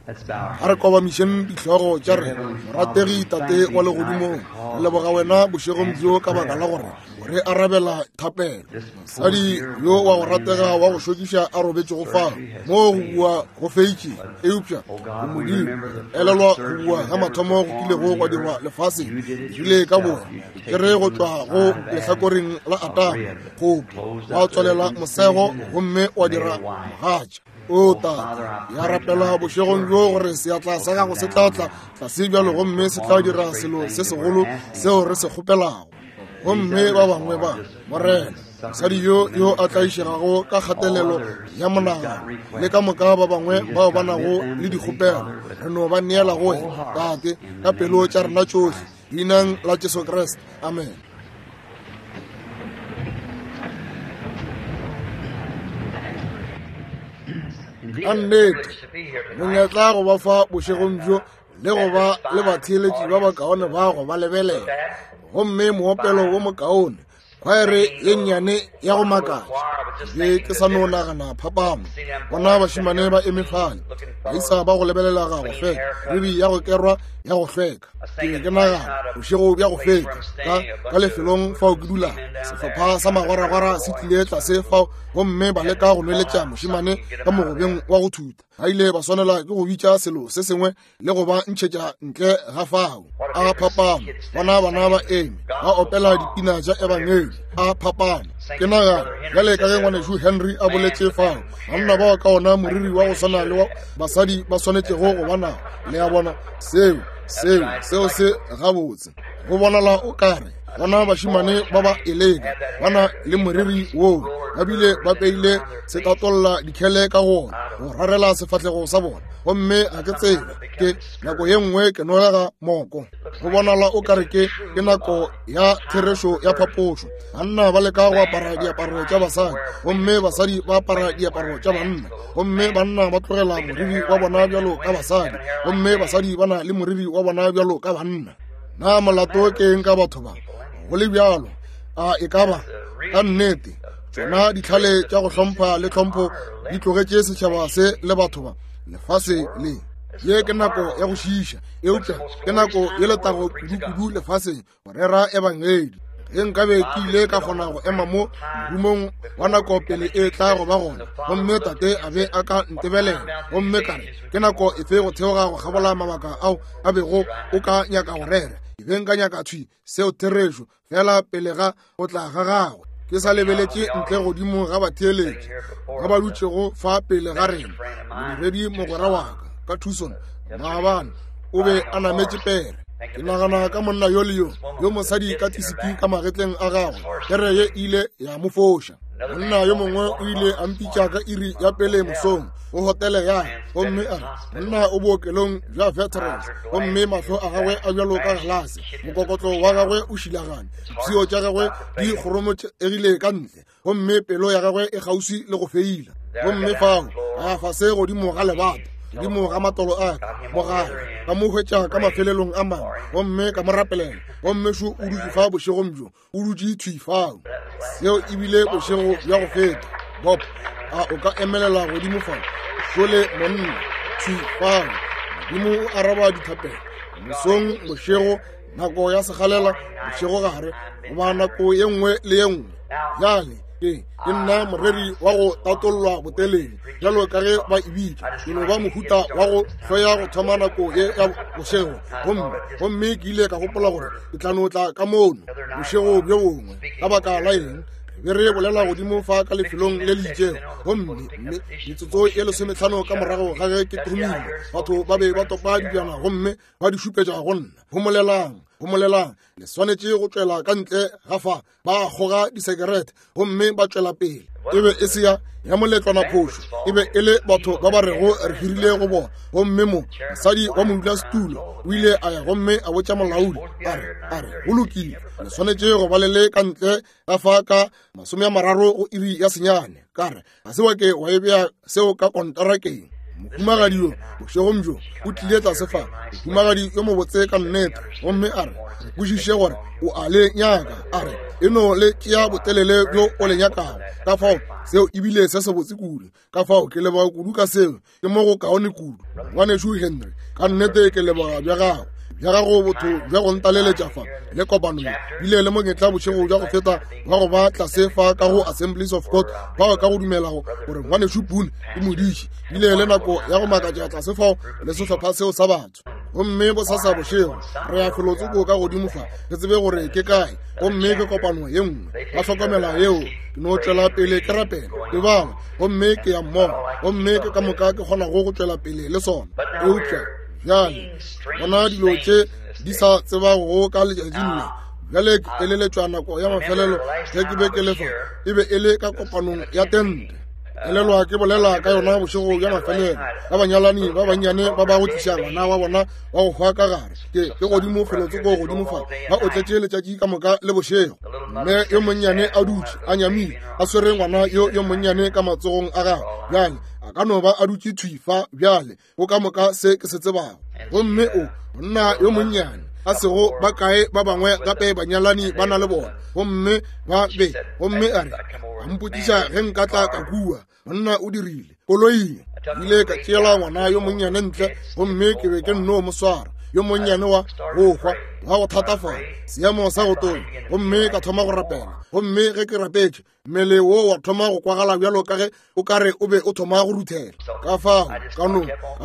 A re kobamišeng dihlogo tša rena. Morategi Tate wa Legodimong, re leboga wena bošegong bjo ka baka la gore o re arabela thapelo. Mosadi yo wa go ratega wa go šokiša a robetšego fao moo go bua go feitše, eupša o Modimo, elelwa go bua ga mathomo go kilego gwa dirwa lefaseng ebile ka boa ke re go tšwa go lehlakoreng la Adama kgopo wa tswalela mosego gomme wa dira mogatša. O Tate, ya rapela bošegong bjo gore seatla sa gago se tla tla tlase bjalo gomme se tla dira selo se segolo seo re se kgopelago. Gomme ba bangwe ba, Morena, mosadi yo yo a tlaišegago ka kgatelelo ya monagano le ka moka ba bangwe bao ba nago le dikgopelo, re no ba neela go wena, Tate, ka pelo tša rena tšohle, leineng la Jesu Kriste. Amen. Ka nnete monyetla go ba fa bošegong bjo le go ba le batheeletši ba bakaone ba go ba lebelela gomme moopelo wo mokaone khwaere ye nnyane ya go makatša be ke sa no nagana phapano bona bašimane ba eme fale baisa ba go lebelela ga go hlweka ribi ya go kerwa ya go hlweka ke be ke nagana bošego bja go feta ka ka lefelong fao ke dulang sehlopha sa magwaragwara se tlile tlase fao gomme ba leka go nweletša mošemane ka mogobeng wa go thuta ba ile ba swanela ke go bitša selo se sengwe le go ba ntšhetša ntle ga fao a phapano bona bana ba eme ba opela dipina tša ebangedi a phapano ke nagana bjale ka ge ngwanešu henry a boletše fao banna bao ka ona moriri wa go swana le wa basadi ba swanetšego go ba nao le a bona seo seo seo se gabotse go bonala o kare bona bašimane ba ba eleka ba na le moriri woo ba bile ba peile setatolla dikhele ka go ona go rarela sefahlego sa bona gomme ga ke tsebe ke nako ye nngwe ke nolega moko go bonala o kare ke ke nako ya therešo ya phapošo banna ba leka go apara diaparo tša basadi gomme basadi ba apara diaparo tša banna gomme banna ba tlogela moriri wa bona bjalo ka basadi gomme basadi ba na le moriri wa bona bjalo ka banna na molato ke eng ka batho ba go le bjalo a e ka ba ka nnete tšona ditlhale tša go hlompha le tlhompho di tlogetše setšhaba se le batho ba lefase le ye ke nako ya go šiiša eupša ke nako ye letago kudu-kudu lefaseng go rera ebangedi ge nkabe ke ile ka kgona go ema mo morumong wa nako pele e tla go ba gona gomme tate a be a ka ntebelela gomme ka re ke nako efe go theoga go kgabola mabaka ao a bego o ka nyaka go rera ke be nka nyaka thwi seo therešo fela pele ga go tla ga gagwe ke sa lebeletše ntle godimo ga batheeletši ba ba dutšego fa pele ga rena modiredi mogwera wa ka ka tucson maabane o be a nametše pere ke nagana ka monna yo le yo yo mosadi ka tisiki ka magetleng a gagwe pere ye ile ya mo foša monna yo mongwe o ile a mpitša ka iri ya pele mosong go hotele ya gomme a re monna o bookelong bja veterans gomme mahlo a gagwe a bjalo ka galase mokokotlo wa gagwe o šilagane dipshio tša gagwe di kgoromotšegile ka ntle gomme pelo ya gagwe e kgauswi le go feila gomme fao a fase godimo ga lebata godimo ga matolo a ka mogala ka mo hwetša ka mafelelong a mangwe gomme ka mo rapelela gomme šo o dutše fa bošegong bjo o dutše thwi fao seo ebile bošego bja go feta bob a o ka emelela godimo fao šole monna thwi fao modimo o araba dithapelo mosong bošego nako ya segalela bošegogare goba nako ye nngwe le ye nngwe bjale ke ke nna moreri wa go tatollwa botelele bjalo ka ge ba e bitša ke no ba mohuta wa go hloya go thoma nako ye ya bošego gomme gomme ke ile ka gopola gore ke tla no tla ka mono bošego bjo bongwe ka baka la eng be re bolela godimo fa ka lefelong le le itšego gomme mme metsotso ye lesometlhano ka morago ga ge ke thomile batho ba be ba topa dijana gomme ba di šupetša go nna homolelang homolelang le swanetše go tšwela ka ntle ga fa ba kgoga disekerete gomme ba tšwela pele e be e se ya ya moletlwana phošo e be e le batho ba ba rego re hirile go bona gomme mo mosadi wa modulasetulo o ile a ya gomme a botša molaodi a re a re go lokile le swanetše go ba le le ka ntle ga fa ka masome a mararo go iri ya senyane ka re ga se wa ke wa e bea seo ka kontarakeng. Mohumagadi yo bošegong bjo o tlile tlase fa, mohumagadi yo mobotse ka nnete, gomme a re, Re kwešiše gore o a le nyaka. A re, E no le tšea botelele bjo o le nyakago. Ka fao seo e bile se sebotse kudu. Ka fao ke leboga kudu ka seo. Ke mo go kaone kudu. Ngwanešu Henry, ka nnete ke leboga bja gago bja gago botho bja go ntaleletša fa le kopano ye bile le monyetla bošego bja go feta wa go ba tlase fa ka go Assemblies of God bao ka go dumelago gore ngwanešu Boone ke modiši bile le nako ya go makatša tlase fao le sehlopha seo sa batho. Gomme bosasa bošego re ya felotsoko ka godimo fa re tsebe gore ke kae, gomme ke kopano ye nngwe. Ba hlokomela yeo, ke no tšwela pele ke rapela ke bala, gomme ke ya mmogo, gomme ke ka moka ke kgonago go tšwela pele le sona. Eupša bjale bona dilo tše di sa tsebago ka letšatšing le. Bjale ke eleletšwa nako ya mafelelo ge ke be ke le fa, e be e le ka kopanong ya tente. Elelwa ke bolela ka yona bošego bja mafelelo ka banyalani ba bannyane ba ba go tliša ngwana wa bona wa go hwa ka gare. Ke ke godimo felotsoko godimo fa, ba otletše letšatši ka moka le bošego. Mme yo monnyane a dutše a nyamile, a swere ngwana yo yo monnyane ka matsogong a gagwe. Bjale a ka no ba a dutše thwi fa bjale, go ka moka se ke se tsebago. Gomme o monna yo monnyane a sego ba kae ba bangwe gape banyalani ba na le bona, gomme ba be, gomme a re, a mpotšiša ge nka tla ka kua. Monna o dirile koloing, ile ka tšeela ngwana yo monnyane ntle, gomme ke be ke nno mo swara, yo monnyane wa go hwa wa go thatafala, seemo sa go tonya, gomme ka thoma go rapela. Gomme ge ke rapetše, mmele wo wa thoma go kwagala bjalo ka ge o ka re o be o thoma go ruthela. Ka fao ka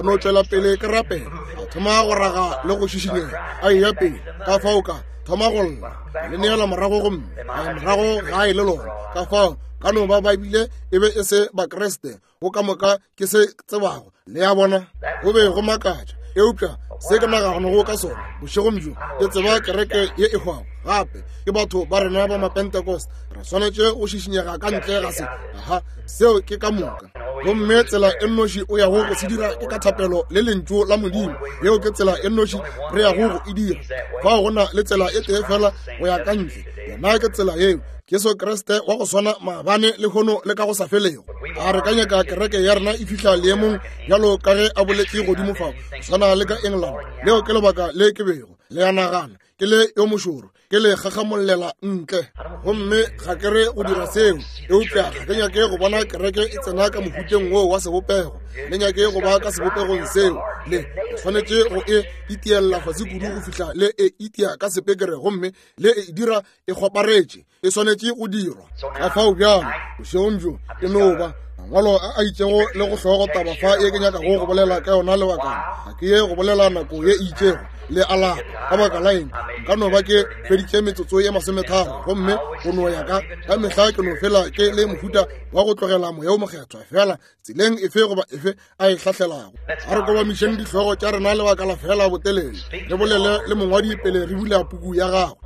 no tšwela pele ke rapela, a thoma go raga le go šišinyega, a eya pele. Ka fao ka thoma go lla, ka le neela morago, gomme a ya morago gae le lona. Ka fao ka no ba ba bile e be e se Bakriste go ka moka ke se tsebago, le a bona, go be go makatša. Eupša se ke naganago ka sona bošegong bjo, ke tseba kereke ye e hwago gape ke batho ba rena ba Mapentecost. Re swanetše go šišinyega ka ntle ga se. Aha, seo ke ka moka. Gomme tsela e nnoši o yago go se dira ke ka thapelo le lentšu la Modimo. Yeo ke tsela e nnoši re yago go e dira. Fao go na le tsela e tee fela go ya ka ntle, yona ke tsela yeo, Jesu Kriste wa go swana maabane, lehono le ka go sa felego. A re ka nyaka kereke ya rena e fihla leemong bjalo ka ge a boletše godimo fao, swana le ka England. Leo ke lebaka le ke bego le a nagana ke le yo mošoro, ke le gagamolela ntle. Gomme ga ke re go dira seo, eupša ga ke nyake go bona kereke e tsena ka mohuteng woo wa sebopego. Le nyake go ba ka sebopegong seo. Le swanetše go e itiella fase kudu go fihla le e itia ka sepekere, gomme le e dira e kgoparetše, e swanetše go dirwa. Ka fao bjalo bošegong bjo e no ba mangwalo a a itšego le go hlogo taba fa ye ke nyakago go bolela ka yona lebakana. Ga ke ye go bolela nako ye e itšego le a lapa. Ka baka la eng, nka no ba ke feditše metsotso ye 30, gomme go no ya ka ka mehla ke no fela ke le mohuta wa go tlogela Moya wo Mokgethwa fela tseleng efe goba efe a e hlahlelago. A re kobamišeng dihlogo tša rena lebaka la fela botelele, re bolele le mongwadi pele re bula puku ya gagwe.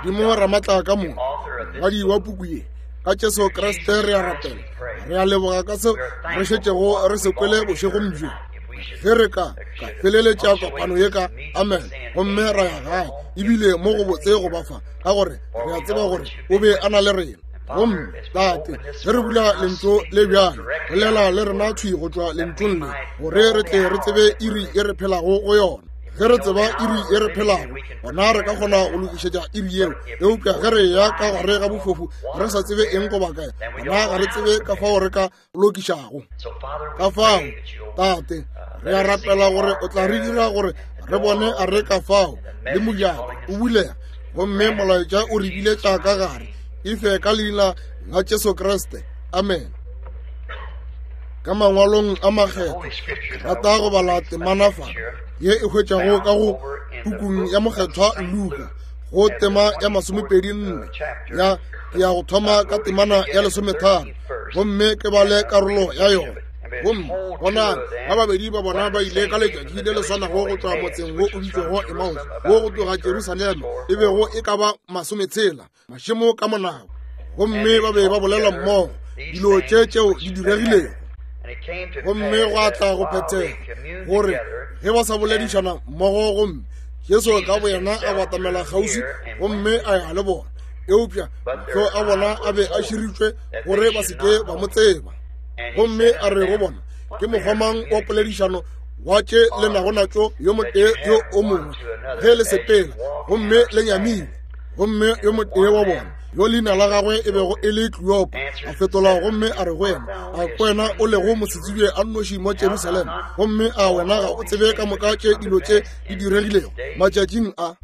Modimo Ramatla ka moka, mongwadi wa puku ye, ka Jesu Kriste re a rapela, re a leboga ka se re šetšego re se kwele bošegong bjo. Ge re ka feleletša kopano ye ka amen, gomme ra ya gae, ebile mo go botse go ba fa, ka gore re a tseba gore o be a na le rena. Gomme Tate, ge re bula lentšu le bjale, bolela le rena thwi go tšwa lentšung le, gore re tle re tsebe iri e re phelago go yona. Ge re tseba iri e re phelago, gona re ka kgona go lokišetša iri yeo. Eupša ge re ya ka gare ga bofofu re sa tsebe eng goba kae, gona ga re tsebe ka fao re ka lokišago. Ka fao, Tate, re a rapela gore o tla re dira gore re bone a re ka fao le mojako o bulega, gomme molaetša o re biletša ka gare. Efe ka leina la Jesu Kriste, amen. Ka mangwalong a makgethwa ke rata go bala temana fa ye e hwetšago ka go pukung ya mokgethwa Luka, go tema ya 24 ya ke ya go thoma ka temana ya 13, gomme ke bale karolo ya yona. Gomme bonang, ba babedi ba bona ba ile ka letšatši le le swanago go tšwa motseng wo o bitšwago Emmaus, wo go tloga Jerusalema e bego e ka ba 60 mašemo ka monabo, gomme ba be ba bolela mmogo dilo tše tšeo di diregilego. Gomme gwa tla go phethega gore ge ba sa boledišana mmogo, gomme Jesu ka boyena a batamela kgauswi gomme a ya le bona, eupša mahlo a bona a be a širitšwe gore ba se ke ba mo tseba. Gomme a re go bona, Ke mokgwa mang wa poledišano wa tše le nago natšo yo motee yo o mongwe ge le sepela gomme le nyamile? Gomme yo motee wa bona, yo leina la gagwe e bego e le Kleopa, a fetola gomme a re go yena, A ke wena o lego mosetsebje a nnoši mo Jerusalema, gomme a wena ga o tsebe ka moka tše dilo tše di diregilego matšatšing a?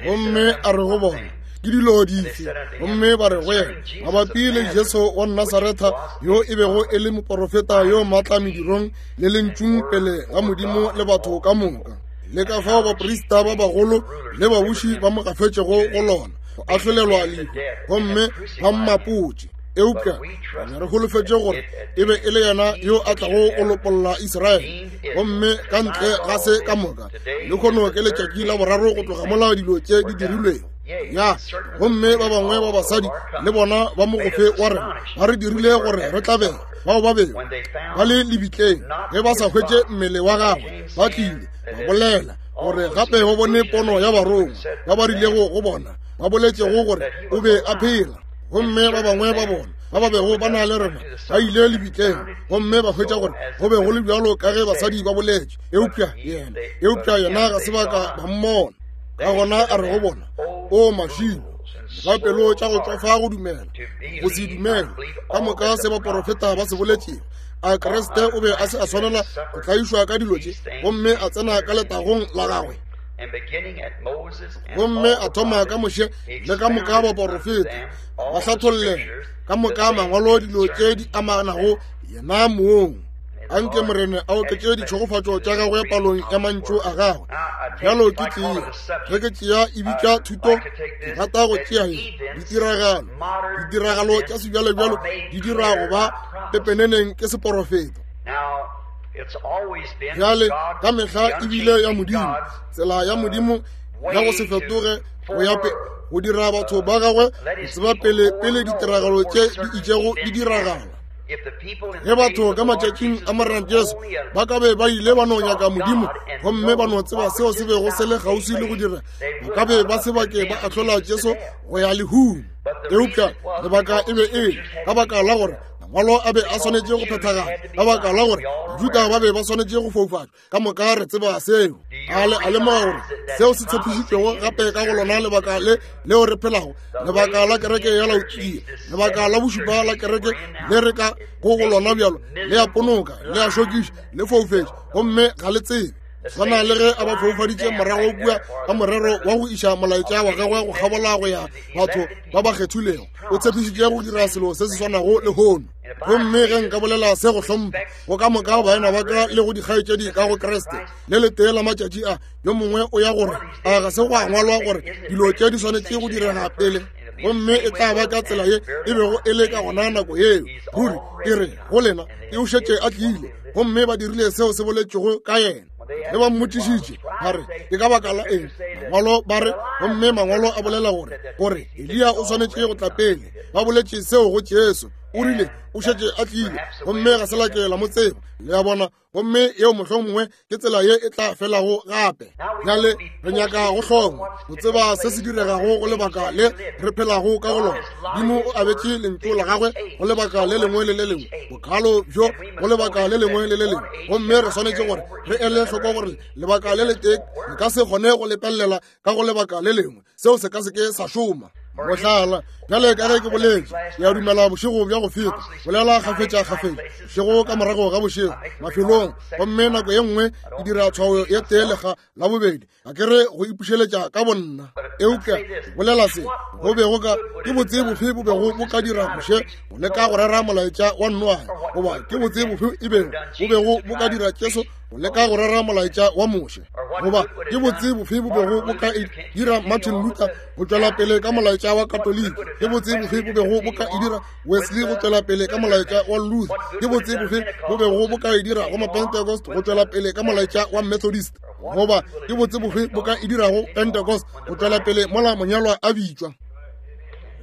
Gomme a re go bona, Ke dilo dife? Gomme ba re go yena, Mabapi le Jesu wa Nasaretha, yo e bego e le moporofeta yo maatla medirong le lentšung pele ga Modimo le batho ka moka, le ka fao baprista ba bagolo le babuši ba mo gafetšego go lona go ahlolelwa lehu, gomme ba mmapotše. Eupša re be re holofetše gore e be e le yena yo a tlago go lopolla Israele. Gomme ka ntle ga se ka moka, lehono ke letšatši la boraro go tloga mola dilo tše di dirilwego. Ya, gomme ba bangwe ba basadi le bona ba mogofe wa rena ba re dirile gore re tlabege, bao ba bego ba le lebitleng ge ba sa hwetše mmele wa gagwe, ba tlile ba bolela gore gape ba bone pono ya barongwa ba ba rilego go bona, ba boletšego gore o be a phela. Gomme ba bangwe ba bona ba ba bego ba na le rena ba ile lebitleng gomme ba hwetša gore go be go le bjalo ka ge basadi ba boletše, eupša yena ga se ba ka ba mmona. Ka gona a re go bona, O mašilo, ba pelo tša go tšwafa go dumela, go se dumele ka moka se baporofeta ba se boletšego. A Kriste o be a se a swanela go tlaišwa ka dilo tše gomme a tsena ka letagong la gagwe? Gomme a thoma ka Moshe le ka moka baporofeta, ba hlathollela ka moka mangwalo dilo tše di amanago yena mong. Anke Morena a oketše ditšhegofatšo tša gagwe palong ya mantšu a gagwe. Bjalo ke tšea, ge ke tšea e bitša thuto, ke rata go tšea ye, ditiragalo. Ditiragalo tša sebjalebjalo di dira go ba pepeneneng ke seporofeto. Bjale ka mehla e bile ya Modimo, tsela ya Modimo ya go se fetoge go ya go dira batho ba gagwe go tseba pele pele ditiragalo tše di itšego di diragala. Ge batho ka matšatšing a Morena Jesu ba ka be ba ile ba no nyaka Modimo gomme ba no tseba seo se bego se le kgauswi le go dira, ba ka be ba se bake ba ahlola Jesu go ya lehung. Eupša lebaka e be e le ka baka la gore mangwalo a be a swanetše go phethagala, ka baka la gore Bajuda ba be ba swanetše go foufatšwa. Ka moka re tseba seo. A le a lemoga gore seo se tshepišitšwego gape ka go lona lebaka le leo re phelago, lebaka la kereke ya Laodikia, lebaka la bošupa la kereke le re ka go go lona bjalo, le a ponoka, le a šokiša, le foufetše, gomme ga le tsebe. Swana le ge a ba foufaditše morago kua ka morero wa go iša molaetša wa gagwe go kgabola go ya batho ba ba kgethilego, o tshepišitše go dira selo se se swanago lehono. Gomme ge nka bolela se go hlompha go ka moka baena ba ka le go dikgaetšedi ka go Kriste, le letee la matšatši a yo mongwe o ya gore a ga se go a ngwalwa gore dilo tše di swanetše go direga pele, gomme e tla ba ka tsela ye e bego e le ka gona nako yeo. Ruri e re go lena, e o šetše a tlile, gomme ba dirile seo se boletšwego ka yena. Ge ba mmotšišitše ba re ke ka baka la eng mangwalo ba re, gomme mangwalo a bolela gore gore Eliya o swanetše go tla pele, ba boletše seo go Jesu. O rile o šetše a tlile, gomme ga se la ke la mo tseba. Le a bona? Gomme yeo mohlomongwe ke tsela ye e tla felago gape. Bjale re nyaka go hlongwa go tseba se se diregago go lebaka le re phelago ka go lona. Modimo o abetše lentšu la gagwe go lebaka le lengwe le le lengwe, bokalo bjo go lebaka le lengwe le le lengwe, gomme re swanetše gore re ele hloko gore lebaka le letee le ka se kgone go lepelela ka go lebaka le lengwe. Seo se ka se ke sa šoma. Mohlala, bjale ka ge ke boletše, ke a dumela bošego bja go feta, bolela kgafetša kgafetša, bošego ka morago ga bošego, mafelong, gomme nako ye nngwe ke dira tshwao ye tee lekga la bobedi, ga ke re go ipušeletša ka bonna, eupša ke bolela se go bego ka, ke botse bofe bo bego bo ka dira Moshe go leka go rera molaetša wa Noage, goba ke botse bofe e bego bo bego bo ka dira Jesu go leka go rera molaetša wa Moshe, goba ke botse bofe bo bego bo ka dira Martin Luther go tšwela pele ka molaetša wa Katoliki, ke botse bofe bo bego bo ka e dira Wesley go tšwela pele ka molaetša wa Luther, ke botse bofe bo bego bo ka e dira go Mapentecost go tšwela pele ka molaetša wa Methodist, goba ke botse bofe bo ka e dirago Pentecost go tšwela pele mola monyalwa a bitšwa.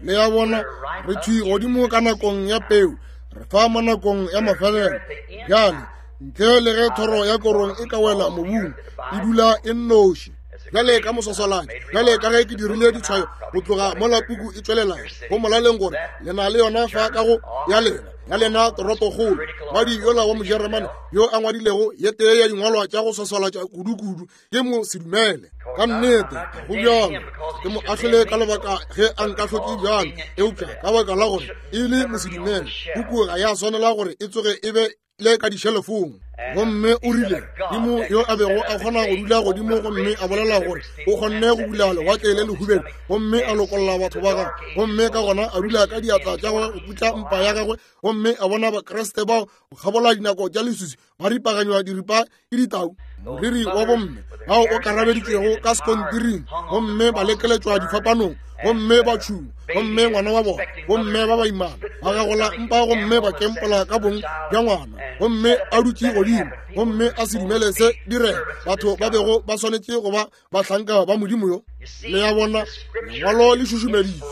Le a bona, re thwi godimo ka nakong ya peu, re fa mo nakong ya mafelelo. Bjale, ntle le ge thoro ya korong e ka wela mobung, e dula e nnoši. Bjale ka moswaswalatši, bjale ka ge ke dirile ditshwayo go tloga mola puku e tšwelela, go molaleng gore le na le yona fa ka go ya lena. ya lena toropokgolo. Ngwadi yola wa Mojeremane yo a ngwadilego ye tee ya dingwalwa tša go swaswalatša kudu-kudu ke mo sedumele. Ka nnete go bjalo, ke mo ahlole ka lebaka ge a nkahlotše bjalo, eupša ka baka la gore e le mosedumele, puku ga ya swanela gore e tsoge e be le ka dišelefong. Gomme o rile, Modimo yo a bego a kgona go dula godimo gomme a bolela gore o kgonne go bula lewatle le lehubedu gomme a lokolla batho ba gagwe, gomme ka gona a dula ka diatla tša gagwe go putla mpa ya gagwe, gomme a bona Bakriste bao go kgabola dinako tša leswiswi ba ripaganywa diripa ke ditau, moriri wa bomme bao o karabeditšwego ka sekontiring, gomme ba lekeletšwa difapanong, gomme ba tšhungwa, gomme ngwana wa bona, bomme ba baimana ba gagola mpa gomme ba kempola ka bong bja ngwana, gomme a dutše godimo gomme a se dumele se direga batho ba bego ba swanetše go ba bahlanka ba Modimo yo. Le ya bona, lengwalo le šušumeditšwe.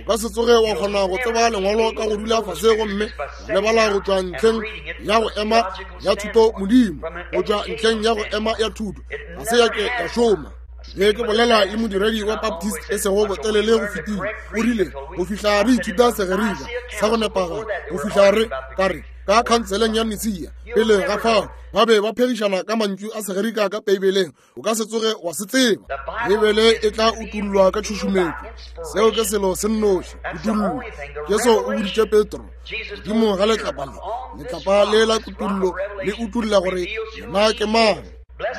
O ka se tsoge wa kgona go tseba lengwalo ka go dula fase gomme wa lebala go tšwa ntlheng ya go ema ya thuto Modimo, go tšwa ntlheng ya go ema ya thuto ga se ya ke ya šoma. Ge ke bolela le modiredi wa Baptist e sego botelele go fetile, o rile, go fihla re ithuta Segerika sa go nepagala, go fihla re ka re ka khanseleng ya Nicaea, pele ga fao ba be ba phegišana ka mantšu a Segerika ka Beibeleng. O ka se tsoge wa se tseba. Beibele e tla utullwa ka tšhušumetšo. Seo ke selo se nnoši, kutullo. Jesu o boditše Petro, godimo ga letlapa le, letlapa le la kutullo le utulla gore yena ke mang.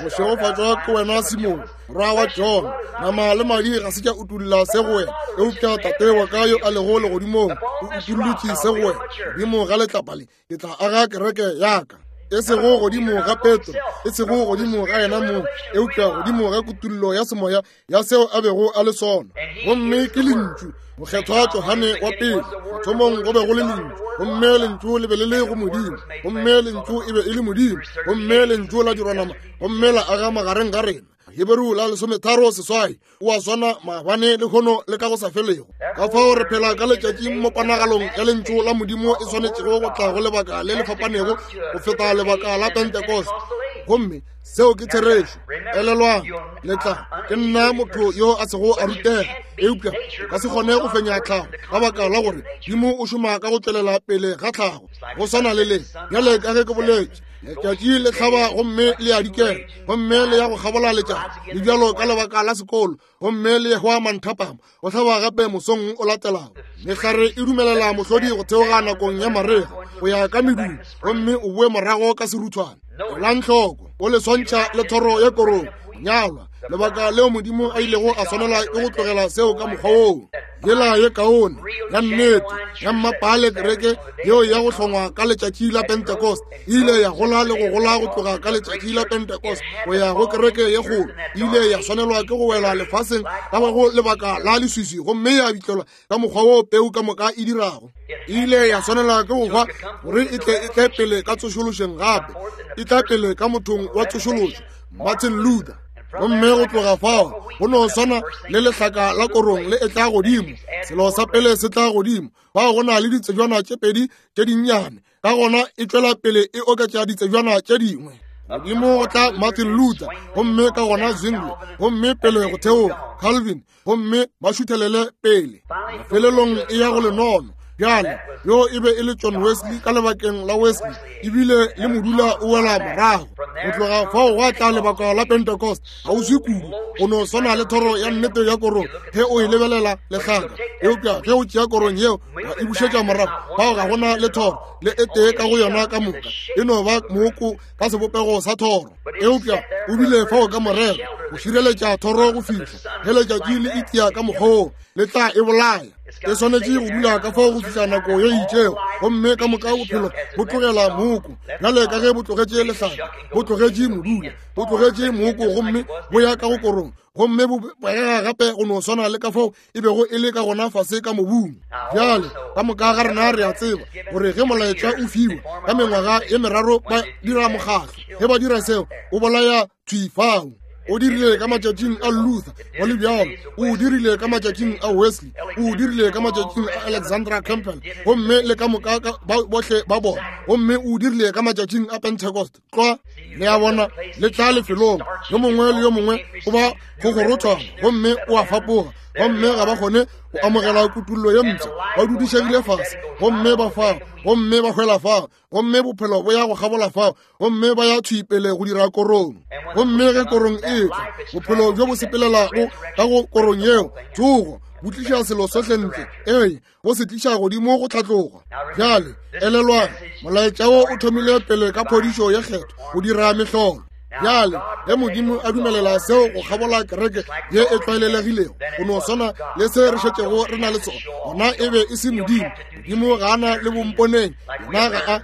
Mošegofatšwa ke wena Simone, morwa wa Jona, nama le madi ga se tša utulla se go wena, eupša Tate wa ka yo a lego legodimong o utullotše se go wena. Godimo ga letlapa le ke tla aga kereke ya ka, e sego godimo ga Petro, e sego godimo ga yena mong, eupša godimo ga kutullo ya semoya ya seo a bego a le sona. Gomme ke Lentšu, Mokgethwa Johane wa pele. Mathomong go be go le Lentšu, gomme Lentšu le be le le go Modimo, gomme Lentšu e be e le Modimo, gomme Lentšu la dirwa nama gomme la aga magareng ga rena. Heberu la 36, o a swana maabane le hono le ka go sa felego. Ka fao re phela ka letšatšing mo ponagalong ya Lentšu la Modimo e swanetšego go tla go lebaka le le fapanego go feta lebaka la Pentecost. Gomme seo ke therešo. Elelwang, le tla ke nna motho yo a sego a rutega, eupša o ka se kgone go fenya tlhago ka baka la gore Modimo o šoma ka go tšwelela pele ga tlhago. Go swana le le bjale ka ge ke boletše, letšatši le hlaba gomme le a dikela, gomme le ya go kgabola letšatši le bjalo ka lebaka la sekolo, gomme le hwa manthapama go hlaba gape mosong o latelago. Mehlare e dumelela mohlodi go theoga nakong ya marega go ya ka medumo, gomme o boe morago ka seruthwane. Elang hloko, o le swantšha le thoro ya korong nyalwa, lebaka leo Modimo a ilego a swanela ke go tlogela seo ka mokgwa woo. Yela ye kaone ya nnete ya mmapaale kereke yeo ya go hlongwa ka letšatši la Pentecost e ile ya gola le go gola go tloga ka letšatši la Pentecost go ya go kereke ye kgolo. E ile ya swanelwa ke go wela lefaseng ka go lebaka la leswiswi gomme ya bitlelwa ka mokgwa wo peu ka moka e dirago. E ile ya swanelwa ke go hwa gore e tle e tle pele ka tsošološeng gape, e tla pele ka mothong wa tsošološo, Martin Luther. Gomme go tloga fao go no swana le lehlaka la korong le e tla godimo. Selo sa pele se tla godimo, fao go na le ditsejwana tše pedi tše dinnyane, ka gona e tšwela pele e oketša ditsejwana tše dingwe. Godimo go tla Martin Luther, gomme ka gona Zwingli, gomme pele go theoga Calvin, gomme ba šuthelele pele. Mafelelong e ya go lenono. Bjale yo e be e le John Wesley ka lebakeng la Wesley, ebile le modula o wela morago. Go tloga fao gwa tla lebaka la Pentecost, kgauswi kudu go no swana le thoro ya nnete ya korong ge o e lebelela lehlaka, eupša ge o tšea korong yeo wa e bušetša morago, fao ga gona le thoro le e tee ka go yona ka moka, e no ba mooko ka sebopego sa thoro. Eupša o bile fao ka morero go šireletša thoro go fihla ge letšatši le itia ka mokgwa woo le tla e bolaya. E swanetše go dula ka fao go fihla nako ye itšego, gomme ka moka bophelo bo tlogela mooko bjale ka ge bo tlogetše lehlaka, bo tlogetše modula, bo tlogetše mooko gomme bo ya ka go korong, gomme bo bega gape go no swana le ka fao e bego e le ka gona fase ka mobung. Bjale ka moka ga rena re a tseba gore ge molaetša o fiwa ka mengwaga ye meraro ba dira mokgahlo. Ge ba dira seo, o bolaya thwi fao. O dirile ka matšatšing a Luther, go le bjalo. O dirile ka matšatšing a Wesley, o dirile ka matšatšing a Alexandra Campbell, gomme le ka moka bohle ba bona, gomme o dirile ka matšatšing a Pentecost. Tlwa, le a bona, le tla lefelong, yo mongwe le yo mongwe o ba go gorothwana gomme o a fapoga, gomme ga ba kgone go amogela kutullo ye mpsha, ba dudišegile fase gomme ba fao, gomme ba hwela fao, gomme bophelo bo ya go kgabola fao, gomme ba ya thwi pele go dira korong. Gomme ge korong e tla, bophelo bjo bo sepelelago ka go korong yeo, tsogo, bo tliša selo sohle ntle, ee, bo se tliša godimo go tlhatloga. Bjale elelwang, molaetša wo o thomile pele ka phodišo ye kgethwa, go dira mehlolo. Bjale ge Modimo a dumelela seo go kgabola kereke ye e tlwaelelegilego, go no swana le se re šetšego re na le sona, gona e be e se Modimo. Modimo ga a na le bomponeng, yena ga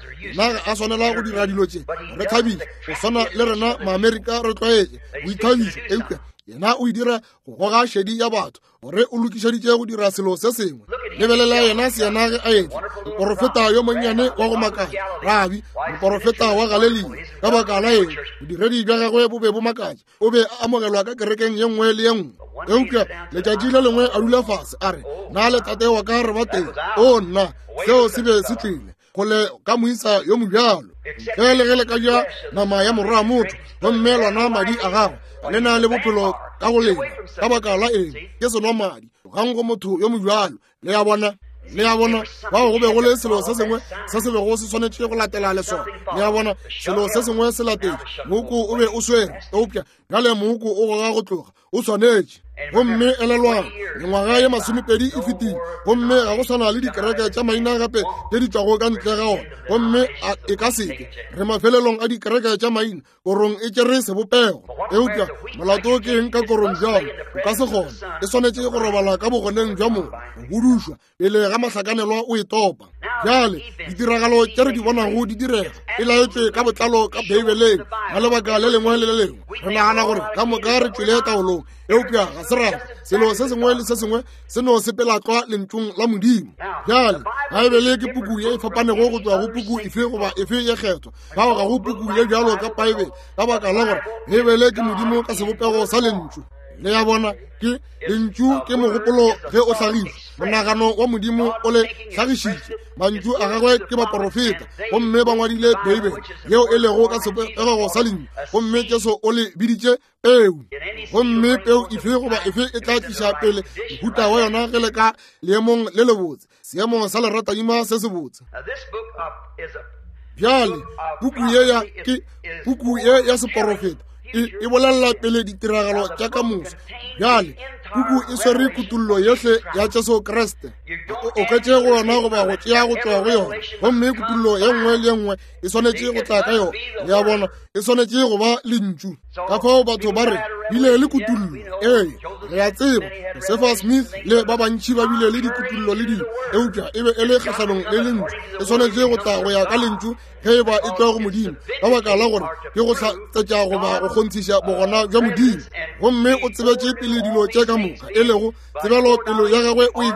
a swanela go dira dilo tše re thabiše, go swana le rena Maamerika re tlwaetše boithabišo, eupša yena o e dira go goga šedi ya batho gore o lokišeditše go dira selo se sengwe. Lebelela yena seyena ge a etla, moporofeta yo monnyane wa go makatša, rabi, moporofeta wa Galelia. Ka baka la eng? Bodiredi bja gagwe bo be bo makatša, o be a amogelwa ka kerekeng ye nngwe le ye nngwe. Eupša letšatši le lengwe a dula fase a re, Na le tate wa ka re ba teng? O nna, seo se be se tlile kgole ka moisa yo mobjalo. Ntle le ge le ka ja nama ya morwa motho gomme lona madi a gagwe, le na le bophelo ka go lena. Ka baka la eng? Ke senwa madi gang go motho yo mobjalo. Le a bona? Le a bona, bao go be go le selo se sengwe se se bego se swanetše go latela le sona. Le a bona, selo se sengwe se latetše. Moko o be o swere, eupša bjale moko o goga go tloga, o swanetše. Gomme elelwang, mengwaga ye masomepedi e fetile, gomme ga go swana le dikereke tša maina gape tše di tšwago ka ntle ga ona, gomme e ka seke. Re mafelelong a dikereke tša maina, korong e tšere sebopego. Eupša molato ke eng ka korong bjalo? O ka se kgone, e swanetše go robala ka bogoneng bja mogo, go budušwa pele ga mahlakanelwa o e topa. Bjale ditiragalo tše re di bonago di direga e laetšwe ka botlalo ka Beibeleng ka lebaka le lengwe le le lengwe. Re nagana gore ka moka re tšwele taolong, eupša ga se ra. Selo se sengwe le se sengwe se no sepela tlwa lentšung la Modimo. Bjale Baebele ke puku ye e fapanego go tšwa go puku efe goba efe ye kgethwa. Fao ga go puku ye bjalo ka Baebele, ka baka la gore Beibele ke Modimo ka sebopego sa lentšu. Le a bona, ke lentšu ke mogopolo ge o hlagišwa, monagano wa Modimo o le hlagišitše. Mantšu a gagwe ke baporofeta, gomme ba ngwadile Beibele yeo e lego ka sebopego sa lentšu, gomme Jesu o le biditše peu. Gomme peu efe goba efe e tla tliša pele mohuta wa yona ge le ka leemong le lebotse, seemo sa leratadima se sebotse. Bjale puku ye ya ke puku ye ya seporofeta e bolelela pele ditiragalo tša ka moso. Bjale puku e swere kutullo yohle ya Jesu Kriste, o oketše go yona goba go tšea go tšwa go yona, gomme kutullo ye nngwe le ye nngwe e swanetše go tla ka yona. Le a bona, e swanetše go ba lentšu. Ka fao batho ba re bile le kutullo. Ee, re a tseba Josefa Smith le ba bantši ba bile le dikutullo le dilo, eupša e be e le kgahlanong le lentšu. E swanetše go tla go ya ka lentšu ge e ba e tšwa go Modimo, ka baka la gore ke go hlatsetša goba go kgonthiša bogona bja Modimo. Gomme o tsebetše pele dilo tše ka moka, e lego tsebelo pelo ya gagwe o e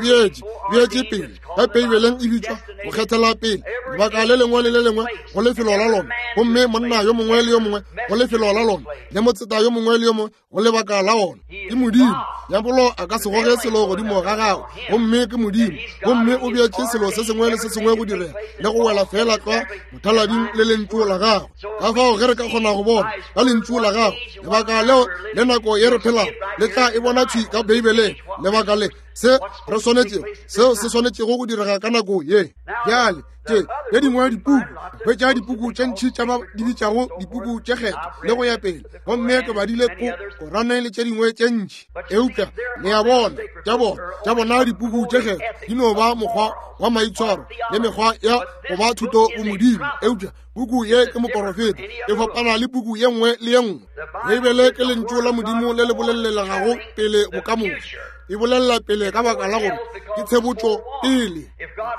beetše pele. Ka Beibeleng e bitšwa go kgethela pele, lebaka le lengwe le le lengwe go lefelo la lona, gomme monna yo mongwe le yo mongwe go lefelo la lona, le motseta yo mongwe le yo mongwe go lebaka la ona. Ke Modimo. Diabolo a ka se goge selo godimo ga gagwe, gomme ke Modimo, gomme o beetše selo se sengwe le se sengwe go direga le go wela fela tlwa mothalading le lentšu la gagwe. Ka fao ge re ka kgona go bona ka lentšu la gagwe lebaka leo le nako ye re phelago, le tla e bona thwi ka Beibeleng, lebaka le se re swanetšego, seo se swanetšego go direga ka nako ye. Bjale tše tše dingwe dipuku, hwetša dipuku tše ntši tša ba di bitšago dipuku tše kgethwa le go ya pele, gomme ke badile ko Korane le tše dingwe tše ntši, eupša le a bona tša bona dipuku tše kgethwa di no ba mokgwa wa maitshwaro le mekgwa ya go ba thuto go Modimo, eupša puku ye ke moporofeta, e fapana le puku ye nngwe le ye nngwe. Beibele ke lentšu la Modimo le le bolelelegago pele bokamoso. E bolelela pele ka baka la gore ke tshebotšo pele.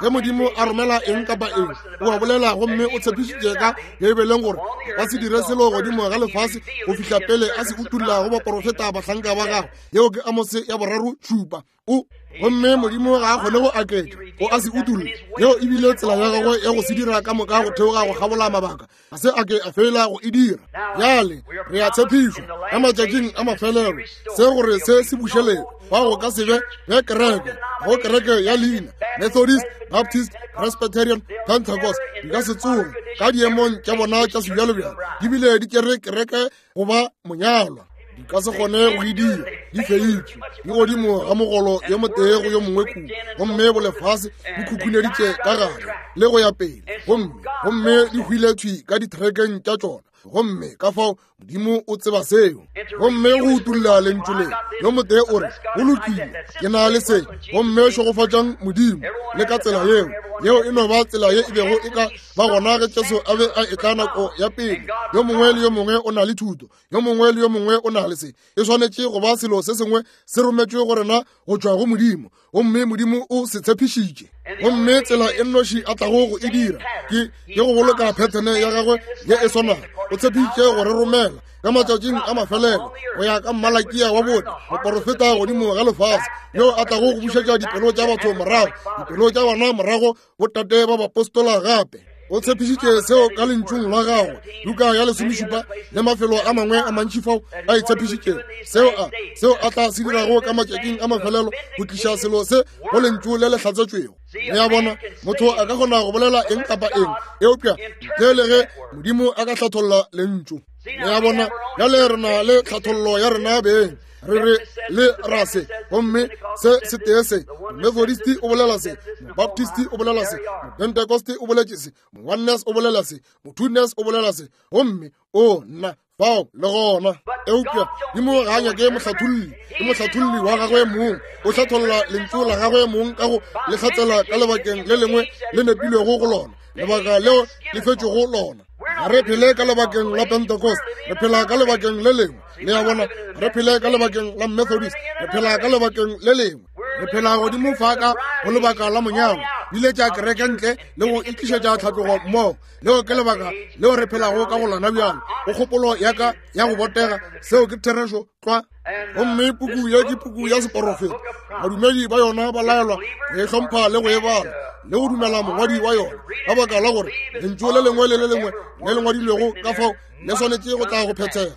Ge Modimo a romela eng kapa eng, o a bolela, gomme o tshepišitše ka Beibeleng gore a ka se dire selo godimo ga lefase go fihla pele a se utolla go baporofeta bahlanka ba gagwe. Yeo ke Amose ya 3:7. O gomme Modimo ga a kgone go aketša, o a se utolle. Yeo e bile tsela ya gagwe ya go se dira ka moka go theoga go kgabola mabaka, ga se a ke a fela go e dira. Bjale re a tshepišwa ka matšatšing a mafelelo se gore se se bušelele, fa go ka se be ge kereke, go kereke ya leina Methodist, Baptist, Presbyterian, Pentecost di ka se tsoge ka diemong tša bona tša sebjalobjalo di bile di tšere kereke go ba monyalwa. ka se kgone go e dira. Di feitšwe, di godimo ga mogolo yo motee go yo mongwe kua, gomme bolefase bo khukhuneditše ka gare le go ya pele, gomme gomme di hwile thwi ka ditrekeng tša tšona. Gomme ka fao Modimo o tseba seo. Gomme go utolla lentšu le, yo motee o re, Go lokile, ke na le se, gomme šegofatšang Modimo le ka tsela yeo. Yeo e no ba tsela ye e bego e ka ba gona ge Jesu a be a etla nako ya pele. Yo mongwe le yo mongwe o na le thuto, yo mongwe le yo mongwe o na le se. E swanetše go ba selo se sengwe se rometšwe go rena go tšwa go Modimo, gomme Modimo o se tshepišitše. Gomme tsela e nnoši a tlago go e dira ke ke go boloka phethene ya gagwe ye e swanago. O tshepišitše go re romela ka matšatšing a mafelelo go ya ka Mmalakia wa bone, moporofeta godimo ga lefase, yo a tlago go bušetša dipelo tša batho morago, dipelo tša bana morago botate ba bapostola gape. O tshepišitše seo ka lentšung la gagwe, Luka ya lesomešupa le mafelo a mangwe a mantši fao a e tshepišitšego seo a seo a tla se dirago ka matšatšing a mafelelo go tliša selo se go lentšu le le hlatsetšwego. Le a bona, motho a ka kgona go bolela eng kapa eng, eupša ntle le ge Modimo a ka hlatholla lentšu. Le a bona, bjale re na le tlhathollo ya rena beng, re re le ra se, gomme se se tee se. Methodist o bolela se, Baptist o bolela se, Pentecost o boletše se, Oneness o bolela se, Twoness o bolela se, gomme o nna fao le gona. Eupša Modimo ga a nyake mohlatholli, ke mohlatholli wa gagwe mong. O hlatholla lentšu la gagwe mong ka go le hlatsela ka lebakeng le lengwe le nepilwego go lona, lebaka leo le fetšwego lona. Ga re phele ka lebakeng la Pentecost, re phela ka lebakeng le lengwe. Le a bona, re phele ka lebakeng la Methodist, re phela ka lebakeng le lengwe. Re phela godimo fa ka go lebaka la monyalo, biletša kereke ntle le go itlišetša tlhatlogo mmogo. Leo ke lebaka leo re phelago ka go lona bjalo. Go kgopolo ya ka ya go botega, seo ke therešo tlwa. Gomme puku ye ke puku ya seporofeta. Badumedi ba yona ba laelwa go e hlompha le go e bala le go dumela mongwadi wa yona, ka baka la gore lentšu le lengwe le le lengwe le le ngwadilwego ka fao le swanetše go tla go phethega.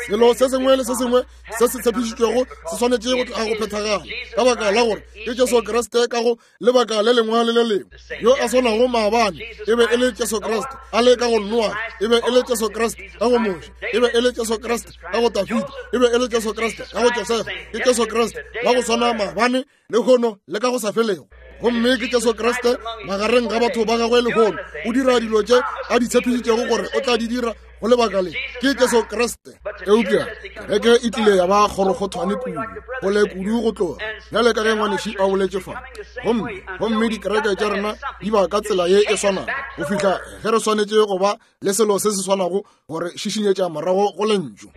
Selo se sengwe le se sengwe se se tshepišitšwego se swanetše go tla go phethagala, ka baka la gore ke Jesu Kriste ka go lebaka le lengwe le le lengwe. Yo a swanago maabane e be e le Jesu Kriste, a le ka go Noa e be e le Jesu Kriste, ka go Moshe e be e le Jesu Kriste, ka go Dafida e be e le Jesu Kriste, ka go Josefa ke Jesu Kriste, wa go swana maabane, lehono le ka go sa felego. Gomme ke Jesu Kriste magareng ga batho ba gagwe lehono, o dira dilo tše a di tshepišitšego gore o tla di dira go lebaka le. Ke Jesu Kriste. Eupša kereke e tlile ya ba kgorokgothwane kudu, gole kudu go tloga bjale ka ge ngwaneši a boletše fa. Gomme gomme dikereke tša rena di ba ka tsela ye e swanago go fihla ge re swanetše go ba le selo se se swanago gore šišinyetša morago go lentšu.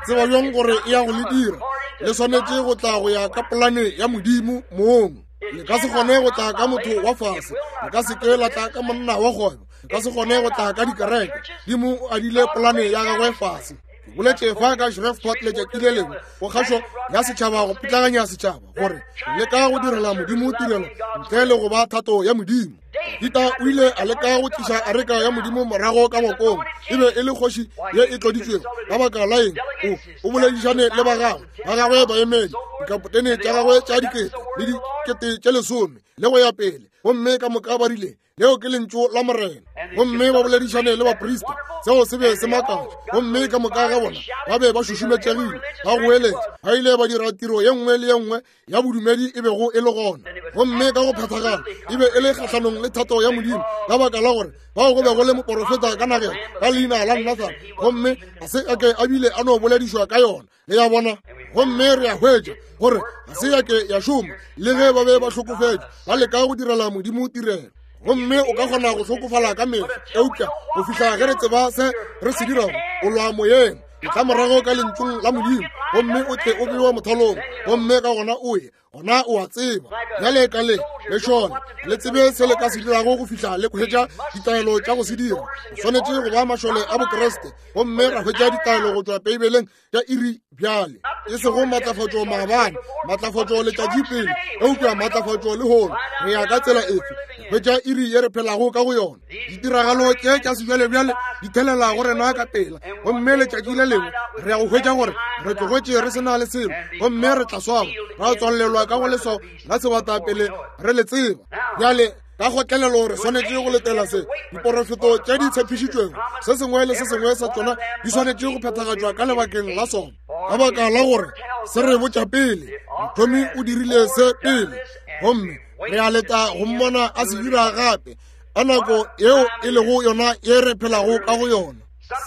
Tseba bjang gore e ya go le dira? Le swanetše go tla go ya ka polane ya Modimo mong. Le ka se kgone go tla ka motho wa fase, le ka se ke la tla ka monna wa kgwebo, le ka se kgone go tla ka dikereke. Modimo o adile polane ya gagwe fase. Ke boletše fa ka Shreveport letšatši le lengwe go kgašo ya setšhaba go putlaganya setšhaba gore leka go direla Modimo tirelo ntle le go ba thato ya Modimo. Dafida o ile a leka go tliša areka ya Modimo morago ka ngwakong. E be e le kgoši ye e tloditšwego. Ka baka la eng? O boledišane le ba gagwe, ba gagwe baemedi, dikapotene tša gagwe tša dikete le dikete tše lesome le go ya pele, gomme ka moka ba rile, leo ke lentšu la Morena. Gomme ba boledišane le baprista, seo se be se makatša, gomme ka moka ga bona ba be ba šušumetšegile, ba goeletša, ba ile ba dira tiro ye nngwe le ye nngwe ya bodumedi e bego e le gona, gomme ka go phethagala e be e le kgahlanong le thato ya Modimo, ka baka la gore bao go be go le moporofeta ka nageng ka leina la Nathan, gomme ga se a ke a bile a no boledišwa ka yona. Le ya bona? Gomme re a hwetša gore ga se ya ke ya šoma, le ge ba be ba hlokofetše ba leka go direla Modimo tirelo. Gomme o ka kgona go hlokofala ka mehla, eupša go fihla ge re tseba se re se dirago, o lwa moyeng. Etla morago ka lentšung la Modimo, gomme o tle o bewe mothalong, gomme ka gona o ye, gona o a tseba. Bjale ka le le šona, le tsebe se le ka se dirago go fihla le hwetša ditaelo tša go se dira. O swanetše go ba mašole a Bokriste, gomme ra hwetša ditaelo go tšwa Beibeleng tša iri bjale, e sego maatlafatšo maabane, maatlafatšo letšatši pele, eupša maatlafatšo lehono. Re ya ka tsela efe? Re hwetša iri ye re phelago ka go yona. Ditiragalo tše tša sejwalebjale di thelela go rena ka pela, gomme letšatši le lengwe re ya go hwetša gore re tlogetše re se na le selo, gomme re tla swaba ra tswalelwa ka go leswao la sebata pele re le tseba. Bjale ka kgotlelelo re swanetše go letela se diporofeto tše di tshepišitšwego, se sengwe le se sengwe sa tšona di swanetše go phethagatšwa ka lebakeng la sona. Ka baka la gore se re botša pele, mothomi o dirile se pele, gomme re a leta go mmona a se dira gape ka nako yeo e lego yona ye re phelago ka go yona.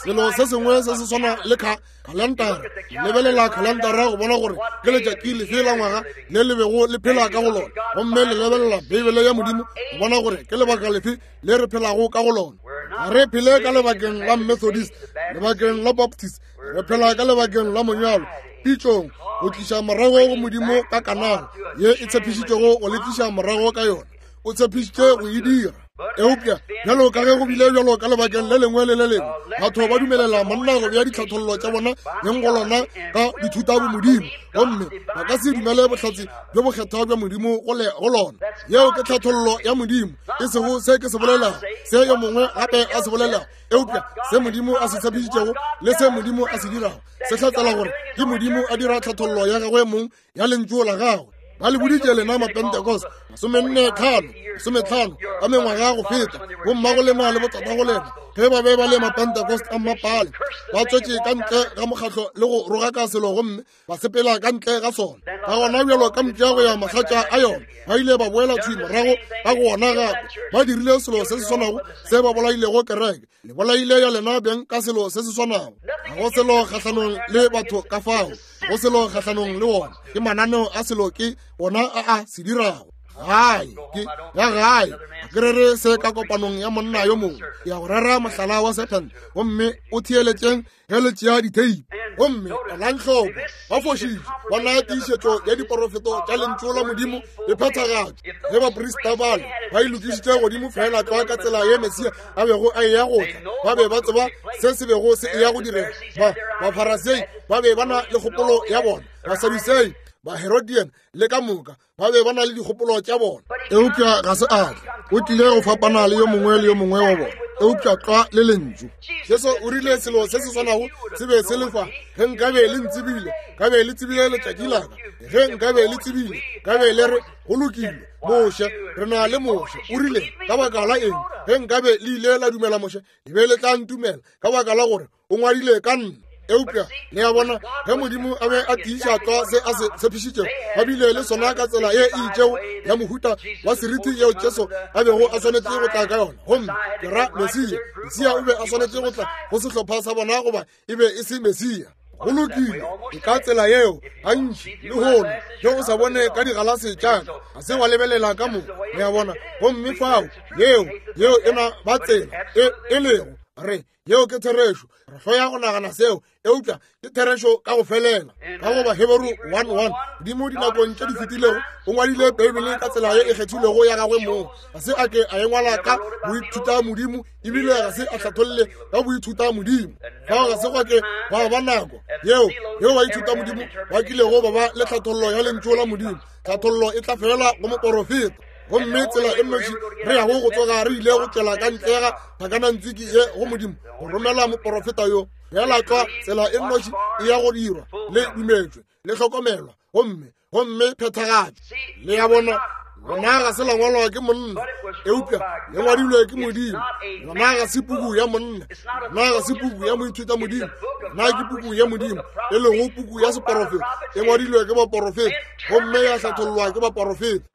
Selo se sengwe se se swana le kha khalantara. Lebelela khalantara go bona gore ke letšatši lefe la ngwaga le le bego le phela ka go lona, gomme le lebelela Beibele ya Modimo go bona gore ke lebaka lefe le re phelago ka go lona. Ga re phele ka lebakeng la Methodist, lebakeng la Baptist, re phela ka lebakeng la monyalo, pitšong, go tliša morago go Modimo ka kanala ye e tshepišitšego go le tliša morago ka yona. O tshepišitše go e dira. Eupša bjalo ka ge go bile bjalo ka lebakeng le lengwe le le lengwe, batho ba dumelela monna go bea ditlhathollo tša bona beng go lona ka dithutabomodimo, gomme ba ka se dumele bohlatse bjo bokgethwa bja Modimo go lona. Yeo ke tlhathollo ya Modimo, e sego se ke se bolelago, se yo mongwe gape a se bolelago, eupša se Modimo a se tshepišitšego le se Modimo a se dirago se hlatsela gore ke Modimo a dira tlhathollo ya gagwe mong ya lentšu la gagwe. Ba le boditše lena Mapentecost, 45, 50 a mengwaga go feta, bommago lena le botatago lena, ge ba be ba le Mapentecost a mmapale, ba tswetše ka ntle ga mokgatlo le go rogaka selo gomme ba sepela ka ntle ga sona. Ka gona bjalo ka mpša go ya mahlatša a yona, ba ile ba boela thwi morago ka go ona gape. Ba dirile selo se se swanago se ba bolailego kereke. Le bolaile ya lena beng ka selo se se swanago. Ga go selo kgahlanong le batho ka fao, go selo kgahlanong le wona. Ke mananeo a selo ke ona a a se dirago. Gae ke ya gae. Ga ke rere se ka kopanong ya monna yo mongwe. Ke ya go rera mohlala wa sephente, gomme o theeletšeng ge le tšea ditheipi. Gomme elang hloko, ba fošitše, bona tiišetšo ya diporofeto tša lentšu la Modimo e phethagatšwa. Ge baprista bale ba e lokišitše godimo feela tlwa ka tsela ye Mesia a bego a eya go tla, ba be ba tseba se se bego se eya go direga. Ba Bafarasei ba be ba na le kgopolo ya bona, Basadusei, Baherodian le ka moka ba be ba na le dikgopolo tša bona. Eupša ga se a tla, o tlile go fapana le yo mongwe le yo mongwe wa bona, eupša tlwa le lentšu. Jesu o rile selo se se swanago se be se le fa. Ge nkabe le ntsebile, ka be le tsebile letšatši la ka. Ge nkabe le tsebile, ka be le re, go lokile, Moshe, re na le Moshe. O rile, ka baka la eng? Ge nkabe le ile la dumela Moshe, le be le tla ntumela, ka baka la gore o ngwadile ka nna. Eupša le a bona, ge Modimo a be a tiiša tlwa se a se tshepišitšego, ba bile le sona ka tsela ye e itšego ya mohuta wa seriti yeo Jesu a bego a swanetše go tla ka yona. Gomme ke ra Mesia. Mesia o be a swanetše go tla go sehlopha sa bona, goba e be e se Mesia. Go lokile, ke ka tsela yeo gantši lehono ge o sa bone ka digalase tša ka, ga se wa lebelela ka mo, le a bona. Gomme fao yeo, yeo e na ba tsela e, e lego re Yeo ke therešo. Re hloya go nagana seo, eupša ke therešo ka go felela. Ka go Baheberu 1:1, Modimo dinakong tše di fetilego o ngwadile Beibele ka tsela ye e kgethilwego ya gagwe mong. Ga se a ke a e ngwala ka boithutamodimo, ebile ga se a hlatholle ka boithutamodimo. Fao ga se gwa ke gwa ba nako yeo yeo baithutamodimo ba kilego ba ba le tlhathollo ya Lentšu la Modimo. Tlhathollo e tla felela go moporofeta. Gomme tsela e nnoši re yago go tsoga re ile go tšwela ka ntle ga tlhakanantswiki ye go Modimo go romela moporofeta yo, feela tlwa tsela e nnoši e ya go dirwa, le dumetšwe, le hlokomelwa, gomme, gomme phethagatšo. Le ya bona, lona ga se la ngwalwa ke monna, eupša le ngwadilwe ke Modimo. Lona ga se puku ya monna, lona ga se puku ya moithuta Modimo, lona ke puku ya Modimo, e lego puku ya seporofeta, e ngwadilwe ke baporofeta gomme ya hlathollwa ke baporofeta.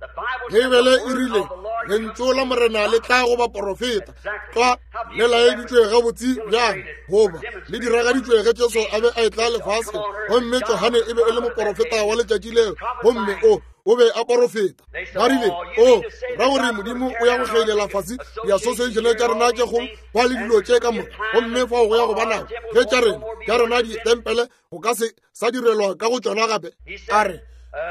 Beibele e rile, Lentšu la Morena le tla go baporofeta. Tlwa le laeditšwe gabotse bjang, goba le diragaditšwe ge Jesu a be a etla lefaseng, gomme Johane e be e le moporofeta wa letšatši leo, gomme o o be a porofeta. Ba rile, O ra gore Modimo o ya go kgeilela fase diasosiešene tša rena tše kgolo ba le dilo tše ka moka, gomme fao go ya go ba nako ge tša rena tša rena ditempele go ka se sa direlwa ka go tšona gape? A re,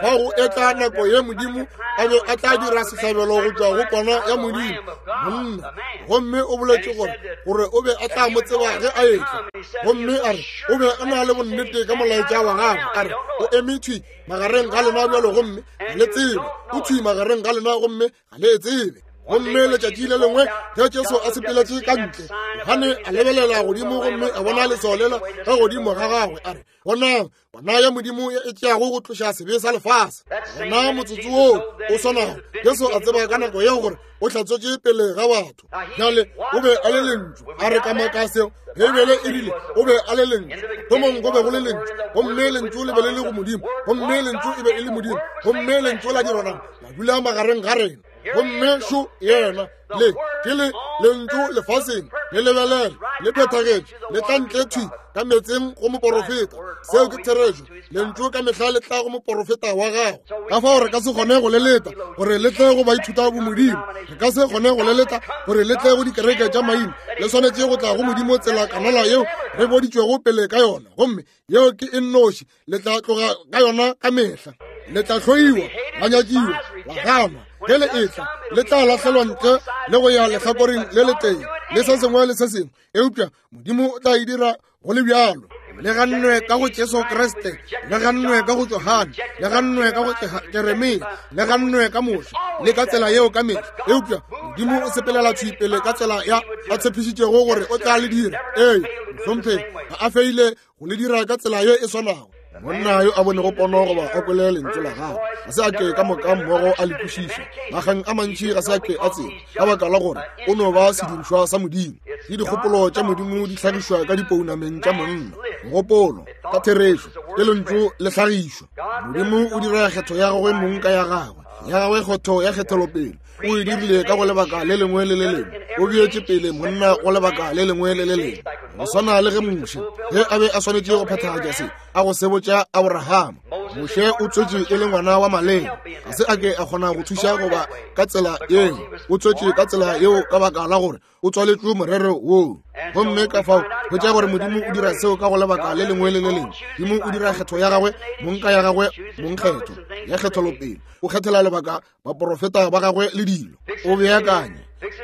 fa go etla nako ye Modimo a be a tla dira sehlabelo go tšwa go kwana ya Modimo, monna. Gomme o boletše gore, gore o be a tla mo tseba ge a etla. Gomme a re, o be a na le bonnete ka molaetša wa gagwe. A re, o eme thwi magareng ga lena bjalo gomme ga le tsebe. O thwi magareng ga lena gomme ga le e tsebe. Gomme letšatši le lengwe ge Jesu a sepeletše ka ntle, Johane a lebelela godimo gomme a bona leswao lela ka godimo ga gagwe, a re, Bonang, bona ya Modimo e tšeago go tloša sebe sa lefase. Gona motsotso woo o swanago, Jesu a tseba ka nako yeo gore o hlatswetše pele ga batho. Bjale o be a le Lentšu. A re ka maka seo? Beibele e rile o be a le Lentšu. Thomong go be go le Lentšu, gomme Lentšu le be le le go Modimo, gomme Lentšu e be e le Modimo, gomme Lentšu la dirwa nama, la dula magareng ga rena. Gomme šo yena, le ke le Lentšu lefaseng, le lebelele, le phethagetše, le tla ntle thwi ka meetseng go moporofeta. Seo ke therešo. Lentšu ka mehla le tla go moporofeta wa gago. Ka fao re ka se kgone go le leta gore le tle go baithuta bomodimo. Re ka se kgone go le leta gore le tle go dikereke tša maina. Le swanetše go tla go Modimo tsela kanala yeo re boditšwego pele ka yona, gomme yeo ke e nnoši le tla tloga ka yona ka mehla. Le tla hloiwa, la nyakiwa, la ganwa. Ge le etla, le tla lahlelwa ntle le go ya lehlakoreng le letee le se sengwe le se sengwe, eupša Modimo o tla e dira go le bjalo. Le gannwe ka go Jesu Kriste, le gannwe ka go Johane, le gannwe ka go Jeremia, le gannwe ka Moshe, le ka tsela yeo ka mehla. Eupša Modimo o sepelela thwi pele ka tsela ya a tshepišitšego gore o tla le dira. Ee, mohlomphegi, ga a feile go le dira ka tsela ye e swanago. Monna yo a bonego pono goba a kwele lentšu la gagwe ga se a ke ka moka mmogo a le kwešiša. Makgang a mantši ga se a ke a tseba, ka baka la gore o no ba sedirišwa sa Modimo. Ke dikgopolo tša Modimo di hlagišwa ka dipounameng tša monna. Mogopolo, ka therešo, ke lentšu le hlagišwa. Modimo o dira kgetho ya gagwe mong ka ya gagwe, ya gagwe kgetho ya kgethelopele. O e dirile ka go lebaka le lengwe le le lengwe. O beetše pele monna go lebaka le lengwe le le lengwe. Go swana le ge Moshe, ge a be a swanetše go phethagatša se a go sebotša Abrahama. Moshe o tswetše e le ngwana wa maleng, ga se a ke a kgona go thuša goba ka tsela yeo. O tswetše ka tsela yeo ka baka la gore o tswaletšwe morero woo. Gomme ka fao hwetša gore Modimo o dira seo ka go lebaka le lengwe le le lengwe. Modimo o dira kgetho ya gagwe mong ka ya gagwe mong kgetho ya kgetholopele. O kgethela lebaka baporofeta ba gagwe le dilo. O beakanya,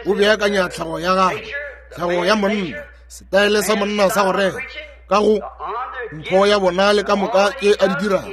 o beakanya tlhago ya gagwe, tlhago ya monna, setaele sa monna sa go rera ka go mpho ya bona le ka moka tše a di dirago,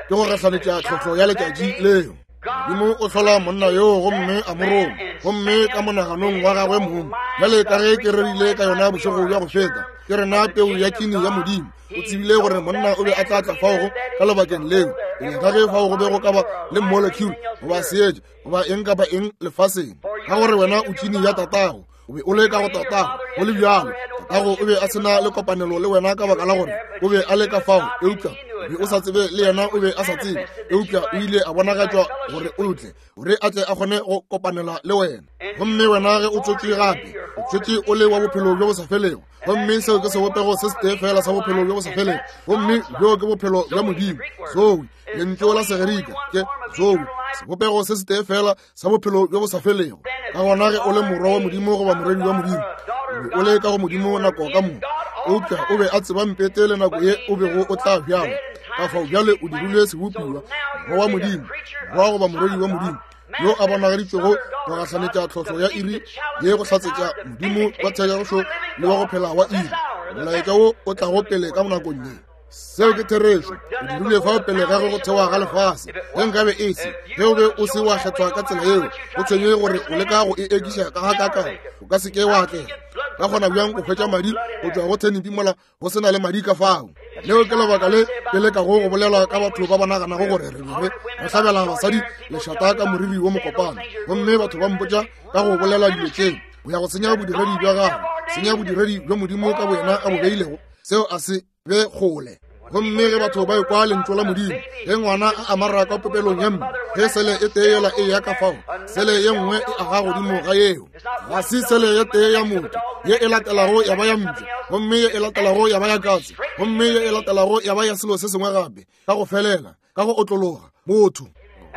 ke go gahlanetša tlhohlo ya letšatši leo. Modimo o hlola monna yoo gomme a mo roma, gomme ka monaganong wa gagwe mong, bjale ka ge ke rerile ka yona bošego bja go feta, ke rena peu ya kini ya Modimo. O tsebile gore monna o be a tla tla fao ka lebakeng leo, pele ga ge fao go be go ka ba le molecule goba seetša goba eng kapa eng lefaseng, ka gore wena o tšini ya tatago, o be o le ka go tatago. Go le bjalo, tatago o be a se na le kopanelo le wena ka baka la gore o be a le ka fao, eupša o be o sa tsebe, le yena o be a sa tsebe, eupša o ile a bonagatšwa gore o tle, gore a tle a kgone go kopanela le wena. Gomme wena ge o tswetšwe gape, o tswetšwe o le wa bophelo bjo bo sa felego, gomme seo ke sebopego se setee fela sa bophelo bjo bo sa felego, gomme bjo ke bophelo bja Modimo. Zoe, lentšu la Segerika ke zoe, sebopego se setee fela sa bophelo bjo bo sa felego. Ka gona ge o le morwa wa Modimo goba morwedi wa Modimo, o be o le ka go Modimo nako ka moka, eupša o be a tseba mpete le nako ye o bego o tla bjalwa. Ka fao bjale o dirilwe sebopiwa, morwa wa Modimo, morwa goba morwedi wa Modimo, yo a bonagaditšwego go gahlanetša tlhohlo ya iri ye go hlatsetša Modimo wa therešo le wa go phela wa iri, molaetša wo o tlago pele ka nakong ye. Seo ke therešo. O dirile fao pele ga go thewa ga lefase. Ge nkabe e se, ge o be o se wa kgethwa ka tsela yeo, go tshwenye gore o leka go e ekiša ka gakakang, o ka se ke wa atlega. Ka kgona bjang go hwetša madi go tšwa go thenipi mola go se na le madi ka fao? Leo ke lebaka le ke lekago go bolela ka batho ba ba naganago gore re be re hlabela basadi lešata ka moriri wo mokopana, gomme batho ba mpotša ka go bolela dilo tšeo. O ya go senya bodiredi bja gago, senya bodiredi bjo Modimo ka boyena a bo beilego. Seo a se be kgole. Gomme ge batho ba ekwa lentšu la Modimo, ge ngwana a amara ka popelong ya mme, ge sele e tee yela e ya ka fao, sele ye nngwe e aga godimo ga yeo. Ga se sele ye tee ya motho, ye e latelago ya ba ya mpša, gomme ye e latelago ya ba ya katse, gomme ye e latelago ya ba ya selo se sengwe gape, ka go felela, ka go otlologa, motho.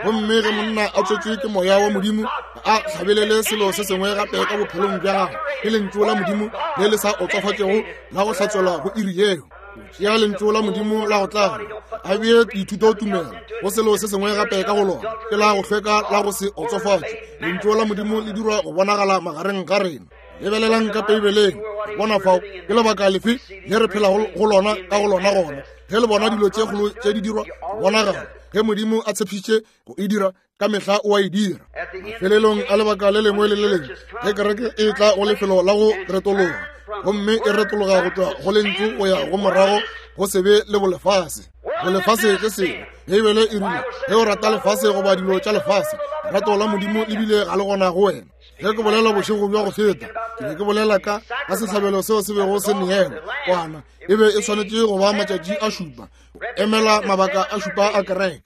Gomme ge monna a tswetšwe ke moya wa Modimo, a hlabelele selo se sengwe gape ka bophelong bja gagwe, ke lentšu la Modimo le le sa otswafatšego la go hlatswelwa go iri yeo. Tšea lentšu la Modimo la go tlala, a bee dithutotumelo go selo se sengwe gape ka go lona, ke la go hlweka la go se otswafatše. Lentšu la Modimo le dirwa go bonagala magareng ga rena. Lebelelang ka Beibeleng, bona fao ke lebaka lefe le re phelago go lona ka go lona gona. Ge le bona dilo tše kgolo tše di dirwa go bonagala, ge Modimo a tshepišitše go e dira, Ka mehla o a e dira. Mafelelong a lebaka le lengwe le le lengwe, ge kereke e tla go lefelo la go retologa, gomme e retologa go tšwa go lentšu go ya go morago go sebe le bolefase. Bolefase ke sebe. Beibele e rile, ge o rata lefase goba dilo tša lefase, lerato la Modimo le bile ga le gona go wena. Ge ke bolela bošego bja go feta, ke be ke bolela ka ka sehlabelo seo se bego se neelwa, kwana e be e swanetše go ba matšatši a šupa, emela mabaka a šupa a kereke.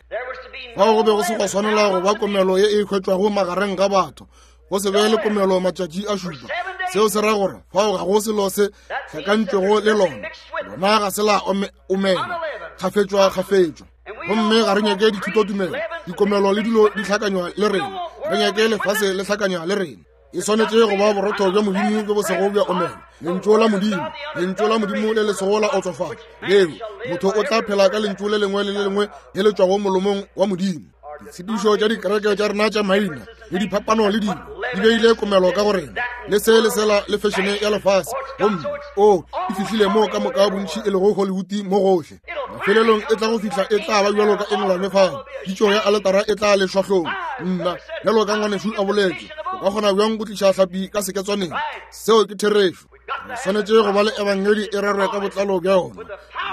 Fao go be go se gwa swanela go ba komelo ye e hwetšwago magareng ga batho, go se be le komelo matšatši a šupa. Seo se ra gore fao ga go selo se hlakantšwego le lona, lona ga se la omela kgafetšwa kgafetšwa. Gomme ga re nyake dithutotumelo, dikomelo le dilo di hlakanywa le rena. Re nyake lefase le hlakanywa le rena. E swanetše go ba borotho bja Modimo bjo bo sego bja omela, lentšu la Modimo, lentšu la Modimo le le sego la otsofala leo motho o tla phela ka lentšu le lengwe le le lengwe le le tšwago molomong wa Modimo. Ditshepedišo tša dikereke tša rena tša maina le diphapano le dilo di beile komelo ka go rena, le se le sela le fešene ya lefase, gomme o e fihlile moo ka moka bontši e lego Hollywood mo gohle. Mafelelong e tla go fihla e tla ba bjalo ka England fao pitšo ya aletara e tla lešwa hlong. Nna, bjalo ka ngwanešu a boletše, o ka kgona bjang go tliša hlapi ka seketswaneng? Seo ke therešo. Re swanetše go ba le ebangedi e rerwe ka botlalo bja yona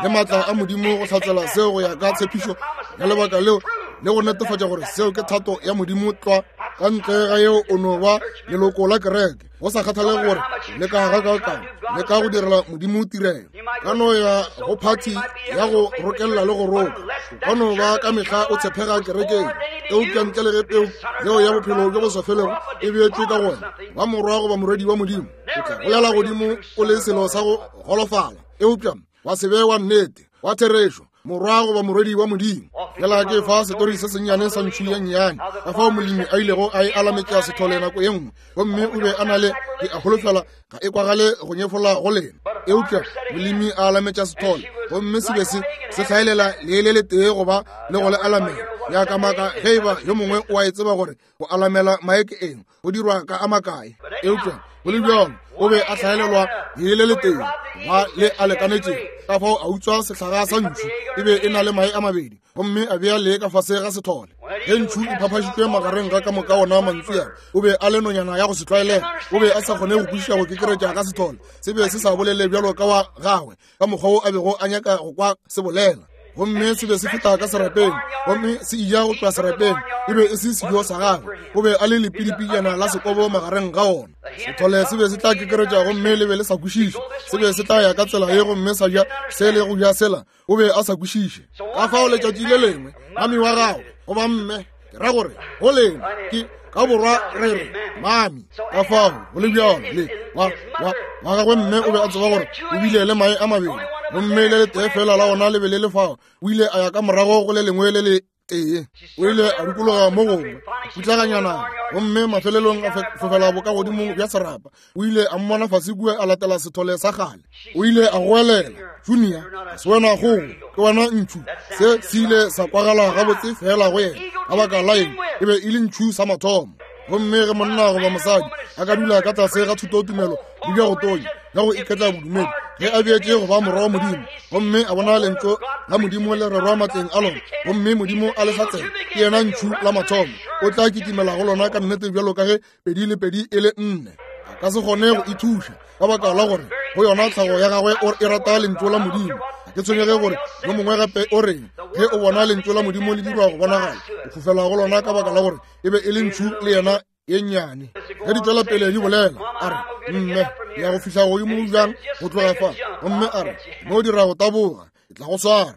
le maatla a Modimo go hlatsela seo go ya ka tshepišo ya lebaka leo le go netefatša gore seo ke thato ya Modimo tlwa. Ka ntle ga yeo o no ba leloko la kereke, go sa kgathalege gore le ka gakaakang le ka go direla Modimo tirelo. Ka no ya go phathi ya go rokelela le go roka, o ka no ba ka mehla o tshepega kerekeng, eupša ntle le ge peu yeo ya bophelo bjo bo sa felego e beetšwe ka go wena, ba morwa goba morwedi wa Modimo, o tla bolela godimo o le selo sa go golofala, eupša wa se be wa nnete, wa therešo, morwa goba morwedi wa Modimo. Fela ke fa setori se sennyane sa ntšhu ye nnyane, ka fao molemi a ilego a e alametša sethole nako ye nngwe, gomme o be a na le, ke a holofela ga e kwagale go nyefola go lena, eupša molemi a alametša sethole, gomme se be se se hlaelela lee le letee goba le go le alamela. Ya ka maka ge e ba yo mongwe o a e tseba gore go alamela mae ke eng, go dirwa ka a makae, eupša go le bjalo o be a hlaelelwa lee le letee ba le a lekanetšego. Ka fao a utswa sehlaga sa ntšhu, e be e na le mae a mabedi, gomme a bea lee ka fase ga sethole. Ge ntšhu e phaphašitšwe magareng ga ka moka ona mantšu a, o be a le nonyana ya go se tlwaelega. O be a sa kgone go kwešiša go kekeretša ga sethole, se be se sa bolele bjalo ka wa gagwe ka mokgwa wo a bego a nyaka go kwa se bolela. Gomme se be se feta ka serapeng, gomme se eja go tšwa serapeng, e be e se sejo sa gagwe. O be a le lepidipidjana la sekobo magareng ga ona. Sethole se be se tla kekeretša gomme le be le sa kwešiše. Se be se tla ya ka tsela ye gomme sa ja se le go ja sela. O be a sa kwešiše. Ka fao letšatši le lengwe mami wa gagwe goba mme, ke ra gore go lena ke ka borwa re re mami, ka fao go le bjalo le wa wa wa gagwe mme o be a tseba gore o bile le mae a mabedi, gomme le letee fela la ona le be le le fao. O ile a ya ka morago go le lengwe le le tee, o ile a dikologa mo gongwe putlaganyana, gomme mafelelong a fofela bokagodimo bja serapa. O ile a mmona fase kua a latela sethole sa kgale. O ile a goelela, Junior, ga se wena kgogo, ke wena ntšhu. Se se ile sa kwagala gabotse fela go yena. Ka baka la eng? E be e le ntšhu sa mathomo. Gomme ge monna goba mosadi a ka dula ka tlase ga thutotumelo le bja go tonya bja go iketla bodumedi, ge a beetše go ba morwa wa Modimo, gomme a bona lentšu la Modimo le rerwa matleng a lona, gomme Modimo a le hlatsela, ke yena ntšhu la mathomo, o tla kitimela go lona ka nnete bjalo ka ge pedi le pedi e le nne. A ka se kgone go ithuša ka baka la gore go yona tlhago ya gagwe o e rata lentšu la Modimo. Ga ke tshwenyege gore yo mongwe gape o reng, ge o bona lentšu la Modimo le dirwa go bonagala, o fofela go lona ka baka la gore e be e le ntšhu le yena ye nnyane. Ge di tšwela pele di bolela, a re, Mme, ke ya go fihla godimo bjang go tloga fa? Gomme a re, No dira go taboga, ke tla go swara.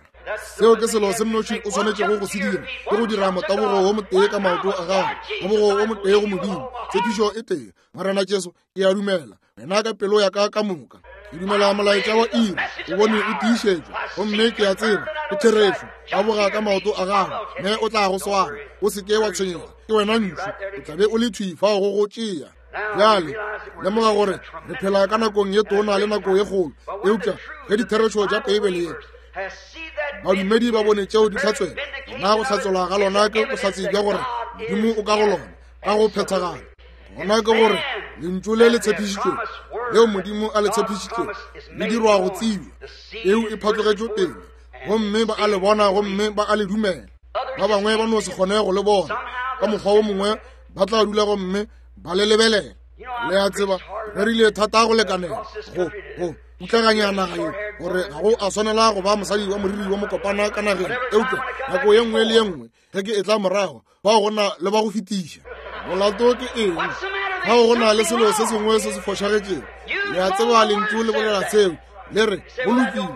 Seo ke selo se mnoši o swanetšego go se dira, ke go dira motabogo wo motee ka maoto a gago, tabogo wo motee go Modimo, tshepišo e tee. Morena Jesu, ke a dumela wena ka pelo ya ka ka moka. Ke dumela molaetša wa iri, o bone o tiišetšwa, gomme ke a tseba ke therešo. Taboga ka maoto a gago, mme o tla go swara. O se ke wa tshwenyega, ke wena ntšhu, o tla be o le thwi fao go go tšea. Bjale lemoga gore re phela ka nakong ye tona le nako ye kgolo, eupša ge ditherešo tša Beibele ye badumedi ba bone tšeo di hlatswela, gona go hlatselwa ga lona ke bohlatse bja gore Modimo o ka go lona ka go phethagala. Gona ke gore lentšu le le tshepišitšwego leo Modimo a le tshepišitšego le dirwa go tsebja, peu e phatlogetšwe pele, gomme ba a le bona gomme ba a le dumela. Ba bangwe ba no se kgone go le bona. Ka mokgwa wo mongwe ba tla dula gomme ba le lebelela. Le a tseba, re rile thata go lekanela go go putlaganya naga ye gore ga go a swanela go ba mosadi wa moriri wa mokopana ka nageng. Eupša nako ye nngwe le ye nngwe ge ke etla morago, bao go na le ba go fetiša. Molato ke eng? Fao go na le selo se sengwe se se fošagetšego. Le a tseba lentšu le bolela seo, le re go lokile.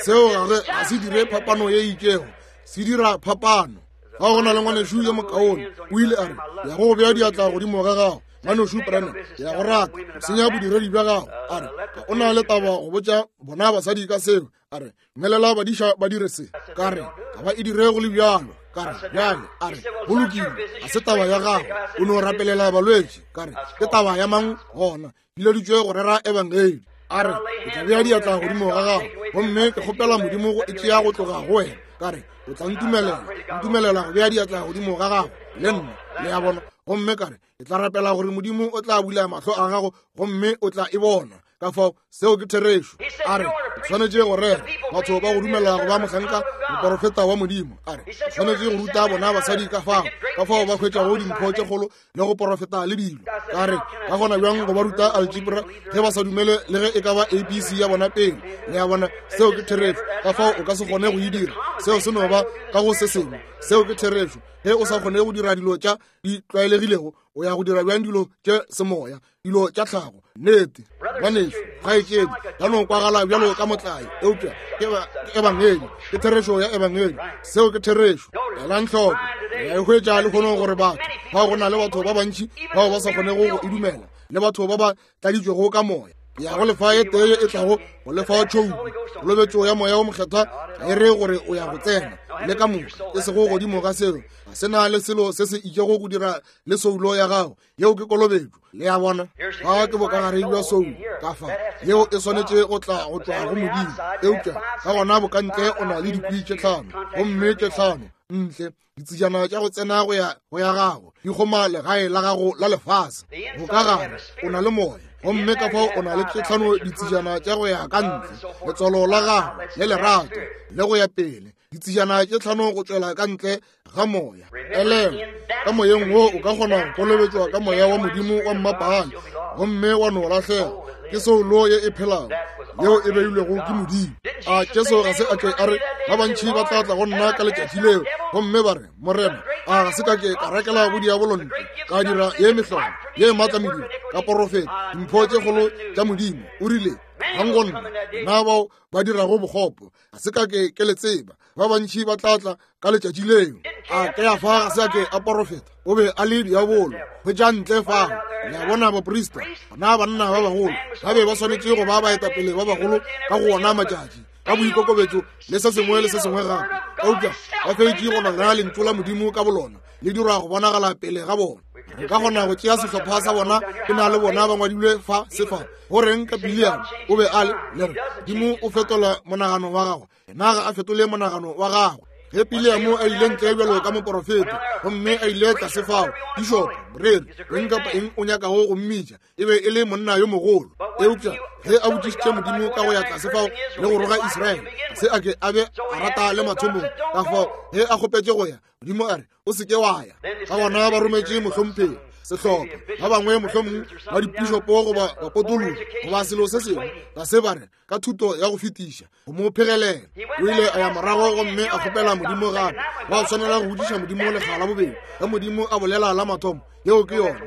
Seo ga se dire phapano ye itšego, se dira phapano. Fa go na le ngwanešu yo mokaone, o ile a re, ya go bea diatla godimo ga gago, ngwanešu Branham, ke ya go rata, o senya bodiredi bja gago. A re, ga o na le taba go botša bona basadi ka seo. A re, dumelela badiša ba dire se. Ka re, ga ba e dire go le bjalo. Ka re, bjale, a re, go lokile, ga se taba ya gago, o no rapelela balwetši. Ka re, ke taba ya mang gona? Bileditšwe go rera ebangedi. A re, ke tla bea diatla godimo ga gago, gomme ke kgopela Modimo go e tšea go tloga go wena. Ka re, o tla ntumelela, ntumelela go bea diatla godimo ga gago le nna, le a bona. Gomme ka re, ke tla rapela gore Modimo o tla bula mahlo a gago gomme o tla e bona. Ka fao seo ke therešo. A re, o swanetše go rera batho ba go dumela go ba mohlanka moporofeta wa Modimo. A re, o swanetše go ruta bona basadi ka fao, ka fao ba hwetšago dimpho tše kgolo le go porofeta le dilo. Ka re, ka gona bjang go ba ruta algebra ge ba sa dumele le ge e ka ba ABC ya bona pele. Le a bona, seo ke therešo. Ka fao o ka se kgone go e dira. Seo se no ba ka go se sengwe. Seo ke therešo. Ge o sa kgone go dira dilo tša di tlwaelegilego, o ya go dira bjang dilo tše semoya, dilo tša tlhago? Nnete, ngwanešu, kgaetšedi, ya no kwagala bjalo ka motlae, eupša ke ebangedi, ke therešo ya ebangedi. Seo ke therešo. Elang hloko, re a e hwetša lehono gore batho bao, go na le batho ba bantši bao ba sa kgonego go e dumela, le batho ba ba tladitšwego ka moya. Ke ya go lefa e tee e tlago go lefa tšhouku. Kolobetšo ya moya o mokgethwa ga e re gore o ya go tsena le ka moka, e sego godimo ga seo. Ga se na le selo se se itšego go dira le soulo ya gago. Yeo ke kolobetšo, le a bona. Fa ke bokagare bja soulo ka fa, yeo e swanetše go tla go tšwa go Modimo. Eupša ka gona bokantle o na le dikwi tše tlhano, gomme tše tlhano ntle ditsejana tša go tsena go ya go ya gago di kgoma legae la gago la lefase. Bokagare o na le moya, gomme ka fao o na le tše tlhano ditsejana tša go ya ka ntle, letswalo la gago le lerato le go ya pele, ditsejana tše tlhano go tšwela ka ntle ga moya. Elelwa, ka moyeng wo o ka kgona go kolobetšwa ka moya wa Modimo wa mmapaale gomme wa no lahlega. Ke soulo ye e phelago yeo e beilwego ke Modimo. A Jesu ga se a ke a re ba bantši ba tla tla go nna ka letšatši leo gomme ba re, Morena, a ga se ka ke ka rakela bodiabolo ntle, ka dira ye mehlolo ye maatla mediro, ka porofeta dimpho tše kgolo tša Modimo? O rile, Gang go nna, na bao ba dirago bokgopo, ga se ka ke ke le tseba. Ba bantši ba tla tla ka letšatši leo. A Keafa ga se a ke a porofeta, o be a le diabolo. Hwetša ntle fao, le a bona, baprista, bona banna ba bagolo ba be ba swanetše go ba baetapele ba bagolo ka go ona matšatši, ka boikokobetšo le se sengwe le se sengwe gape, eupša ba fetše go nona lentšu la Modimo ka bolona le dirwa go bonagala pele ga bona. Re ka kgona go tšea sehlopha sa bona, ke na le bona ba ngwadilwe fa se fa. Go reng ka Biliam? O be a le, le re, Modimo o fetola monagano wa gagwe. Yena ga a fetole monagano wa gagwe. Ge Biliamo a ile ntle bjalo ka moporofeta, gomme a ile tlase fao, pišopo, moreri, eng kapa eng o nyakago go mmitša, e be e le monna yo mogolo. Eupša ge a botšišitše Modimo ka go ya tlase fao le go roga Israele, ga se a ke a be a rata le mathomong. Ka fao ge a kgopetše go ya, Modimo a re, o se ke wa ya. Ka gona ba rometše mohlomphegi, sehlopha, ba bangwe mohlomong ba dipišopo goba bapotologi goba selo se sengwe, tlase ba re, ka thuto ya go fetiša go mo phegelela. O ile a ya morago gomme a kgopela Modimo gape. Wa swanela go botšiša Modimo lekga la bobedi. Ge Modimo a bolela la mathomo, yeo ke yona.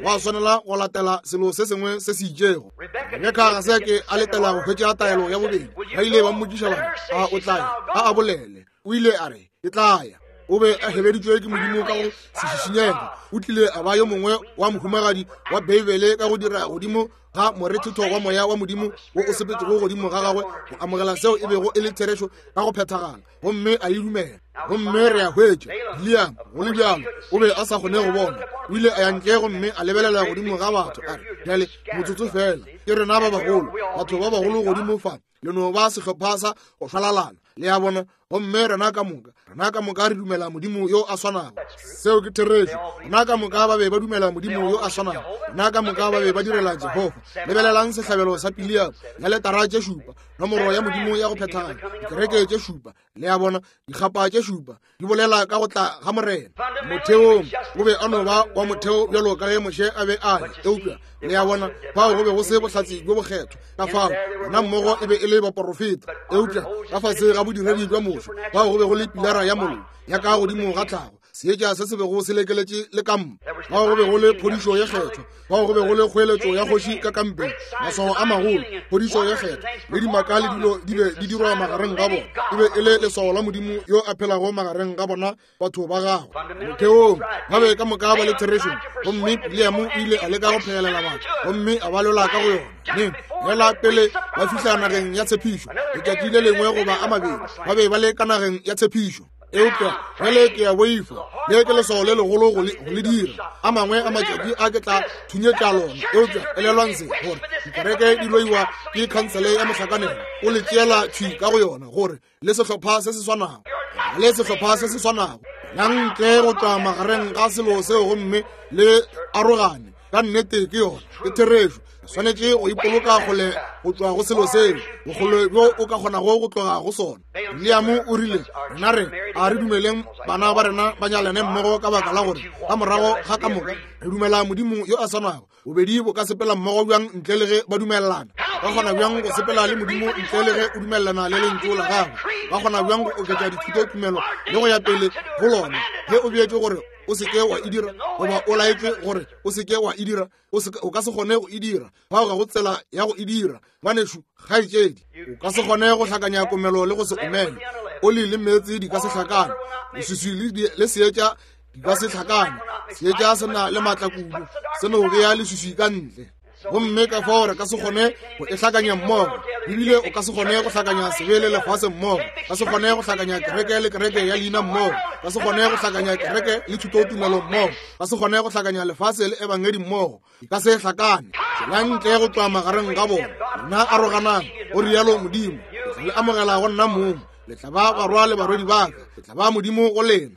Wa swanela go latela selo se sengwe se se itšego. Rebeka ga se a ke a letela go hwetša taelo ya bobedi. Ba ile ba mmotšiša ba re, a o tla ya? A a bolele. O ile a re, ke tla ya. O be a hebeditšwe ke Modimo ka go se šišinyege. O tlile a ba yo mongwe wa mohumagadi wa Beibele ka go dira godimo ga morethetho wa moya wa Modimo wo o sepetšego godimo ga gagwe go amogela seo e bego e le therešo ka go phethagala, gomme a e dumela. Gomme re a hwetša Biliam, go le bjalo, o be a sa kgone go bona. O ile a ya ntle gomme a lebelela godimo ga batho, a re, Bjale, motsotso feela, ke rena ba bagolo, batho ba bagolo godimo fa, le no ba sehlopha sa go šwalalana. Le a bona? Gomme rena ka moka, rena ka moka re dumela Modimo yo a swanago. Seo ke therešo. Rena ka moka ba be ba dumela Modimo yo a swanago. Rena ka moka ba be ba direla Jehofa. Lebelelang sehlabelo sa Pileamo, dialetara tše šupa, nomoro ya Modimo ya go phethagala, dikereke tše šupa, le a bona, dikgapa tše šupa, di bolela ka go tla ga Morena. Motheong o be a no ba wa motheo bjalo ka ge Moshe a be a le, eupša le a bona fao go be go se bohlatse bjo bokgethwa. Ka fao bona mmogo e be e le baporofeta, eupša ka fase ga bodiredi bja Moshe fao go be go le pilara ya mollo ya ka godimo ga tlhago, seetša se se bego se lekeletše le kampa. Fao go be go le phodišo ye kgethwa, fao go be go le kgoeletšo ya kgoši ka kampeng, maswao a magolo, phodišo ye kgethwa le dimaka le dilo di be di dirwa magareng ga bona. E be e le leswao la Modimo yo a phelago magareng ga bona batho ba gagwe. Motheong ba be ka moka ba le therešong, gomme Bileamo o ile a leka go phegelela batho gomme a ba lola ka go yona. Neng fela pele ba fihla nageng ya tshepišo, letšatši le lengwe goba a mabedi, ba be ba le ka nageng ya tshepišo. Eupša bjale ke a boifa, le ke leswao le legolo go le dira. A mangwe a matšatši a ke tla thunyetša lona. Eupša elelwang se, gore dikereke di loiwa ke khansele ya mohlakanelo, o le tšeela thwi ka go yona, gore le sehlopha se se swanago, le sehlopha se se swanago. Yang ntle go tšwa magareng ga selo seo gomme le arogane. Ka nnete ke yona, ke therešo. Re swanetše go ipoloka kgole go tšwa go selo seo, bokgole bjo o ka kgonago go tloga go sona. William o rile, rena re a re dumeleng bana ba rena ba nyalane mmogo ka baka la gore ka morago ga ka moka re dumela Modimo yo a swanago. Bobedi bo ka sepela mmogo bjang ntle le ge ba dumelelana? Ba kgona bjang go sepela le Modimo ntle le ge o dumelelana le lentšu la gagwe? Ba kgona bjang go oketša dithutotumelo le go ya pele go lona ge o beetšwe gore o se ke wa e dira, goba o laetšwe gore o se ke wa e dira? O ka se kgone go e dira. Fao ga go tsela ya go e dira, ngwanešu, kgaetšedi. O ka se kgone go hlakanya komelo le go se omele. Oli le meetse di ka se hlakane, leswiswi le seetša di ka se hlakane. Seetša se na le maatla kudu, se no bea leswiswi ka ntle. Gomme ka fao re ka se kgone go e hlakanya mmogo. Ebile o ka se kgone go hlakanya sebe le lefase mmogo, ka se kgone go hlakanya kereke le kereke ya leina mmogo, ka se kgone go hlakanya kereke le thutotumelo mmogo, ka se kgone go hlakanya lefase le ebangedi mmogo. Di ka se hlakane. Tšwelang ntle go tšwa magareng ga bona, lena aroganang, go rialo Modimo. Ke tla le amogela go nna mong, le tla ba barwa le barwedi ba ka, ke tla ba Modimo go lena.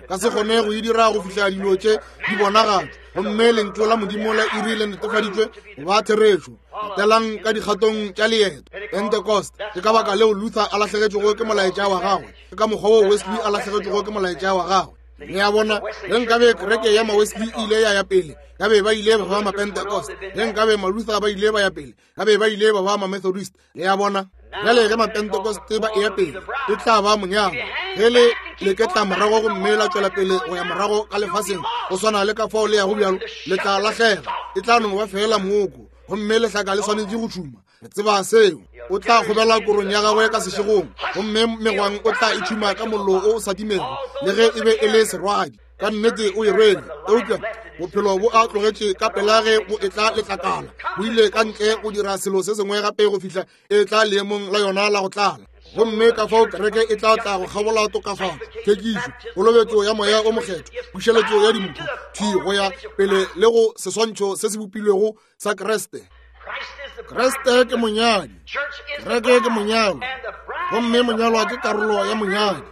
Ka se kgone go e dira go fihla dilo tše di bonagatšwa, gomme lentšu la Modimo la iri le netefaditšwe go ba therešo. Latelang ka dikgatong tša leeto. Pentecost, ke ka baka leo Luther a lahlegetšwego ke molaetša wa gagwe, ke ka mokgwa wo Wesley a lahlegetšwego ke molaetša wa gagwe. Le a bona, ge nkabe kereke ya Mawesley e ile ya ya pele, ka be ba ile ba ba Mapentecost. Ge nkabe Maluther ba ile ba ya pele, ka be ba ile ba ba Mamethodist. Le a bona? Bjale ge Mapentekoste ba eya pele, e tla ba monyalwa. Ge le leketla morago gomme la tšwela pele go ya morago ka lefaseng, go swana le ka fao le yago bjalo, le tla lahlega. E tla no ba feela mooko, gomme lehlaka le swanetše go tšhuma. Re tseba seo. O tla kgobela korong ya gagwe ka sešegong, gomme megwang o tla e tšhuma ka mollo o sa timego, le ge e be e le serwadi. Ka nnete o e rwele, eupša bophelo bo a tlogetše ka pela ge bo etla letlakala. Bo ile ka ntle go dira selo se sengwe gape go fihla e tla leemong la yona la go tlala. Gomme ka fao kereke e tla tla go kgabola tokafatšo, tlhwekišo, kolobetšo ya Moya o Mokgethwa, pušeletšo ya dimpho, thwi go ya pele le go seswantšho se se bopilwego sa Kriste. Kriste ke monyadi, kereke ke monyalwa, gomme monyalwa ke karolo ya monyadi.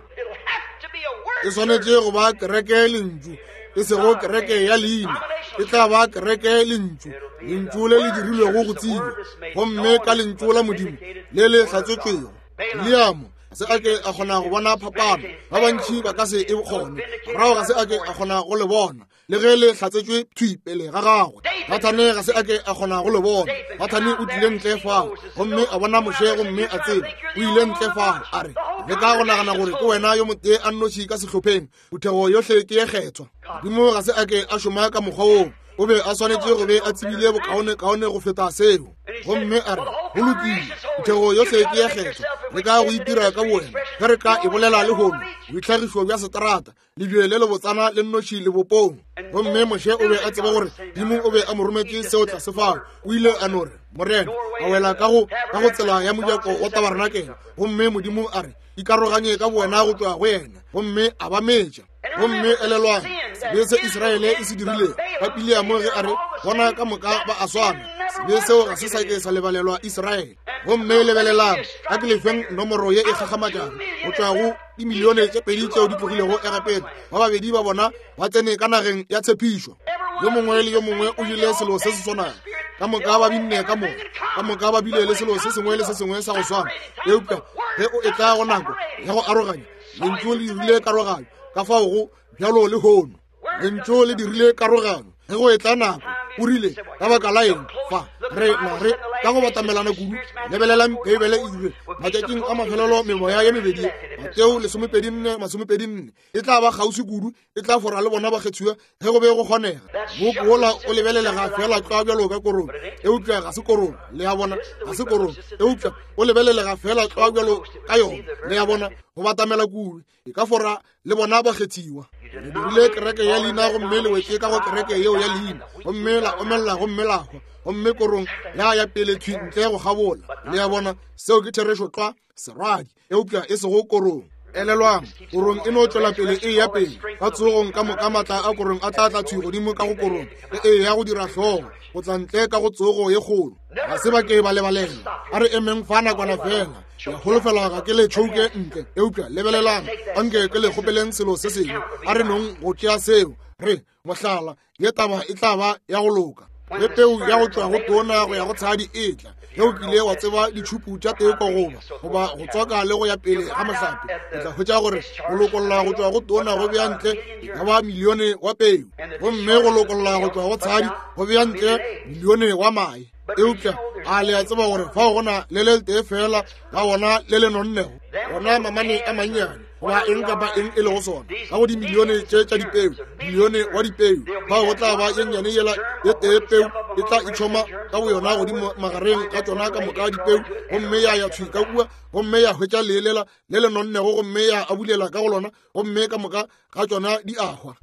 E swanetše go ba kereke lentšu, e sego kereke ya leina. E tla ba kereke lentšu, lentšu le le dirilwego go tsebja, gomme ka lentšu la Modimo le le hlatsetšwego. William ga se a ke a kgona go bona phapano, ba bantši ba ka se e kgone. Morago ga se a ke a kgona go le bona, le ge le hlatsetšwe thwi pele ga gagwe. Nathane ga se a ke a kgona go le bona. Nathane o tlile ntle fao gomme a bona Moshe gomme a tseba. O ile ntle fao a re, leka go nagana gore ke wena yo motee a nnoši ka sehlopheng, phuthego yohle ke ye kgethwa. Modimo ga se a ke a šoma ka mokgwa woo. O be a swanetše go be a tsebile bokaonekaone go feta seo. Gomme a re, go lokile, phuthego yohle ke ye kgethwa, leka go itira ka bowena. Ge re ka e bolela lehono, boitlhagišo bja seterata, lebje le lebotsana le nnoši lebopong. Gomme Moshe o be a tseba gore Modimo o be a mo rometše seo tlase fao. O ile a no re, Morena, a wela ka go ka go tsela ya mojako wa tabarenakele, gomme Modimo a re, ikaroganye ka bowena go tšwa go yena, gomme a ba metša. Gomme elelwang sebe se Israele e se dirilego ka Pileamo ge a re, bona ka moka ba a swana. Sebe seo ga se sa ke sa lebalelwa Israele. Gomme lebelelang, a ke lefeng nomoro ye e gagamatšago go tšwa go dimilione tše pedi tšeo di tlogilego Egepeta. Ba babedi ba bona ba tsene ka nageng ya tshepišo. Yo mongwe le yo mongwe o jele selo se se swanago. Ka moka ba binne ka moka. Ka moka ba bile le selo se sengwe le se sengwe sa go swana. Eupša ge o etla go nako ya go aroganya, lentšu le dirile karoganyo. Ka fao go bjalo lehono. Lentšu le dirile karogano. Ge go etla nako, o rile, ka baka la eng fa re na re ka go batamelana kudu? Lebelelang, Beibele e rile matšatšing a mafelelo memoya ye mebedi, Mateo 24, 24, e tla ba kgauswi kudu, e tla fora le bona bakgethiwa ge go be go kgonega. Mooko wola o lebelelega feela tlwa bjalo ka korong, eupša ga se korong. Le a bona, ga se korong, eupša o lebelelega feela tlwa bjalo ka yona. Le a bona, go batamela kudu, e ka fora le bona bakgethiwa. Le dirile kereke ya leina gomme le wetše ka go kereke yeo ya leina, gomme la omelela gomme la hwa, gomme korong ya ya pele thwi ntle go kgabola. Le a bona, seo ke therešo tlwa, serwadi, eupša e sego korong. Elelwang, korong e no tšwela pele e ya pele ka tsogong ka moka. Maatla a korong a tla tla thwi godimo ka go korong e e ya go dira hlogo go tla ntle ka go tsogo ye kgolo. Ga se ba ke ba lebalela. A re emeng fa nakwana fela. Ke a holofela ga ke le tšhouke ntle, eupša lebelelang, anke ke le kgopeleng selo se sengwe. A re nong go tšea seo, re mohlala, ye taba e tla ba ya go loka. Ge peu ya go tšwa go tona go ya go tshadi e tla, ge o kile wa tseba ditšhupu tša teko goba goba go tswaka le go ya pele ga mohlape, o tla hwetša gore go lokolla go tšwa go tona go bea ntle e ka ba milione wa peu, gomme go lokolla go tšwa go tshadi go bea ntle milione wa mae. Eupša a le a tseba gore fao go na le le tee fela la wona le le nonnego, wona mamane a mannyane goba eng kapa eng e lego sona, ka go dimilione tše tša dipeu, milione wa dipeu, fao go tla ba ye nnyane yela ye tee peu e tla itšhoma ka boyona godimo magareng ga tšona ka moka dipeu, gomme ya ya thwi ka kua gomme ya hwetša leelela le le nonnego gomme ya abulela ka go lona, gomme ka moka ga tšona di a hwa.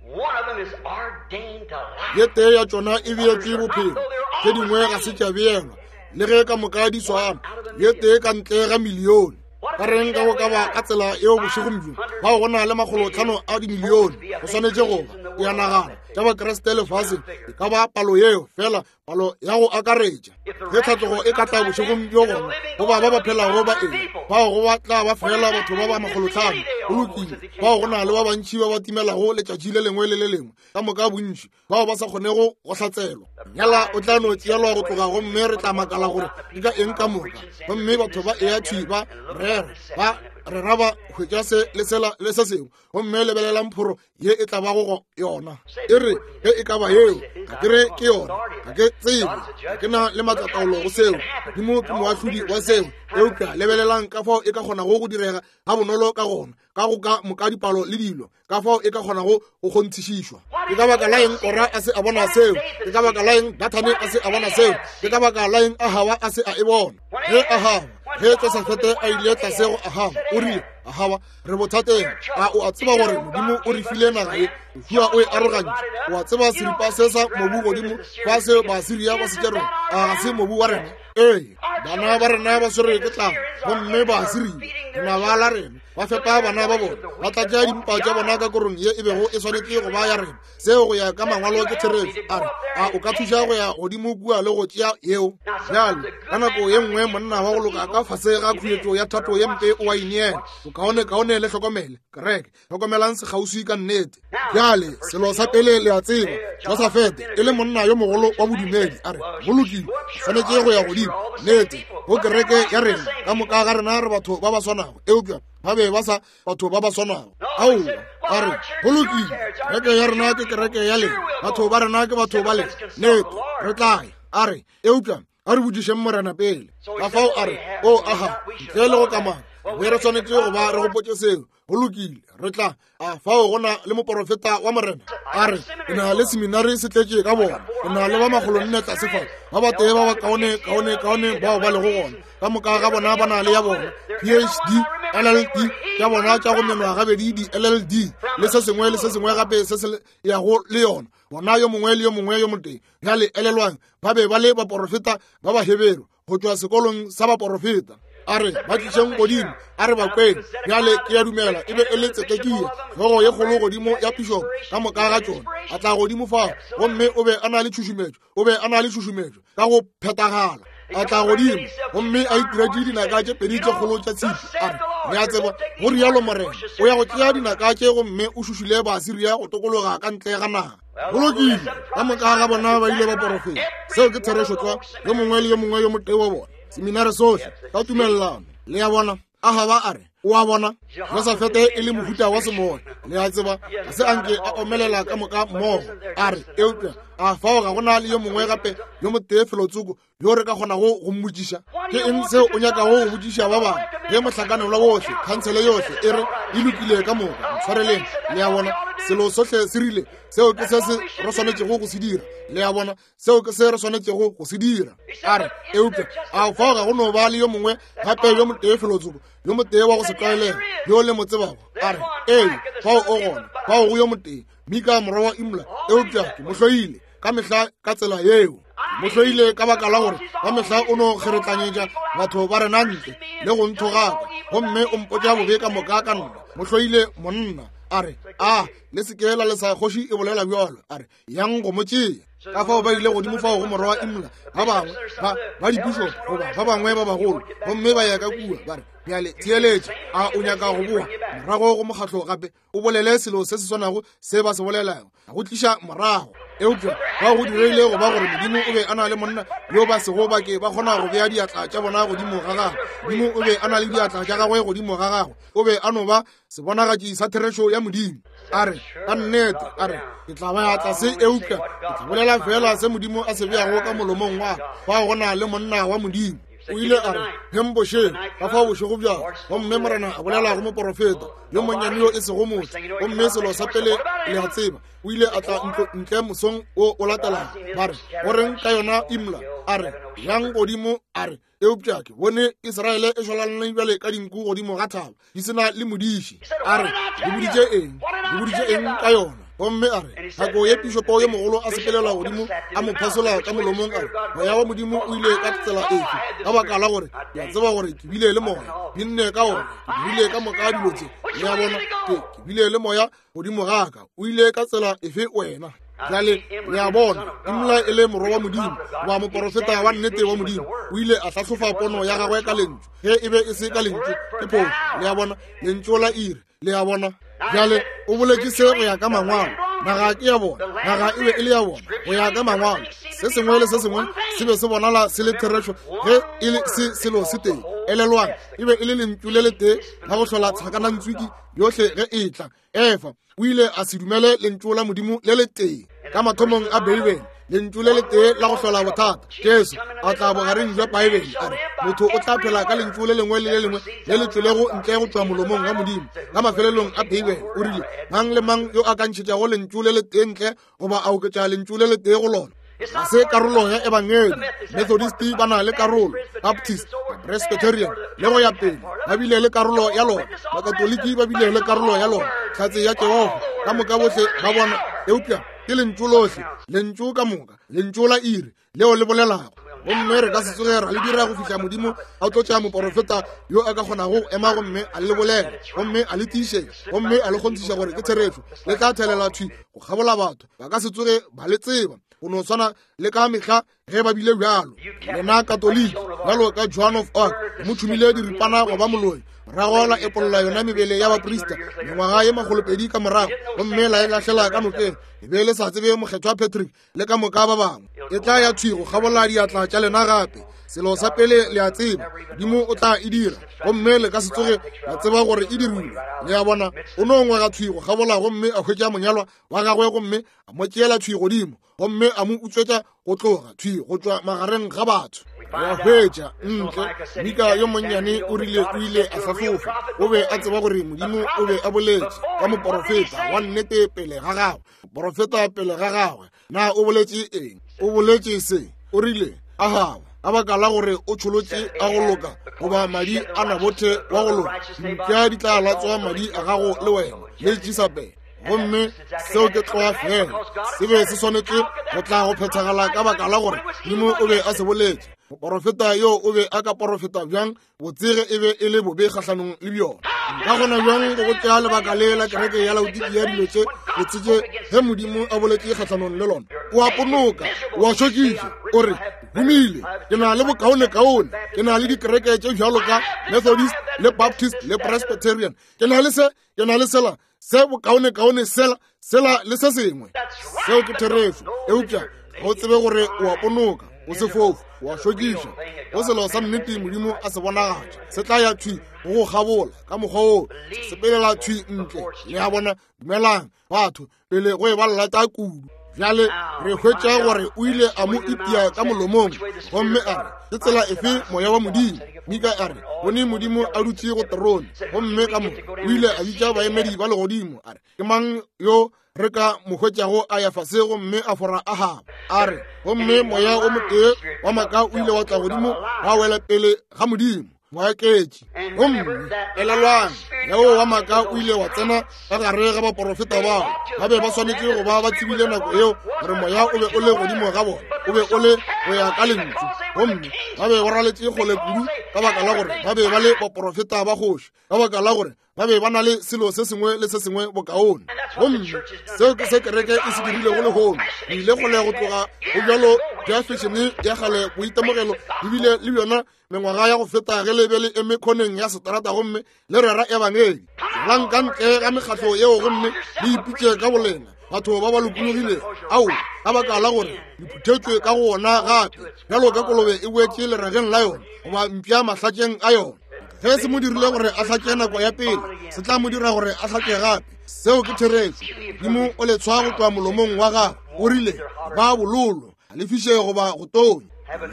Ye tee ya tšona e beetšwe bophelo, tše dingwe ga se tša beelwa, le ge ka moka di swana, ye tee ka ntle ga milione. Ka reng ka go ka ba ka tsela yeo bošegong bjo, bao go na le makgolotlhano a dimilione go swanetše go ba, ke a nagana, tša Bakriste lefaseng, e ka ba palo yeo fela palo ya go akaretša. Ge tlhatlogo e ka tla bošegong bjo, gona go ba ba ba phelago ba eng bao go ba tla ba fela batho ba ba makgolotlhano. Go lokile, bao go na le ba bantši ba ba timelago letšatši le lengwe le le lengwe, ka moka bontši bao ba sa kgonego go hlatselwa. Nyala o tla no tšeelwa go tloga, gomme re tla makala gore ke ka eng ka moka. Gomme batho ba eya thwi ba rera, ba rera, ba hwetša se le sela le se sengwe, gomme lebelelang phoro ye e tla bago go yona. E re ge e ka ba yeo, ga ke re ke yona, ga ke tsebe, ga ke na le maatlataolo go seo, Modimo ke moahlodi wa seo. Eupša lebelelang ka fao e ka kgonago go direga ga bonolo ka gona, ka go ka moka dipalo le dilo, ka fao e ka kgonago go kgonthišišwa. Ke ka baka la eng Kora a se a bona seo? Ke ka baka la eng Dathane a se a bona seo? Ke ka baka la eng Ahaba a se a e bona? Ge Ahaba, ge Josafete a ile tlase go Ahaba, o rile, Ahaba, re bothateng. A o a tseba gore Modimo o re file naga ye? Joshua o e arogantše. O a tseba seripa se sa mobu godimo fa se Baasiria ba se tšerego, a ga se mobu wa rena? Ee, bana ba rena ba swerwe ke tlala, gomme Baasiria, lenaba la rena, ba fepa bana ba bona, ba tlatša dimpa tša bona ka korong ye e bego e swanetše go ba ya rena. Seo go ya ka mangwalo ke therešo. A re, a o ka thuša go ya godimo kua le go tšea yeo? Bjale, ka nako ye nngwe monna wa go loka ka fase ga khuetšo ya thato ye mpe o a ineela. Bokaonekaone le hlokomele, kereke, hlokomelang sekgauswi ka nnete. Bjale, selo sa pele le a tseba, Josafete e le monna yo mogolo wa bodumedi, a re, go lokile, swanetše go ya godimo, nnete, go kereke ya rena, ka moka ga rena re batho ba ba swanago. Eupša ba be ba sa batho ba ba swanago. Aowa, ba re, go lokile, kereke ya rena ke kereke ya lena, batho ba rena ke batho ba lena, nnete, re tla ya. A re, eupša a re botšišeng Morena pele. Ka fao a re, o aha, ntle le go kamana, be re swanetše go ba re gopotše seo. Go lokile, re tla. A fao go na le moporofeta wa Morena? A re, ke na le seminari se tletše ka bona, ke na le ba makgolonne tlase fa, ba batee ba ba kaone, kaone, kaone bao ba lego gona. Ka moka ga bona ba na le ya bona PhD, LLD tša bona tša go menwa gabedi, di LLD le se sengwe le se sengwe gape se se yago le yona. Bona yo mongwe le yo mongwe yo motee. Bjale elelwang, ba be ba le baporofeta ba Baheberu go tšwa sekolong sa baporofeta. A re ba tlišeng godimo, a re ba kweng. Bjale ke a dumela e be e le Tsedekia, hlogo ye kgolo godimo ya pišopo ka moka ga tšona. A tla godimo fao, gomme o be a na le tšhušumetšo, o be a na le tšhušumetšo ka go phethagala. A tla godimo gomme a itiretše dinaka tše pedi tše kgolo tša tshipi. A re, le a tseba, go rialo morena, o ya go tšea dinaka tše gomme o šušule Baasiria go tokologa ka ntle ga naga. Go lokile, ka moka ga bona ba ile ba porofeta. Seo ke therešo tlwa, yo mongwe le yo mongwe yo motee wa bona, seminare sohle, ka tumelelano. Le a bona? Ahaba a re, o a bona, Josafete e le mohuta wa semoya. Le a tseba, ga se anke a omelela ka moka mmogo. A re, eupša a fao ga go na le yo mongwe gape yo motee felotsoko yo re ka kgonago go mmotšiša? Ke eng seo o nyakago go botšiša ba bangwe ge mohlakanelwa wohle, khansele yohle e re e lokile ka moka? Ntshwareleng. Le a bona, selo sohle se rile, seo ke se se re swanetšego go se dira. Le a bona, seo ke se re swanetšego go se dira. A re, eupša a fao ga go no ba le yo mongwe gape yo motee felotsoko, yo motee wa go se tlwaelege yo le mo tsebago? A re, ee, fao o gona, fao go yo motee, Mika morwa wa Imla, eupša ke mo hloile ka mehla ka tsela yeo. Mo hloile ka baka la gore ka mehla o no kgeretlanyetša batho ba rena ntle le go nthogaka, gomme o mpotša bobe ka moka ka nna. Mo hloile monna. A re, a le se ke la lesa kgoši e bolela bjalo. A re, yang go mo tšea. Ka fao ba ile godimo fao go morwa wa Imla, ba bangwe ba ba dipušo goba ba bangwe ba bagolo, gomme ba ya ka kua ba re, bjale theeletša, a o nyaka go boa morago go mokgatlo gape o bolele selo se se swanago se ba se bolelago, go tliša morago? Eupša ba go dirile go ba gore Modimo o be a na le monna yo ba sego ba ke ba kgona go bea diatla tša bona godimo ga gagwe. Modimo o be a na le diatla tša gagwe godimo ga gagwe. O be a no ba sebonagatši sa therešo ya Modimo. A re, ka nnete, a re, ke tla ba ya tlase, eupša ke tla bolela feela se Modimo a se beago ka molomong wa ka. Fao go na le monna wa Modimo. O ile a re, Heng bošego, ka fao bošego bjalo, gomme Morena a bolela go moporofeta yo monnyane yo e sego motho. Gomme selo sa pele le a tseba, o ile a tla ntlo ntle mosong wo o latelago. Ba re, go reng ka yona Imla? A re, yang godimo. A re, eupša ke bone Israele e šwalalane bjale ka dinku godimo ga thaba, di se na le modiši. A re, le boditše eng? Le boditše eng ka yona? Gomme a re, nako ye pišopo yo mogolo a sepelela godimo a mo phasola ka molomong, a re, moya wa Modimo o ile ka tsela efe? Ka baka la gore ke a tseba gore ke bile le moya, ke nne ka ona, ke dirile ka moka dilo tše. Le a bona, ke bile le moya godimo ga ka. O ile ka tsela efe wena? Bjale le a bona, Imla e le morwa wa Modimo, wa moporofeta wa nnete wa Modimo, o ile a hlahlofa pono ya gagwe ka lentšu. Ge e be e se ka lentšu, ke phošo. Le a bona, lentšu la iri. Le a bona, bjale o boletše se go ya ka mangwalo. Naga ke ya bona, naga e be e le ya bona go ya ka mangwalo. Se sengwe le se sengwe se be se bonala se le therešo ge e le se selo se tee. Elelwang, e be e le lentšu le letee la go hlola tlhakanantswiki yohle ge e tla. Efa o ile a se dumele lentšu la Modimo le letee ka mathomong a Beibele, lentšu le letee la go hlola bothata. Jesu a tla bogareng jwa Beibele, a re motho o tla phela ka lentšu le lengwe le le lengwe le le tšwelego ntle go tšwa molomong wa Modimo. Ka mafelelong a Beibele o rile, mang le mang yo a ka ntšhetšago lentšu le letee ntle goba a oketša lentšu le letee go lona, ga se karolo ya ebangedi. Methodist ba na le karolo, Baptist, Presbyterian le go ya pele ba bile le karolo ya lona, Bakatoliki ba bile le karolo ya lona, Hlatse ya Jehofa, ka moka bohle ba bona. Eupša ke lentšu lohle, lentšu ka moka, lentšu la iri leo le bolelago. Gomme re ka se tsoge ra le dira go fihla Modimo a tlotša moporofeta yo a ka kgonago go ema gomme a le bolela, gomme a le tiišetša, gomme a le kgonthiša gore ke therešo. Le tla thelela thwi go kgabola batho, ba ka se tsoge ba le tseba, go no swana le ka mehla ge ba bile bjalo. Lena Katoliki, bjalo ka Joan of Arc, mo tšhumile diripana go ba moloi, morago la epolola yona mebele ya baprista mengwaga ye makgolopedi ka morago, gomme la e lahlela ka nokeng. E be le sa tsebe Mokgethwa Patrick le ka moka ba bangwe. E tla ya thwi go kgabola diatla tša lena gape. Selo sa pele le a tseba, Modimo o tla e dira, gomme le ka se tsoge la tseba gore e dirilwe. Le a bona, o no ngwaga thwi go kgabola gomme a hwetša monyalwa wa gagwe, gomme a mo tšeela thwi godimo, gomme a mo utswetša go tloga thwi go tšwa magareng ga batho. Wa hwetša ntle Mika yo monnyane o rile o ile a hlahlofa. O be a tseba gore Modimo o be a boletše ka moporofeta wa nnete pele ga gagwe. Porofeta pele ga gagwe. Na o boletše eng? O boletše se, o rile, Ahaba, ka baka la gore o tšholotše a go loka, goba madi a Nabothe wa go loka, dimpša di tla latswa madi a gago le wena le Jesabele. Gomme seo ke tloga fela se be se swanetše go tla go phethagala ka baka la gore Modimo o be a se boletše. Moporofeta yo o be a ka porofeta bjang botsege e be e le bobe kgahlanong le bjona? Nka kgona bjang go go tšea lebaka le la kereke ya Laodikia dilo tše botse tše ge Modimo a boletše kgahlanong le lona? O a ponoka, o a šokiša, o re, Humile, ke na le bokaonekaone, ke na le dikereke tše bjalo ka Methodist le Baptist le Presbyterian, ke na le se, ke na le sela, se bokaonekaone sela sela le se sengwe. Seo ke therešo, eupša ga o tsebe gore o a ponoka, o sefofu, o a šokiša. Go selo sa nnete Modimo a se bonagatša, se tla ya thwi go go kgabola ka mokgwa woo, se sepelela thwi ntle. Le a bona? Dumelang batho pele go e ba llata kudu. Bjale re hwetša gore o ile a mo itia ka molomong gomme a re, Ke tsela efe moya wa Modimo? Mika a re, Bone Modimo a dutše go terone. Gomme ka mo o ile a bitša baemedi ba legodimo, a re, Ke mang yo re ka mo hwetšago a ya fase gomme a fora Ahaba? A re, Gomme moya o motee wa maaka o ile wa tla godimo wa wela pele ga Modimo. Moaketši. Gomme elelwang, yeo wa maaka o ile wa tsena ka gare ga baporofeta bao. Ba be ba swanetše go ba ba tsebile nako yeo gore moya o be o le godimo ga bona, o be o le go ya ka lentšu. Gomme ba be ba raletše kgole kudu ka baka la gore ba be ba le baporofeta ba kgoši, ka baka la gore ba be ba na le selo se sengwe le se sengwe bokaone. Gomme seo ke se kereke e se dirilego lehono. Re ile kgole go tloga go bjalo bja fešene ya kgale, boitemogelo ebile le bjona mengwaga ya go feta ge le be le eme khoneng ya seterata gomme le rera ebangedi. Tšwelang ka ntle ga mekgatlo yeo gomme le ipitše ka bolena batho ba ba lokologilego. Ao, ka baka la gore le phuthetšwe ka go ona gape, bjalo ka kolobe e boetše lerageng la yona goba mpša mahlatšeng a yona. Ge se mo dirile gore a hlatše nako ya pele, se tla mo dira gore a hlatše gape. Seo ke therešo. Modimo o le tshwa go tloga molomong wa gagwe. O rile, Ba bololo, ga le fiše goba go tonya.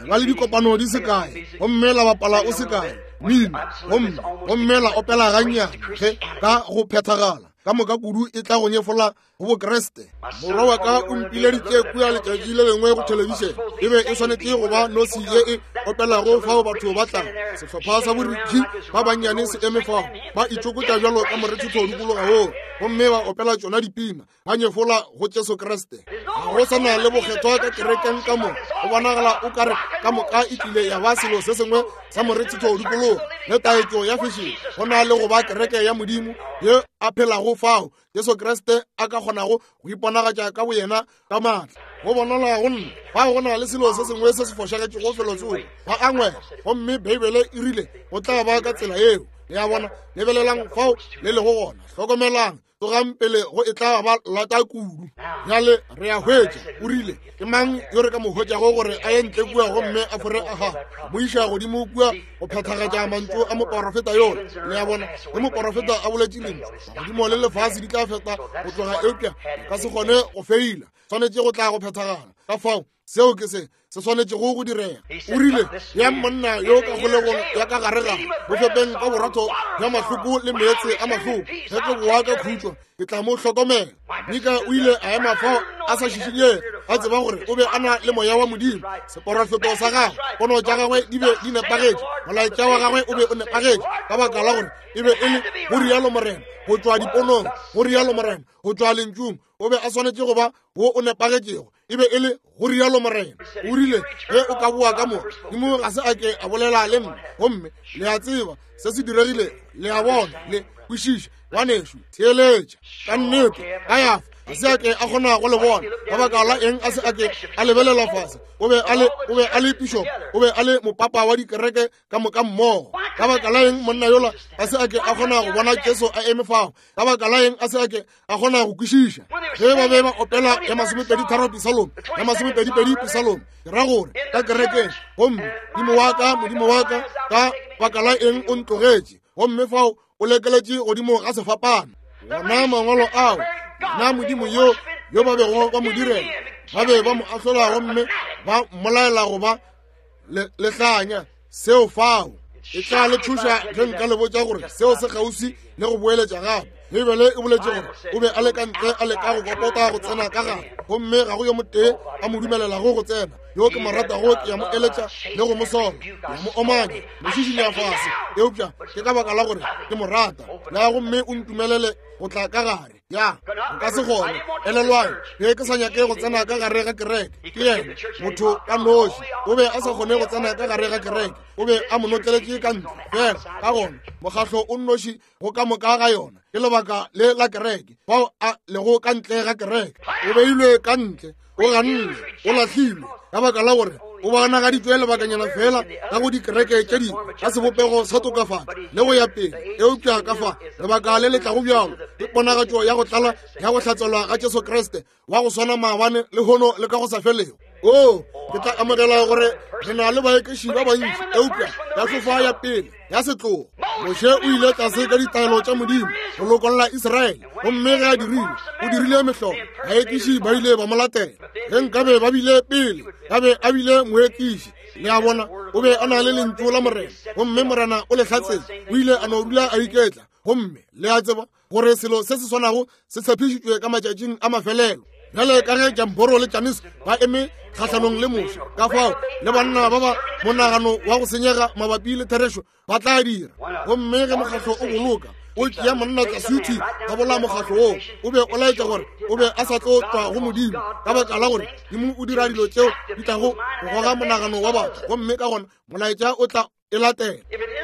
Ba le dikopano di se kae, gomme la bapala o se kae mmino, gomme gomme la opela gannyane ge ka go phethagala ka moka kudu e tla go nyefola go Bokriste. Morwa wa ka o mpileditše kua letšatši le lengwe go thelebišene. E be e swanetše go ba nosi ye e opelago fao batho ba tlago. Sehlopha sa borikhi ba bannyane se eme fao, ba itšokotša bjalo ka morethetho dikologa woo, gomme ba opela tšona dipina, ba nyefola go Jesu Kriste. Ga go sa na le bokgethwa ka kerekeng ka mo, go bonagala o ka re ka moka e tlile ya ba selo se sengwe sa morethetho dikologa le taetšo ya fešene, go na le go ba kereke ya Modimo ye a phelago fao Jesu Kriste a ka kgonago go iponagatša ka boyena ka maatla. Go bonala go nna fa go na le selo se sengwe se se fošagetšego felotsoko, ba angwela, gomme Beibele e rile go tla ba ka tsela yeo. Le a bona? Lebelelang fao le lego gona, hlokomelang, tsogang pele go e tla ba lata kudu. Bjale re a hwetša, o rile, ke mang yo re ka mo hwetšago gore a ye ntle kua gomme a fore Ahaba, mo iša godimo kua go phethagatša mantšu a moporofeta yola? Le a bona, ge moporofeta a boletše lentšu, magodimo le lefase di tla feta go tloga, eupša ka se kgone go feila, swanetše go tla go phethagala. Ka fao seo ke se se swanetšego go direga. O rile, ya monna yo ka kgolegong ya ka gare gare, mo fepeng ka borotho bja mahloko le meetse a mahloko, ge ke boa ka khutšo ke tla mo hlokomela. Mika o ile a ema fao a sa šišinyege, a tseba gore o be a na le moya wa Modimo. Seporofeto sa gagwe, pono tša gagwe di be di nepagetše, molaetša wa gagwe o be o nepagetše, ka baka la gore e be e le go rialo Morena, go tšwa diponong, go rialo Morena, go tšwa lentšung. O be a swanetše go ba wo o nepagetšego, e be e le go rialo Morena. O rile, ge o ka boa ka mo, Modimo ga se a ke a bolela le nna. Gomme le a tseba se se diregile, le a bona, le kwešiša. Ngwanešu, theeletša. Ka nnete, Kayafa ga se a ke a kgona go le bona. Ka baka la eng a se a ke a lebelela fase? O be a le, o be a le pišopo, o be a le mopapa wa dikereke ka moka mmogo. Ka baka la eng monna yola ga se a ke a kgona go bona Jesu a eme fao? Ka baka la eng a se a ke a kgona go kwešiša? Ge ba be ba opela ya 23 Pisalome, ya 22 Pisalome, ke ra gore ka kerekeng, gomme Modimo wa ka, Modimo wa ka, ka baka la eng o ntlogetše? Gomme fao o lekeletše godimo ga sefapano. Gona mangwalo ao, na Modimo yo yo ba bego ba mo direla, ba be ba mo ahlola gomme ba mmolaela go ba lehlanya. Seo fao e tla le thuša ge nka le botša gore seo se kgauswi le go boeletša gape. Beibele e boletše gore o be a le ka ntle a leka go kokota go tsena ka gare, gomme ga go yo motee a mo dumelelago go tsena. Yo ke mo ratago ke ya mo eletša le go mo sola, ke ya mo omanya, mo šišinya fase, eupša ke ka baka la gore ke mo rata. Na gomme o ntumelele go tla ka gare. Ya, nka se kgone. Elelwang, be ke sa nyake go tsena ka gare ga kereke. Ke yena, motho ka noši. O be a sa kgone go tsena ka gare ga kereke. O be a mo notleletše ka ntle. Fela, ka gona, mokgahlo o nnoši go ka moka ga yona ke lebaka le la kereke, fao a lego ka ntle ga kereke. O beilwe ka ntle, o gannwe, o lahlilwe, ka baka la gore o bonagaditšwe lebakanyana fela ka go dikereke tše dingwe ka sebopego sa tokafatšo le go ya pele. Eupša ka fa lebaka le le tlago bjalo ke ponagatšo ya go tlala ya go hlatselwa ga Jesu Kriste wa go swana maabane lehono le ka go sa felego. O, ke tla amogela gore re na le baekiši ba bantši, eupša ya fofa ya pele ya setlogo. Moshe o ile tlase ka ditaelo tša Modimo go lokolla Israele, gomme ge a dirile, o dirile mehlolo. Baekiši ba ile ba mo latela. Ge nkabe ba bile pele, ba be a bile moekiši. Le a bona, o be a na le lentšu la Morena, gomme Morena o le hlatsetše. O ile a no dula a iketla, gomme le a tseba gore selo se se swanago se tshepišitšwe ka matšatšing a mafelelo. Bjale ka ge Jamboro le Janise ba eme kgahlanong le Moshe, ka fao le banna ba ba monagano wa go senyega mabapi le therešo ba tla dira. Gomme ge mokgahlo o boloka o tšea monna tlasuthi ka bola mokgahlo woo, o be o laetša gore o be a sa tlo tšwa go Modimo, ka baka la gore Modimo o dira dilo tšeo di tlago go goga monagano wa batho, gomme ka gona molaetša o tla e latela.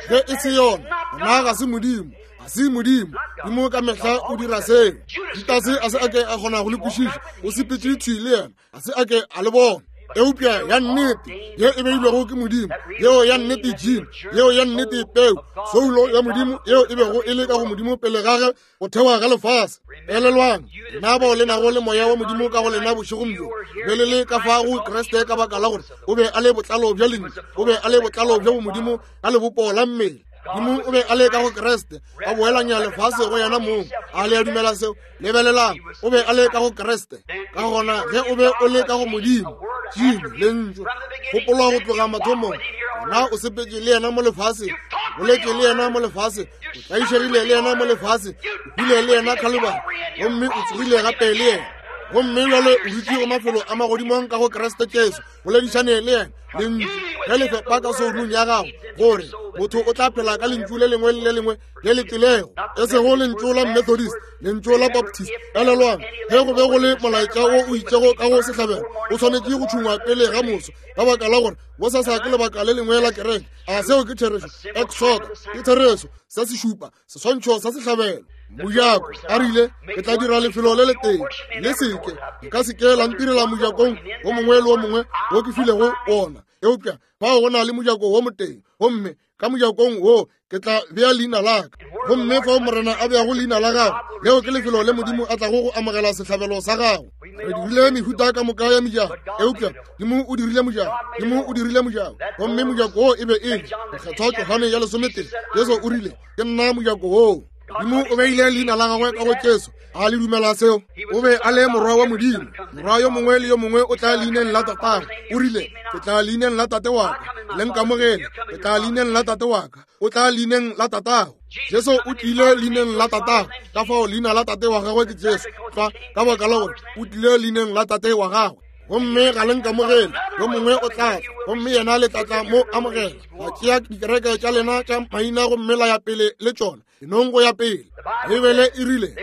Ge e se yona, gona ga se Modimo, ga se Modimo. Modimo ka mehla o dira seo. Judase a se a ke a kgona go le kwešiša, o sepetše thwi le yena, ga se a ke a le bona. Eupša ya nnete ye e beilwego ke Modimo, yeo ya nnete gene, yeo ya nnete peu, soulo ya Modimo yeo e bego e le ka go Modimo pele ga ge go thewa ga lefase. Elelwang, lena bao le nago le moya wa Modimo ka go lena bošegong bjo, be le le ka fa go Kriste ka baka la gore o be a le botlalo bja lentšu, o be a le botlalo bja bomodimo ka lebopo la mmele. Modimo o be a le ka go Kriste, a boelanya lefase go yena mong. A le a dumela seo? Lebelelang, o be a le ka go Kriste. Ka gona ge o be o le ka go Modimo, gene, lentšu, gopolwa go tloga mathomong, gona o sepetše le yena mo lefaseng, boletše le yena mo lefaseng, o tlaišegile le yena mo lefaseng, o hwile le yena Khalibari, gomme o tsogile gape le yena. Gomme bjale o dutše go mafelo a magodimong ka go Kriste Jesu, boledišane le yena, lentšu, ge le fepa ka soulung ya gago, gore motho o tla phela ka lentšu le lengwe le le lengwe le le tlilego, e sego lentšu la Methodist, lentšu la Baptist. Elelwang, ge go be go le molaetša wo o itšego ka go sehlabelo, o swanetše go tšhungwa pele ga moso, ka baka la gore bosasa ke lebaka le lengwe la kereke. A seo ke therešo? Exoda ke therešo, se se šupa seswantšho sa sehlabelo. Mojako a rile, ke tla dira lefelo le letee, le seke, le ka seke la ntirela mojakong wo mongwe le wo mongwe wo ke filego wona, eupša fao go na le mojako wo motee, gomme ka mojakong wo ke tla bea leina la ka. Gomme fao Morena a beago leina la gago, leo ke lefelo le Modimo a tlago go amogela sehlabelo sa gago. Re dirile mehuta ka moka ya mejako, eupša Modimo o dirile mojako, Modimo o dirile mojako, gomme mojako wo e be e le mokgethwa Johane ya lesometee. Jesu o rile, ke nna mojako woo. Modimo o beile leina la gagwe ka go Jesu. A le dumela seo? O be a le morwa wa Modimo. Morwa yo mongwe le yo mongwe o tla leineng la tatagwe. O rile, ke tla leineng la tate wa ka. Le nkamogele, ke tla leineng la tate wa ka. O tla leineng la tatago. Jesu o tlile leineng la tatago. Ka fao leina la tate wa gagwe ke Jesu. Tlwa, ka baka la gore o tlile leineng la tate wa gagwe. Gomme ga le nkamogele, yo mongwe o tla tla, gomme yena le tla tla mo amogela. La tšea dikereke tša lena tša maina gomme la ya pele le tšona, enong go ya pele. Beibele e rile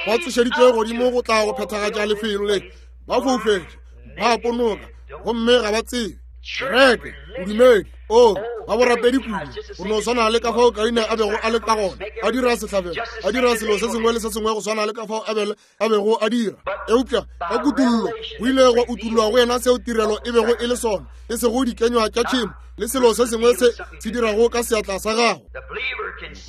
ba tsošeditšwe godimo go tla go phethagatša lefelo le, ba foufetše, ba ponoka, gomme ga ba tsebe. Kereke, bodumedi, o ba borapedi kudu, go no swana le ka fao Kaine a bego a le ka gona, a dira sehlabelo, a dira selo se sengwe le se sengwe go swana le ka fao Abele a bego a dira. Eupša ka kutollo go ile gwa utollwa go yena seo tirelo e bego e le sona, e sego dikenywa tša tšhemo le selo se sengwe se se dirago ka seatla sa gago.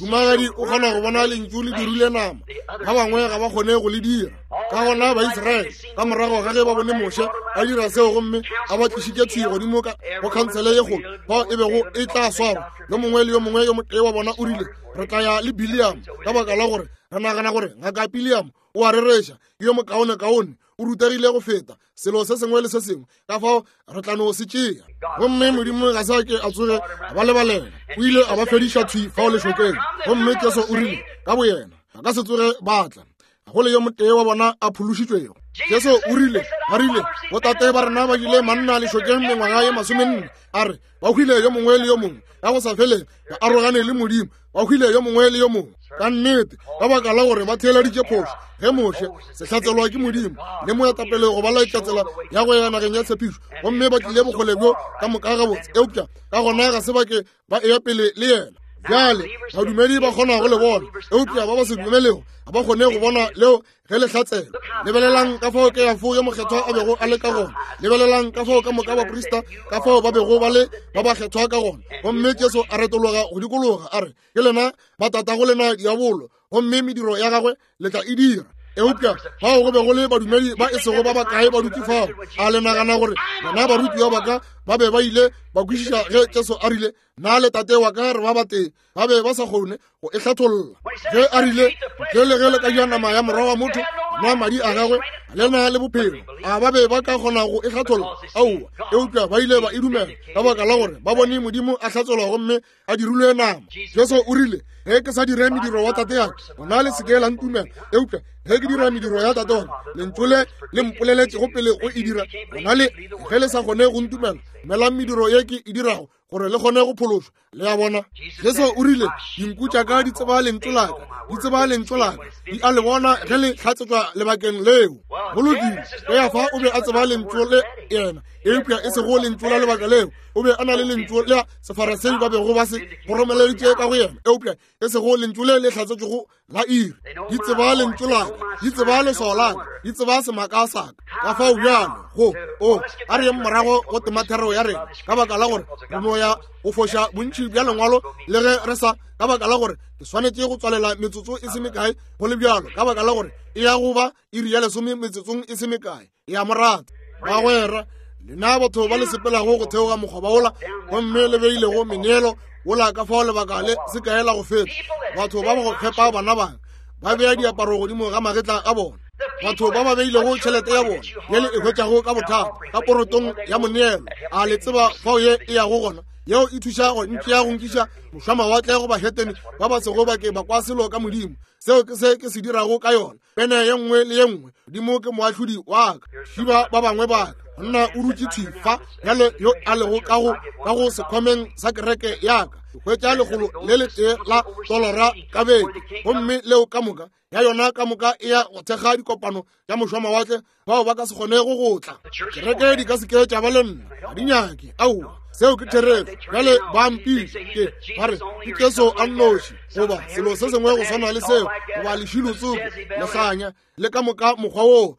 Mohumagadi o kgona go bona lentšu le dirile nama, ba bangwe ga ba kgone go le dira. Ka gona Baisraele ka morago ga ge ba bone Moshe a dira seo gomme a ba tlišitše thwi godimo ka go khansele ye kgolo fao e bego e tla swarwa, yo mongwe le yo mongwe yo motee wa bona o rile, re tla ya le Biliam, ka baka la gore re nagana gore ngaka Biliam o a rereša, ke yo mokaonekaone, o rutegile go feta selo se sengwe le se sengwe, ka fao re tla no se tšea. Gomme Modimo ga se a ke a tsoge a ba lebalela, o ile a ba fediša thwi fao lešokeng. Gomme Jesu o rile ka boyena, ba ka se tsoge ba tla, ga go le yo motee wa bona a phološitšwego. Jesu o rile, ba rile, botate ba rena ba jile manna lešokeng mengwaga ye 40, a re, ba hwile yo mongwe le yo mongwe, ka go sa feleng, ba arogane le Modimo, ba hwile yo mongwe le yo mongwe. Ka nnete, ka baka la gore ba theeleditše phošo, ge Moshe, sehlatselwa ke Modimo, le moetapele go ba laetša tsela ya go ya nageng ya tshepišo, gomme ba tlile bokgole bjo ka moka gabotse, eupša ka gona ga se ba ke ba eya pele le yena. Bjale badumedi ba kgona go le bona, eupša ba ba se dumelego ga ba kgone go bona leo ge le hlatsela. Lebelelang ka fao Keafo yo mokgethwa a bego a le ka gona. Lebelelang ka fao ka moka baprista ka fao ba bego ba le ba bakgethwa ka gona. Gomme Jesu a retologa go dikologa a re, ke lena ba tatago lena diabolo, gomme mediro ya gagwe le tla e dira. Eupša fao go be go le badumedi ba e sego ba bakae ba dutše fao. A le nagana gore bona barutiwa ba ka ba be ba ile ba kwešiša ge Jesu a rile, na le tate wa ka re ba batee? Ba be ba sa kgone go e hlatholla. Ge a rile, ntle le ge le ka ja nama ya morwa wa motho, nwa madi a gagwe, le na le bophelo. A ba be ba ka kgona go e hlatholla? Aowa. Eupša ba ile ba e dumela ka baka la gore ba bone Modimo a hlatselwa gomme a dirilwe nama. Jesu o rile, ge ke sa dire mediro wa tate ya ka, gona le se ke la ntumela. Eupša ge ke dira mediro ya tate wa ka, lentšu le le mpoleletšego pele go e dira, gona le ge le sa kgone go ntumela, dumelang mediro ye ke e dirago, gore le kgone go phološwa. Le a bona? Jesu o rile, dinku tša ka di tseba lentšu la ka, di tseba lentšu la ka, di a le bona ge le hlatsetšwa lebakeng leo. Go lokile, Keafa o be a tseba lentšu le yena, eupša e sego lentšu la lebaka leo. O be a na le lentšu la Sefarasei ba bego ba se goromeleditše ka go yena, eupša e sego lentšu le le hlatsetšwego la iri. Di tseba lentšu la ka, di tseba leswao la ka, di tseba semaka sa ka. Ka fao bjalo go o a re yeng morago go temathero ya rena, ka baka la gore re no ya go foša bontši bja lengwalo le ge re sa, ka baka la gore ke swanetše go tswalela metsotso e se mekae go le bjalo, ka baka la gore e ya go ba iri ya 10 metsotsong e se mekae. Ya morata bagwera, lena batho ba le sepelago go theoga mokgoba wola gomme le beilego meneelo wola ka fao lebaka le se kae la go feta, batho ba ba go fepa bana bang ba bea diaparo godimo ga magetla a bona, batho ba ba beilego tšhelete ya bona ye le e hwetšago ka bothata ka porotong ya moneelo, a le tseba fao ye e yago gona? Yeo e thuša go ntšea go nkiša mošwamawatle go bahetene ba ba sego ba ke ba kwa selo ka Modimo. Seo ke se ke se dirago ka yona. Pene ye nngwe le ye nngwe, Modimo ke moahlodi wa ka. Šiba ba bangwe ba ka monna o dutše thwi fa bjale yo a lego ka go ka go sekhwameng sa kereke ya ka. Ke hwetša 101 la tolara ka beke, gomme leo ka moka ya yona ka moka e ya go thekga dikopano tša mošwamawatle bao ba ka se kgonego go tla. Kereke di ka se ke tša ba le nna, ga di nyake. Aowa, seo ke therešo. Bjale ba mpitša ke ba re ke Jesu a nnoši, goba selo se sengwe go swana le seo, goba lešilo tsoko lehlanya le ka moka mokgwa woo.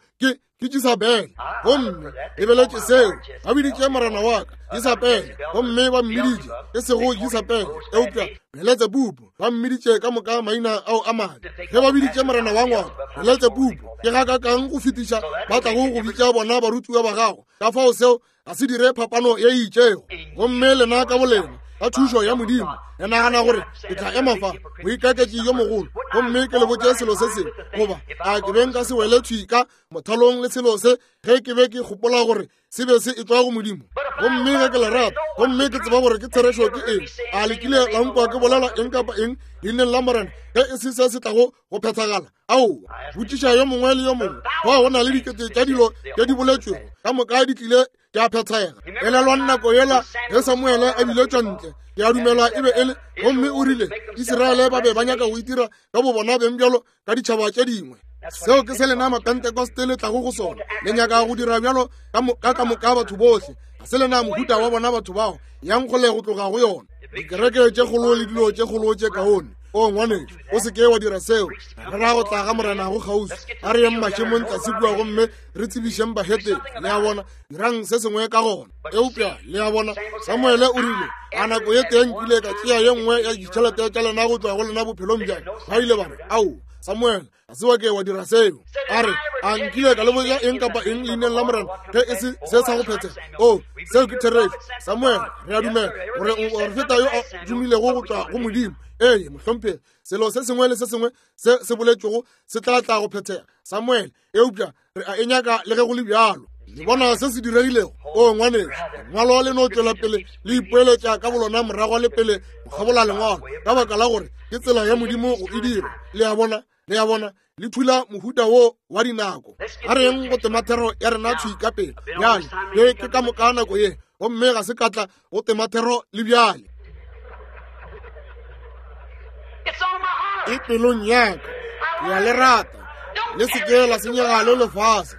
Ke Jesabele, gomme lebeletše seo ba biditše morena wa ka Jesabele, gomme ba mmiditše e sego Jesabele eupša Beletsebubu. Ba mmiditše ka moka maina ao a mabe. Ge ba biditše morena wa ngwako Beletsebubu, ke ga ka kang go fetiša ba tlago go bitša bona barutiwa ba gago. Ka fao seo ga se dire phapano ye e itšego. Gomme lena ka bolena ka thušo ya Modimo le nagana gore ke tla ema fa moikaketši yo mogolo gomme ke le botše selo se sengwe, goba a ke be nka se wele thwi ka mothalong le selo se ge ke be ke gopola gore se be se etšwa go Modimo? Gomme ge ke le rata gomme ke tseba gore ke therešo ke eng, a le kile la nkwa ke bolela eng kapa eng leineng la Morena ge e se se se tlago go phethagala? Aowa, botšiša yo mongwe le yo mongwe. Fao go na le dikete tša dilo tše di boletšwego, ka moka di tlile tša phethega. Elelwang nako yela ge Samuele a biletšwa ntle, ke a dumela e be e le, gomme o rile Iseraele ba be ba nyaka go itira ka bo bona beng bjalo ka ditšhaba tše dingwe. Seo ke se lena Mapentekoste le tlago go sona. Le nyaka go dira bjalo ka ka moka batho bohle. Ga se lena mohuta wa bona batho bao. Yang kgole go tloga go yona. Dikereke tše kgolo le dilo tše kgolo tše kaone. O ngwanešu, o se ke wa dira seo. Re ra go tla ga Morena go kgauswi. A re yeng mašemong tlase kua gomme re tsebišeng bahetene. Le a bona, dirang se sengwe ka gona. Eupša le a bona, Samuele o rile, a nako ye tee nkile ka tšea ye nngwe ya ditšhelete tša lena go tšwa go lena bophelong bja ka. Ba ile ba re, Aowa, Samuele, ga se wa ke wa dira seo. A re, a nkile ka le botša eng kapa eng leineng la Morena ge e se se sa go phethega? O, seo ke therešo. Samuele, re a dumela gore o moprofeta yo a dumilego go tšwa go Modimo. Ee, mohlomphegi, selo se sengwe le se sengwe se se boletšwego se tla tla go phethega, Samuele, eupša re a e nyaka le ge go le bjalo. Le bona se se diregilego? O ngwanešu, lengwalo le no tšwela pele le ipoeletša ka bolona morago le pele go kgabola lengwalo, ka baka la gore ke tsela ya Modimo go e dira. Le a bona? Le a bona? Le thula mohuta wo wa dinako. A reng go temathero ya rena thwi ka pele bjale. Ye ke ka moka nako ye, gomme ga se ka tla go temathero le bjale. E pelong ya ka, ke a le rata. Le se ke la senyega le lefase.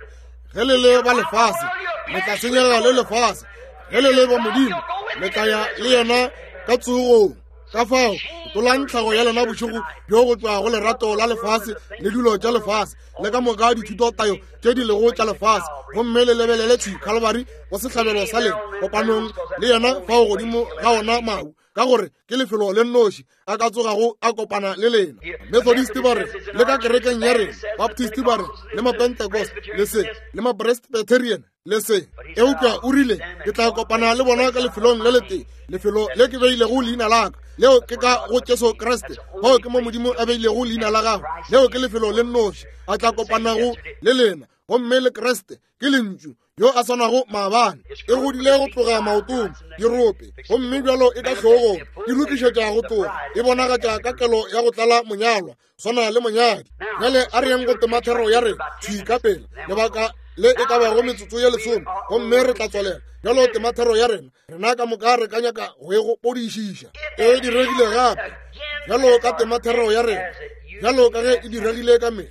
Ge le le ba lefase, le tla senyega le lefase. Ge le le ba Modimo, le tla ya le yena ka tsogong. Ka fao, tolang tlhago ya lena bošego bjo go tšwa go lerato la lefase le dilo tša lefase le ka moka dithutotayo tše di lego tša lefase, gomme le lebelele thwi Calvary go sehlabelo sa lena kopanong le yena fao godimo ga ona mahu, ka gore ke lefelo le nnoši a ka tsogago a kopana le lena. Methodist ba re le ka kerekeng ya rena, Baptist ba re le Mapentecost le se le Mapresbyterian le se, eupša o rile ke tla kopana le bona ka lefelong le letee, lefelo le ke beilego leina la ka, leo ke ka go Jesu Kriste. Fao ke mo Modimo a beilego leina la gagwe, leo ke lefelo le nnoši a tla kopanago le lena, gomme le Kriste ke Lentšu yo a swanago maabane. E godile go tloga maotong, dirope, gomme bjalo e ka hlogong, e lokišetša go tloga, e bonagatša ka kelo ya go tlala monyalwa, swana le monyadi. Bjale a re yeng go temathero ya rena thwi ka pele, lebaka le e ka bago metsotso ye lesome, gomme re tla tswalela. Bjalo temathero ya rena, rena ka moka re ka nyaka go e gopodišiša. E diregile gape bjalo ka temathero ya rena, bjalo ka ge e diregile ka mehla.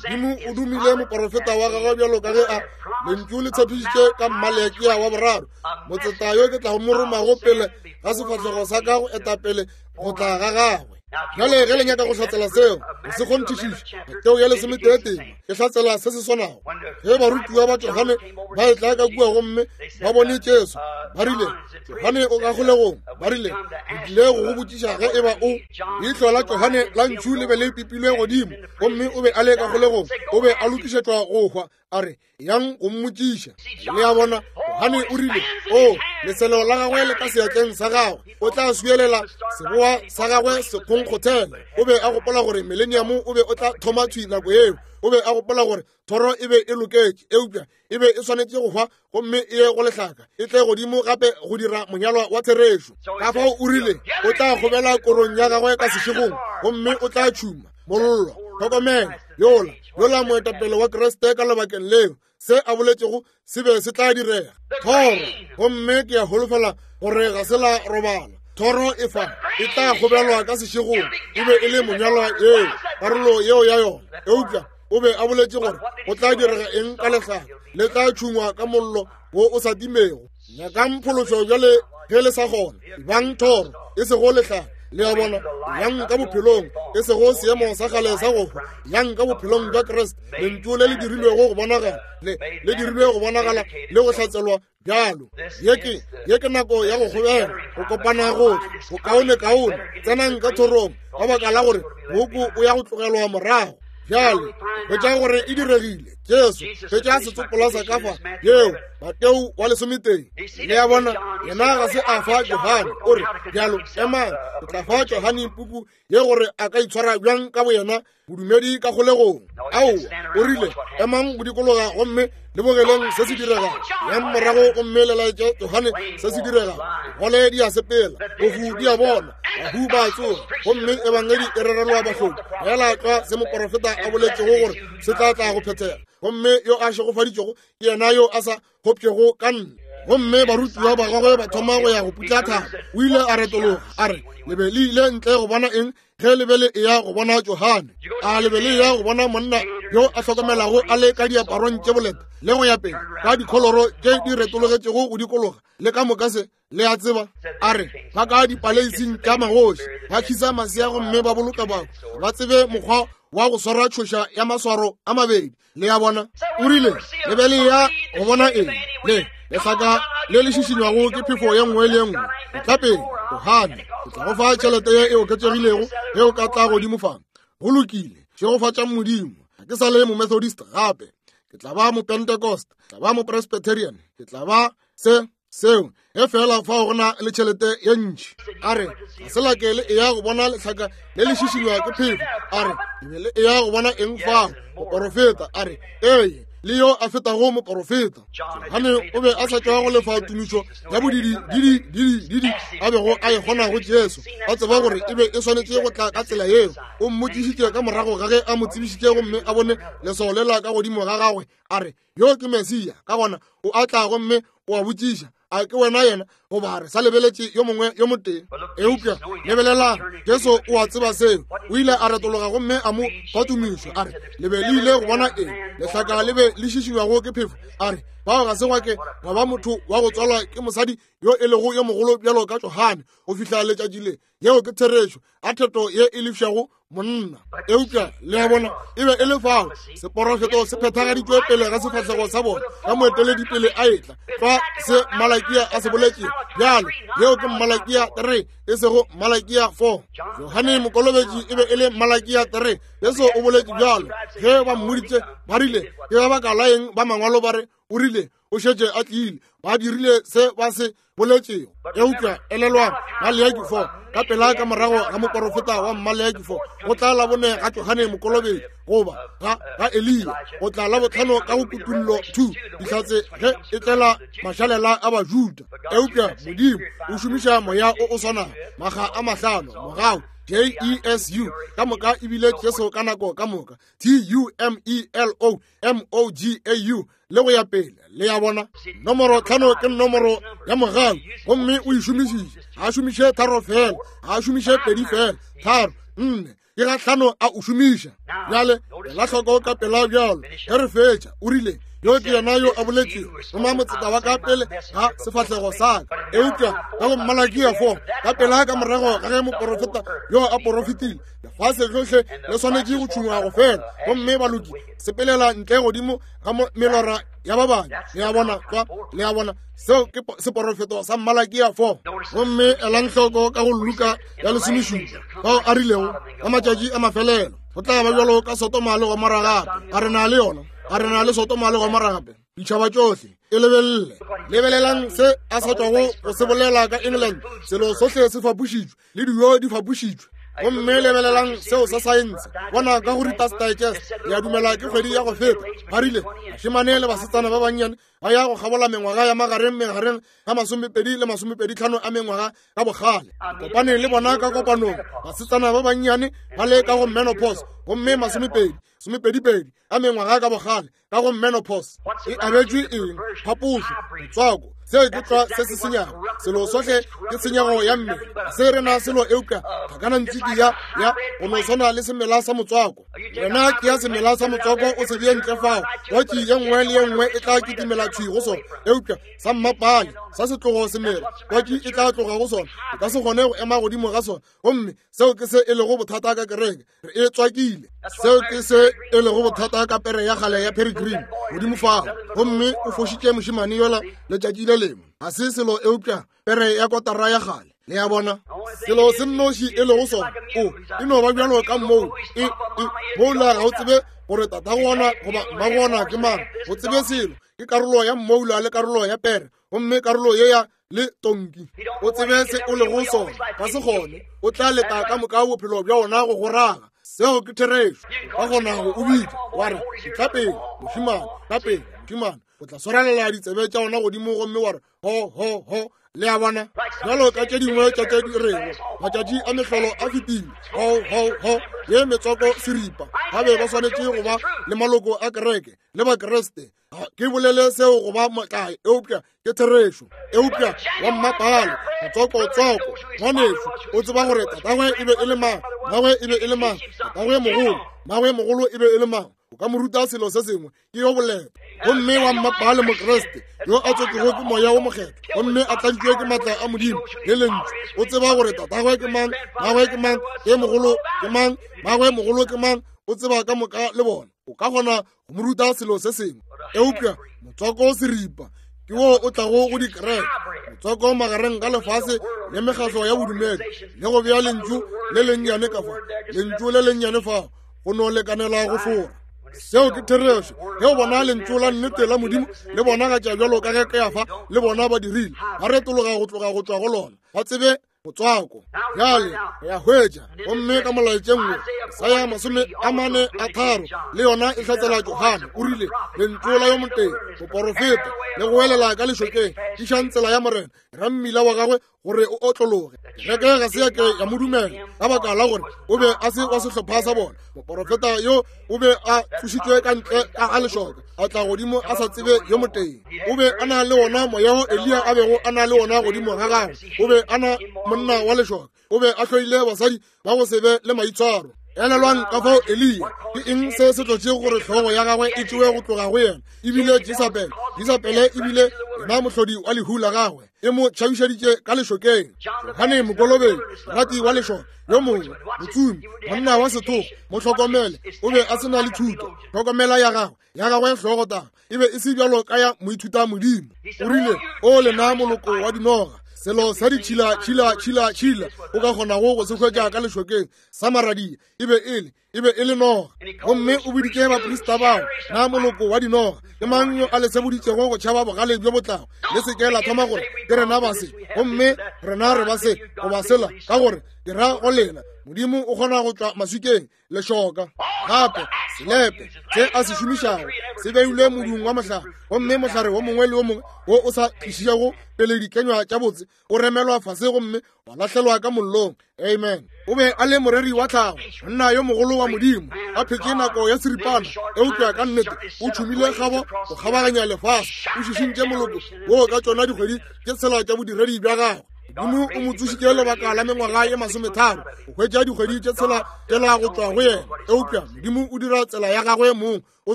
Modimo o dumile moporofeta wa gagwe bjalo ka ge a lentšu le tshepišitše ka Mmalekia wa boraro, motseta yo ke tlago mo romago pele ga sefahlego sa ka go eta pele go tla ga gagwe. Bjale ge le nyaka go hlatsela seo, go se kgonthišiša, Mateo ya lesometee tema e hlatsela se se swanago. Ge barutiwa ba Johane ba etla ka kua gomme ba bone Jesu, ba rile, Johane o ka kgolegong. Ba rile, re tlile go go botšiša ge eba o. Leihlo la Johane la ntšhu le be le pipilwe godimo, gomme o be a le ka kgolegong, o be a lokišetšwa go hwa. A re, yang go mmotšiša. Le a bona, Johane o rile, o, leselo la gagwe le ka seatleng sa gagwe, o tla swielela seboa sa gagwe sekgonkgothela. O be a gopola gore mileniamo o be o tla thoma thwi nako yeo. O be a gopola gore thoro e be e loketše, eupša e be e swanetše go hwa gomme e ye go lehlaka, e tle godimo gape go dira monyalwa wa therešo. Ka fao o rile o tla kgobela korong ya gagwe ka sešegong gomme o tla tšhuma mollo. Hlokomela, yola yola moetapele wa Kriste ka lebakeng leo, se a boletšego se be se tla direga. Thoro, gomme ke a holofela gore ga se la robala. Thoro e fa e tla kgobelwa ka sešegong, e be e le monyalwa yeo, karolo yeo ya yona. Eupša o be a boletše gore go tla direga eng ka lehlaka, le tla tšhungwa ka mollo wo o sa timego. Nyakang phološo bjale ge le sa kgona, bang thoro e sego lehlaka. Le a bona, yang ka bophelong, e sego seemo sa kgale sa go hwa, yang ka bophelong bja Kriste, lentšu le le dirilwego go bonagala, le le dirilwego go bonagala le go hlatselwa bjalo. Ye ke, ye ke nako ya go kgobela, go kopana gohle, go kaone-kaone, tsenang ka thorong, ka baka la gore mooko o ya go tlogelwa morago. Bjale hwetša gore e diregile. Jesu hwetša setsopola sa ka fa yeo Mateo wa lesometee. Le a bona, yena ga se a fa Johane. O re bjalo, emang, o tla fa Johane puku ye gore a ka itshwara bjang ka boyena bodumedi ka kgolegong. Aowa, o rile, emang go dikologa gomme le bogeleng se se diregago. Yang morago gomme le laetše Johane se se diregago. Gole di a sepela, bohu di a bona, bahu ba a tsoga, gomme ebangedi e rerelwa bahloki. Fela tlwa se moporofeta a boletšego gore se tla tla go phethega. Gomme yo a šegofaditšwego ke yena yo a sa kgopšego ka nna. Gomme barutiwa ba gagwe ba thoma go ya go putla thaba. O ile a retologa a re, le be le ile ntle go bona eng ge le be le eya go bona Johane? A le be le eya go bona monna yo a hlokomelago a le ka diaparong tše boleta le go ya pele ka dikholoro tše di retologetšego go dikologa le ka moka se? Le a tseba, a re ba ka dipaleising tša magoši ba khisa masea gomme ba boloka batho, ba tsebe mokgwa wa go swara tšhoša ya maswaro a mabedi. Le a bona, o rile le be le ya go bona eng? Le lehlaka le le šišinywago ke phefo ye nngwe le ye nngwe. Tla pele, Johane, ke tla go fa tšhelete ye e oketšegilego ge o ka tla godimo fa. Go lokile, šegofatšang Modimo. Ga ke sa le Momethodist gape, ke tla ba Mopentecost, ke tla ba Mopresbyterian, ke tla ba se seo, ge fela fao go na le tšhelete ye ntši. A re ga se la ke le eya go bona lehlaka le le šišinywa ke phefo. A re le be le eya go bona eng fao? Moporofeta. A re ee. le yo a fetago moporofeta. Johane o be a sa tšwa go lefa tumišo ya bodidi didi didi didi a bego a e kgona go Jesu, a tseba gore e be e swanetše go tla ka tsela yeo. O mmotšišitše ka morago ga ge a mo tsebišitše gomme a bone leswao lela ka godimo ga gagwe, a re, Yo ke Mesia. Ka gona o a tla gomme o a botšiša, a ke wena yena goba re sa lebeletše yo mongwe yo motee? Eupša lebelelang, Jesu o a tseba seo. O ile a retologa gomme a mo fa tumišo, a re, Le be le ile go bona eng? Lehlaka le be le šišinywago ke phefo. A re, Bao ga se gwa ke gwa ba motho wa go tswalwa ke mosadi yo e lego yo mogolo bjalo ka Johane go fihla letšatši le. Yeo ke therešo. A theto ye e lefšago monna. Eupša le a bona, e be e le fao seporofeto se phethagaditšwe pele ga sefahlego sa bona ka moeteledipele a etla, fa se Malakia a se boletšego. Bjale yeo ke Malakia 3, e sego Malakia 4. Johane Mokolobetši e be e le Malakia 3. Jesu o boletše bjalo ge ba mmoditše, ba rile, Ke ka baka la eng ba mangwalo ba re o rile o šetše a tlile? Ba dirile se ba se boletšego. Eupša elelwang, Maleaki 4, ka pela ka morago ga moporofeta wa Maleaki 4, go tla la bone ga Johane Mokolobetši, goba ga, ga Eliya, go tla la botlhano ka go Kutullo 2, dihlatse ge e tlela mašalela a Bajuda. Eupša Modimo o šomiša moya o o swanago makga a mahlano, mogau, J-E-S-U, ka moka ebile Jesu ka nako ka moka, T-U-M-E-L-O, M-O-G-A-U, le go ya pele. Le ya bona, nomoro 5 ke nomoro ya mogau, gomme o e šomišitše. Ga a šomiše 3 fela, ga a šomiše 2 fela, 3, 4, ke ga 5 a o šomiša. Bjale ela hloko ka pela bjalo ge re fetša. O rile, Yo ke yena yo a boletšego, roma motseta wa ka pele ga sefahlego sa ka. Eupša ka go Malakia 4, ka pela ka morago ga ge moporofeta yo a porofetile, lefase lohle le swanetše go tšhungwa go fela, gomme baloki sepelela ntle godimo ga melora ya ba bangwe. Le a bona kwa? Le a bona, seo ke seporofeto sa Malakia 4. Gomme elang hloko ka go Luka ya lesomešupa, fao a rilego ka matšatši a mafelelo go tla ba bjalo ka Sodoma le Gomora gape. A re na le yona? A re na le Sodoma le Gomora gape? Ditšhaba tšohle e lebelele. Lebelelang se a sa tšwago go se bolela ka England. Selo sohle se fapošitšwe, le dijo di fapošitšwe. Gomme lebelelang seo sa saense. Bona ka go Reader's Digest, ke a dumela ke kgwedi ya go feta, ba rile bašemane le basetsana ba bannyane ba ya go kgabola mengwaga ya magareng megareng ga masomepedi le masomepedi tlhano a mengwaga ka bogale. Kopane le bona ka kopanong, basetsana ba bannyane ba le ka go menopause, gomme masomepedi somepedipedi a mengwaga ka bogale ka go menopause. E abetšwe eng? Phapošo, motswako. Seo ke tlwa se se senyago. Selo sohle ke tshenyego ya mmele. Ga se rena selo eupša tlhakanantswiki ya, ya go no swana le semela sa motswako. Wena ke ya semela sa motswako o se bee ntle fao, twatši ye nngwe le ye nngwe e tla kitimela thwi go sona. Eupša sa mmapale, sa setlogo semela, twatši e tla tloga go sona, e ka se kgone go ema godimo ga sona. Gomme seo ke se e lego bothata ka kereke, re e tswakile. Seo ke se e lego bothata ka pere ya kgale ya Peregrine godimo fao, gomme o fošitše mošemane yola letšatši le lengwe. Ga se selo eupša pere ya kotara ya kgale. Le a bona, selo se nnoši e lego sona, o e no ba bjalo ka moo e, e moula ga o tsebe gore tatago ona goba mmago ona ke mang. O tsebe selo ke karolo ya mmoula le karolo ya pere, gomme karolo ye ya le tonki. O tsebe se o lego sona, ka se kgone, o tla leta ka moka bophelo bja ona go go raga. Seo ke therešo. Ka gona go o bitša wa re, Tla pele mošemane, tla pele mošemane. O tla swarelela ditsebe tša ona godimo gomme wa re, Ho, ho, ho. Le a bona, bjalo ka tše dingwe tša tše di rego matšatši a mehlolo a fetile, ho, ho, ho, ye metswako seripa. Ba be ba swanetše go ba le maloko a kereke le Bakriste. Ga ke bolele seo go ba motlae, eupša ke therešo. Eupša wa mmapale, motswako-tswako, ngwanešu, o tseba gore tatagwe e be e le mang, mmagwe e be e le mang, tatagwe mogolo, mmagwe mogolo e be e le mang. O ka mo ruta selo se sengwe, ke yo boleta. Gomme wa mmapale Mokriste yo a tswetšwego ke Moya wo Mokgethwa gomme a tladitšwe ke maatla a Modimo le Lentšu, o tseba gore tatagwe ke mang, mmagwe ke mang, ke mogolo ke mang, mmagwe mogolo ke mang, o tseba ka moka le bona. O ka kgona go mo ruta selo se sengwe. Eupša motswako seripa ke wo o tlago go dikereke, motswako magareng ga lefase le mekgatlo ya bodumedi, le go bea lentšu le lennyane ka fa, lentšu le lennyane fa, go no lekanela go fora. Seo ke therešo. Ge o bona lentšu la nnete la Modimo le bonagatša bjalo ka ge Kefa le bona ba dirile, ba retologa go tloga go tšwa go lona, ba tsebe. Motswako. Bjale re a hwetša, gomme ka molaetšeng wo, Isaya 43 le yona e hlatsela Johane. O rile, Lentšu la yo motee, moporofeta, le goelela ka lešokeng, Tišang tsela ya Morena, ra mmila wa gagwe gore o otlologe. Kereke ga se ya ke ya mo dumela ka baka la gore o be a se wa sehlopha sa bona. Moporofeta yo o be a tsošitšwe ka ntle ka ga lešoka, a tla godimo a sa tsebe yo motee. O be a na le wona moya wo Eliya a bego a na le wona godimo ga gagwe. O be a na monna wa lešoka. O be a hloile basadi ba go se be le maitshwaro. Elelwang ka fao Eliya, ke eng se se tlotšego gore hlogo ya gagwe e tšewe go tloga go yena? E bile Jesabele. Jesabele e bile yena mohlodi wa lehu la gagwe, e mo tšhabišeditše ka lešokeng. Johane Mokolobetši, morati wa lešoka, yo mongwe, motsomi, monna wa sethogo, mo hlokomele, o be a se na le thuto. Hlokomela ya gagwe, ya gagwe hlogotaba e be e se bjalo ka ya moithuta modimo. O rile, O lena moloko wa dinoga, selo sa ditšhila tšhila tšhila tšhila o ka kgonago go se hwetša ka lešokeng sa maradia e be e le, e be e le noga. Gomme o biditše baprista bao, na moloko wa dinoga, ke mang yo a le seboditšego go tšhaba bogale bjo bo tlago? Le se ke la thoma gore ke rena ba se, gomme rena re ba se goba sela, ka gore ke ra go lena, Modimo o kgona go tšwa maswikeng lešoka. Gape selepe se a se šomišago se beilwe modung wa mohlare, gomme mohlare wo mongwe le wo mongwe wo o sa tlišitšego pele dikenywa tša botse o remelwa fase gomme wa lahlelwa ka mollong. Amen. O be a le moreri wa tlhago, monna yo mogolo wa Modimo, a phetše nako ya seripana, eupša ka nnete o tšhumile kgabo go kgabaganya lefase, o šišintše moloko wo ka tšona dikgwedi tše tshela tša bodiredi bja gagwe. Modimo o mo tsošitše lebaka la mengwaga ye masometharo go hwetša dikgwedi tše tshela tšela go tšwa go yena, eupša Modimo o dira tsela ya gagwe mong, o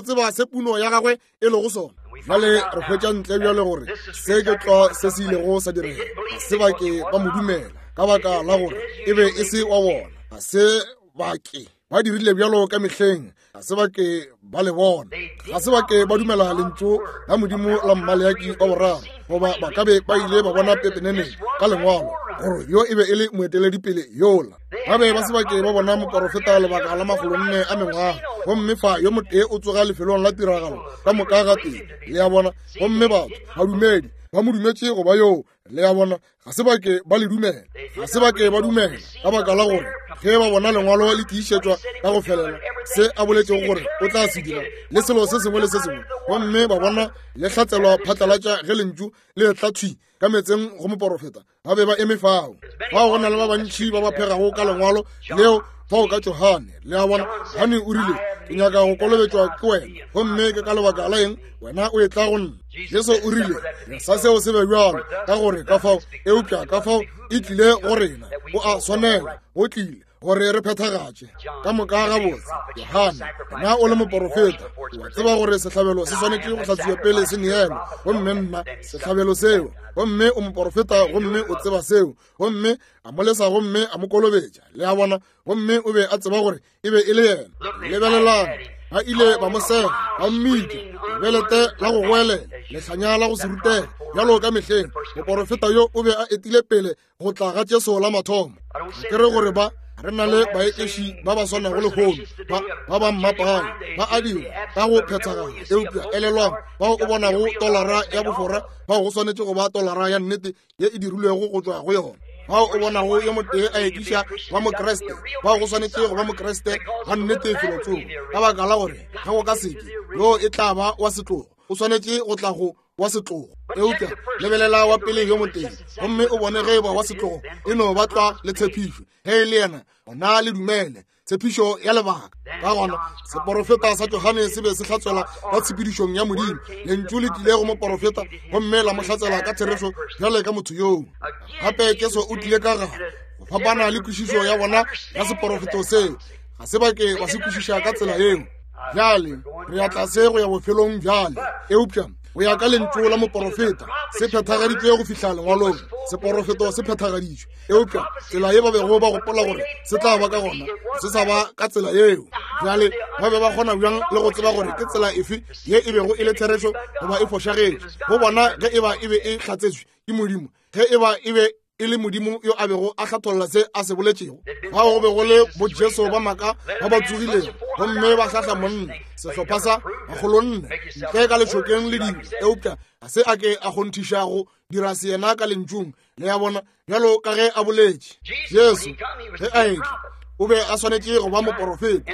tseba se puno ya gagwe e lego sona. Bjale re hwetša ntle bjale gore se ke tlwa se se ilego sa direga. Ga se ba ke ba mo dumela ka baka la gore e be e se wa bona. Ga se ba ke ba dirile bjalo ka mehleng, ga se ba ke ba le bona, ga se ba ke ba dumela lentšu la Modimo la Mmaleaki wa boraro, goba ba ka be ba ile ba bona pepeneneng ka lengwalo gore yo e be e le moeteledipele yola. Ba be ba se ba ke ba bona moporofeta lebaka la makgolonne a mengwaga, gomme fa yo motee o tsoga lefelong la tiragalo ka moka gatee, le a bona, gomme batho badumedi ba mo dumetše go ba yoo, le a bona, ga se ba ke ba le dumela, ga se ba ke ba dumela, ka baka la gore ge ba bona lengwalo le tiišetšwa ka go felela se a boletšego gore o tla se dira le selo se sengwe le se sengwe, gomme ba bona le hlatselwa phatlalatša ge lentšu le etla thwi ka meetseng go moporofeta, ba be ba eme fao. Fao go na le ba bantši ba ba phegago ka lengwalo leo fao ka Johane, le a bona. Johane o rile, ke nyaka go kolobetšwa ke wena, gomme ke ka lebaka la eng wena o etla go nna? Jesu o rile, sa seo se be bjalo, ka gore ka fao, eupša ka fao e tlile go rena, go a swanela, go tlile gore re phethagatše ka moka gabotse. Johane, wena o le moporofeta, o a tseba gore sehlabelo se swanetše go hlatswiwa pele se neelwa, gomme nna sehlabelo seo, gomme o moporofeta gomme o tseba seo, gomme a mo lesa gomme a mo kolobetša, le a bona, gomme o be a tseba gore e be e le yena. Lebelelang, ba ile ba mo sega, ba mmitša lebelete la go goelela, lehlanya la go se rutege, bjalo ka mehleng. Moporofeta yo o be a etile pele go tla ga Jesu la mathomo. Ga ke re gore ba re na le baekeši ba ba swanago lehono, ba ba mmapang, ba a dira ka go phethagala, eupša elelwang, bao o bonago tolara ya bofora, bao go swanetše go ba tolara ya nnete ye e dirilwego go tšwa go yona. Bao o bonago yo motee a ekiša wa Mokriste, bao go swanetše go ba Mokriste wa nnete felotsoko, ka baka la gore ge go ka seke, yoo e tla ba wa setlogo, o swanetše go tla go wa setlogo. Eupša lebelela wa pele yo motee gomme o bone ge e ba wa setlogo e no ba tlwa le tshepišo. Ge e le yena, gona le dumele tshepišo ya lebaka. Ka gona seporofeta sa Johane se be se hlatswela ka tshepedišong ya Modimo. Lentšu le tlile go moporofeta gomme la mo hlatsela ka therešo bjale ka motho yoo. Gape Jesu o tlile ka gare go fapana le kwešišo ya bona ya seporofeto seo. Ga se ba ke ba se kwešiša ka tsela yeo. Bjale re ya tlase go ya bofelong bjale, eupša go ya ka lentšu la moporofeta se phethagaditšwe go fihla lengwalong. Seporofeto se phethagaditšwe, eupša tsela ye ba bego ba gopola gore se tla ba ka gona se sa ba ka tsela yeo. Bjale ba be ba kgona bjang le go tseba gore ke tsela efe ye e bego e le therešo goba e fošagetše go bona ge e ba e be e hlatsetšwe ke Modimo, ge e ba e be e le Modimo yo a bego a hlatholla se a se boletšego. Fao go be go le boJesu ba maaka ba ba tsogilego gomme ba hlahla monna, sehlopha sa makgolonne, ntle ka lešokeng le dilo, eupša ga se a ke a kgonthiša go dira se yena ka lentšung, le a bona, bjalo ka ge a boletše. Jesu, ge a etla, o be a swanetše go ba moporofeta.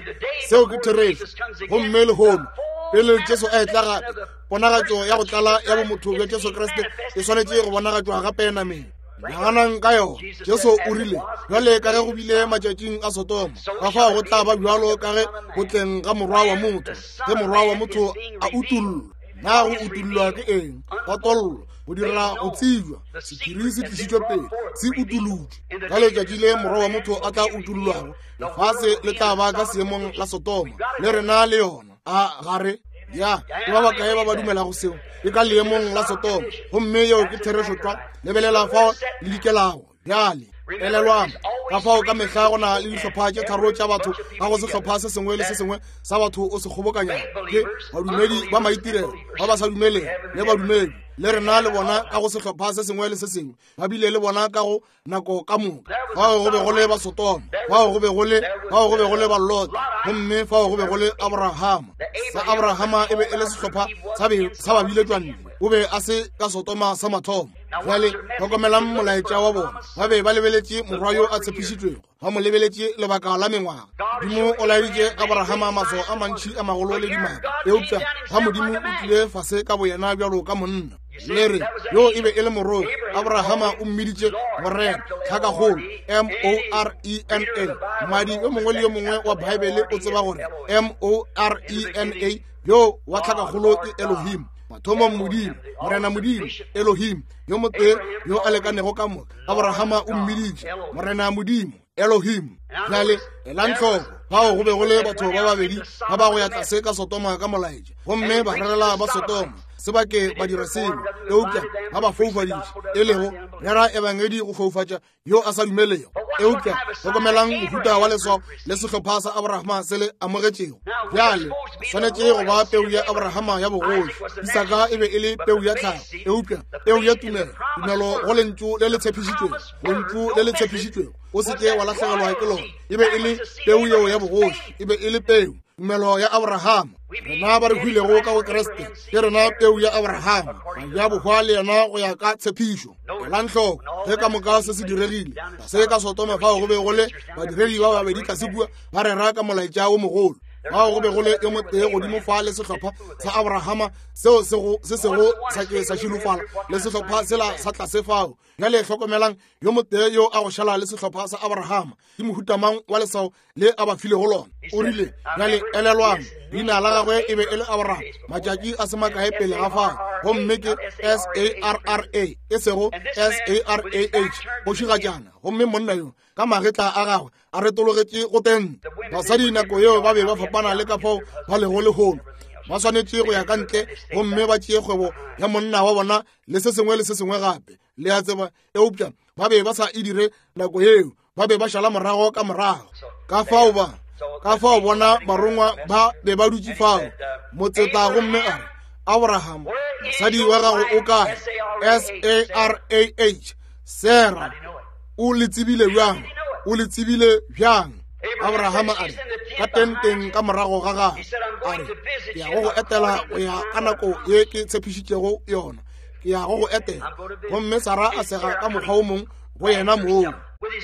Seo ke therešo. Gomme lehono, pele Jesu a etla gape, ponagatšo ya go tlala ya bomotho bja Jesu Kriste e swanetše go bonagatšwa gape nameng. Naganang ka yona. Jesu o rile, bjale ka ge go bile matšatšing a Sodoma, ka fao go tla ba bjalo ka ge go tleng ga Morwa wa motho, ge Morwa wa motho a utollwa. Na go utollwa ke eng? Patollo, go dira go tsebja. Sephiri se tlišitšwe pele, se utolotšwe. Ka letšatši le Morwa wa motho a tla utollwago, lefase le tla ba ka seemong la Sodoma, le rena le yona. A ga re? Ya, ke ba bakae ba ba dumelago seo? Ke ka leemong la Sodoma, gomme yeo ke therešo tlwa. Lebelela fao le dikelago bjale. Elelwang, ka fao ka mehla go na le dihlopha tše tharo tša batho ka go sehlopha se sengwe le se sengwe sa batho o se kgobokanyago. Ke badumedi ba maitirelo, ba ba sa dumeleng, le badumedi. Le rena le bona ka go sehlopha se sengwe le se sengwe, ba bile le bona ka go nako ka moka. Fao go be go le Basodoma, fao go be go le, fao go be go le Balota, gomme fao go be go le Abrahama. Sa Abrahama e be e le sehlopha sa be sa babiletšwantle, o be a se ka Sodoma sa mathomo. Bjale hlokomelang molaetša wa bona. Ba be ba lebeletše morwa yo a tshepišitšwego, ba mo lebeletše lebaka la mengwaga. Modimo o laeditše Abrahama maswao a mantši a magolo le dimaka, eupša ga Modimo o tlile fase ka boyena bjalo ka monna. Le re, yo e be e le moroi. Abrahama o mmiditše Morena, tlhakakgolo, M-O-R-E-N-A. Mmadi yo mongwe le yo mongwe wa Baebele o tseba gore M-O-R-E-N-A yo wa tlhakakgolo ke Elohim. Mathomong Modimo, Morena Modimo, Elohim, yo motee yo a lekanego ka moka. Abrahama o mmiditše Morena Modimo, Elohim. Bjale elang hloko, fao go be go le batho ba babedi ba ba go ya tlase ka Sodoma ka molaetša, gomme ba rerela ba Sodoma se ba ke ba dira selo, eupša ba ba foufaditše, e lego rera ebangedi go foufatša yo a sa dumelego. Eupša hlokomelang mohuta wa leswao le sehlopha sa Abrahama se le amogetšego. Bjale swanetše go ba peu ya Abrahama ya bogoši. Isaka e be e le peu ya tlhago, eupša peu ya tumelo, tumelo go lentšu le le tshepišitšwego, lentšu le le tshepišitšwego, o se ke wa lahlegelwa ke lona. E be e le peu yeo ya bogoši, e be e le peu, tumelo ya Abrahama. Rena ba re hwilego ka go Kriste ke rena peu ya Abrahama, ya bohwa le yena go ya ka tshepišo. Elang hloko ge ka moka se se diregile tlase ka Sodoma, fao go be go le badiredi ba babedi tlase kua ba rera ka molaetša wo mogolo. Fao go be go le yo motee godimo fa le sehlopha sa Abrahama seo se sego sa ke sa šilofala, le sehlopha sela sa tlase fao. Bjale hlokomelang yo motee yo a go šala le sehlopha sa Abrahama. Ke mohuta mang wa leswao le a ba filego lona? O rile, bjale elelwang, leina la gagwe e be e le Abraham matšatši a se makae pele ga fao, gomme ke S-A-R-R-A, e sego S-A-R-A-H, kgošigatšana. Gomme monna yo ka magetla a gagwe a retologetše go tente. Basadi nako yeo ba be ba fapana le ka fao ba lego lehono. Ba swanetše go ya ka ntle gomme ba tšee kgwebo ya monna wa bona le se sengwe le se sengwe gape, le a tseba, eupša ba be ba sa e dire nako yeo, ba be ba šala morago ka morago. Ka fao ba, ka fao bona barongwa ba be ba dutše fao, motseta, gomme a re, Abraham, mosadi wa gago o kae? S-A-R-A-H, Sarah. O le tsebile bjang? O le tsebile bjang? Abrahama a re, ka tenteng ka morago ga gagwe, a re, ke ya go go etela go ya ka nako ye ke tshepišitšego yona. Ke ya go go etela. Gomme Sara a sega ka mokgwa o mong go yena moo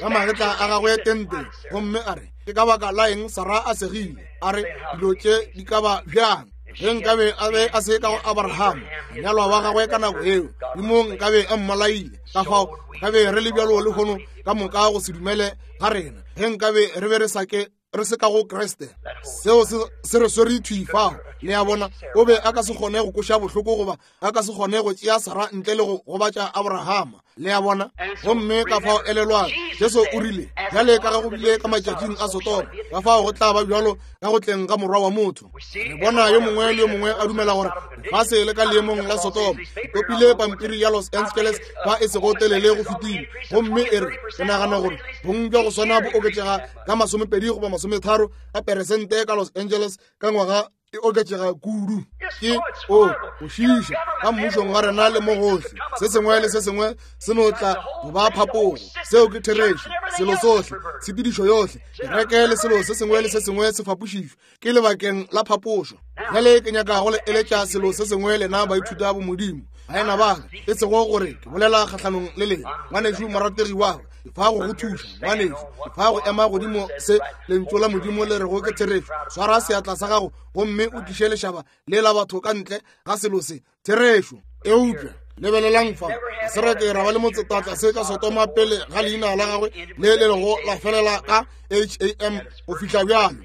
ka magetla a gagwe tenteng, gomme a re, ke ka baka la eng Sara a segile? A re, dilo tše di ka ba bjang? Ge nkabe a be a se ka go Abrahama, monyalwa wa gagwe ka nako eo, Modimo nkabe a mmolaile. Ka fao nkabe re le bjalo lehono ka moka go se dumele ga rena, ge nkabe re be re sa ke re se ka go Kriste. Seo se re swere thwi fao. Le a bona, o be a ka se kgone go koša bohloko goba a ka se kgone go tšea Sara ntle le go gobatša Abrahama. Le a bona? Gomme ka fao elelwang, Jesu o rile, bjale ka ge go bile ka matšatšing a Sodoma, ka fao go tla ba bjalo ka go tleng ga Morwa wa motho. Re bona yo mongwe le yo mongwe a dumela gore lefase le ka leemong la Sodoma. Ke topile pampiri ya Los Angeles fa e sego telele go fetile, gomme e re, ke nagana gore bong bja go swana bo oketšega ka 20 goba 30 a peresente ka Los Angeles ka ngwaga. e oketšega kudu. Ke o go šiiša ka mmušong wa rena le mo gohle. Se sengwe le se sengwe se no tla go ba phapogo. Seo ke therešo. Selo sohle, tshepedišo yohle, kereke le selo se sengwe le se sengwe se fapošišwe ke lebakeng la phapošo. Bjale ke nyaka go le eletša selo se sengwe lena baithuta bomodimo, baena ba ka, e sego gore ke bolela kgahlanong le lena, ngwanešu morategi wa ka. Ke fa go go thuša, ngwanešu. Ke fa go ema godimo se Lentšu la Modimo le rego ke therešo. Swara seatla sa gago gomme o tliše lešaba le la batho ka ntle ga selo se. Therešo. Eupša lebelelang fa, ga se ra ke ra ba le motsetatla se ka Sodoma pele ga leina la gagwe le le lego la felela ka H-A-M go fihla bjalo.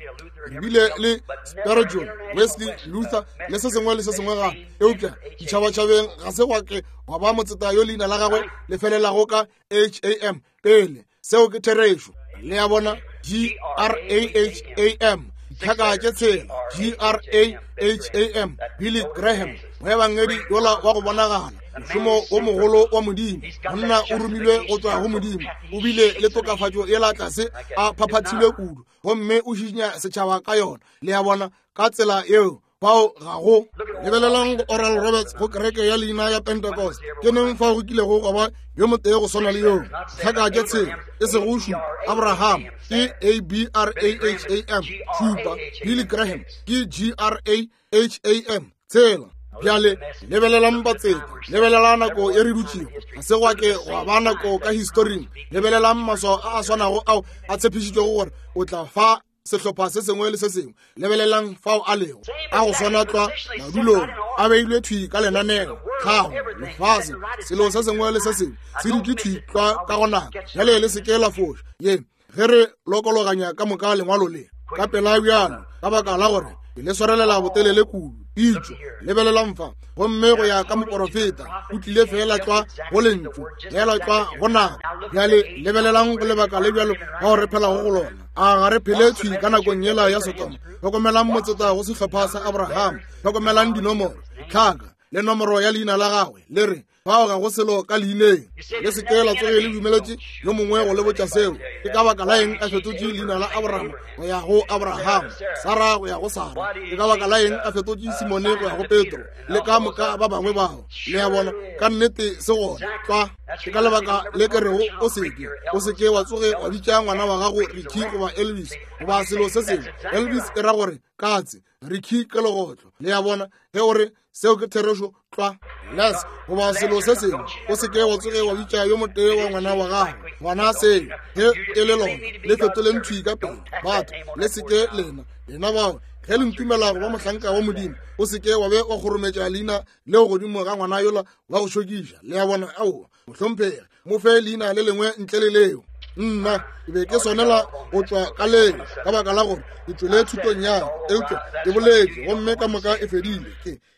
Re bile le Spurgeon, Wesley, Luther le se sengwe le se sengwe gape, eupša ditšhabatšhabeng ga se gwa ke gwa ba motseta yo leina la gagwe le felelago ka H-A-M pele. Seo ke therešo. Le a bona? G-R-A-H-A-M, ditlhaka tše tshela, G-R-A-H-A-M, Billy Graham, moebangedi yola wa go bonagala, mošomo wo mogolo wa Modimo, monna o romilwe go tšwa go Modimo, o bile le tokafatšo yela tlase a phaphathilwe kudu, gomme o šišinya setšhaba ka yona. Le a bona? Ka tsela yeo fao ga go. Lebelelang go Oral Roberts go kereke ya leina ya Pentecost. Ke neng fao go kilego gwa ba yo motee go swana le yoo? Tlhaka tše tshela, e sego šupa. Abraham ke A B R A H A M, šupa. Billy Graham ke G R A H A M, tshela. Bjale lebelelang batseta, lebelela nako e re dutšego. Ga se gwa ke gwa ba nako ka historing. Lebelelang maswao a a swanago ao a tshepišitšwego gore o tla fa sehlopha se sengwe le se sengwe. Lebelelang fao a lego, a go swana tlwa madulong, a beilwe thwi ka lenaneo, tlhago, lefase, selo se sengwe le se sengwe se dutše thwi tlwa ka go nako. Bjale le se ke la foša ye ge re lokologanya ka moka lengwalo le ka pela bjalo, ka baka la gore ke le swarelela botelele kudu. Pitšo, lebelelang fa, gomme go ya ka moporofeta o tlile feela tlwa go lentšu, feela tlwa go nako. Bjale lebelelang go lebaka le bjalo bao re phelago go lona. A ga re phele thwi ka nakong yela ya Sodoma? Hlokomelang motseta go sehlopha sa Abraham. Hlokomelang dinomoro, ditlhaka, le nomoro ya leina la gagwe. Le re, fao ga go selo ka leineng. Le se ke la tsoge le dumeletše yo mongwe go le botša seo. Ke ka baka la eng a fetotše leina la Abraham go ya go Abraham, Sara go ya go Sara? Ke ka baka la eng a fetotše Simone go ya go Petro, le ka moka ba bangwe bao? Le a bona, ka nnete se gona tlwa. Ke ka lebaka le ke rego o se ke, o se ke wa tsoge wa bitša ngwana wa gago Ricky goba Elvis goba selo se sengwe. Elvis e ra gore katse, Ricky ke legotlo. Le a bona, ge o re seo ke therešo tlwa, Les goba selo se sengwe, o se ke wa tsoge wa bitša yo motee wa ngwana wa gago ngwana seo. Ge e le lona, le fetoleng thwi ka pele. Batho, le se ke lena, lena bao, ge le ntumela go ba mohlanka wa Modimo, o se ke wa be wa kgorometša leina leo godimo ga ngwana yola wa go šokiša. Le a bona? Aowa, mohlomphegi, mo fe leina le lengwe ntle le leo. Nna ke be ke swanela go tšwa ka leo ka baka la gore ke tšwele thutong ya ka, eupša ke boletše gomme ka moka e fedile.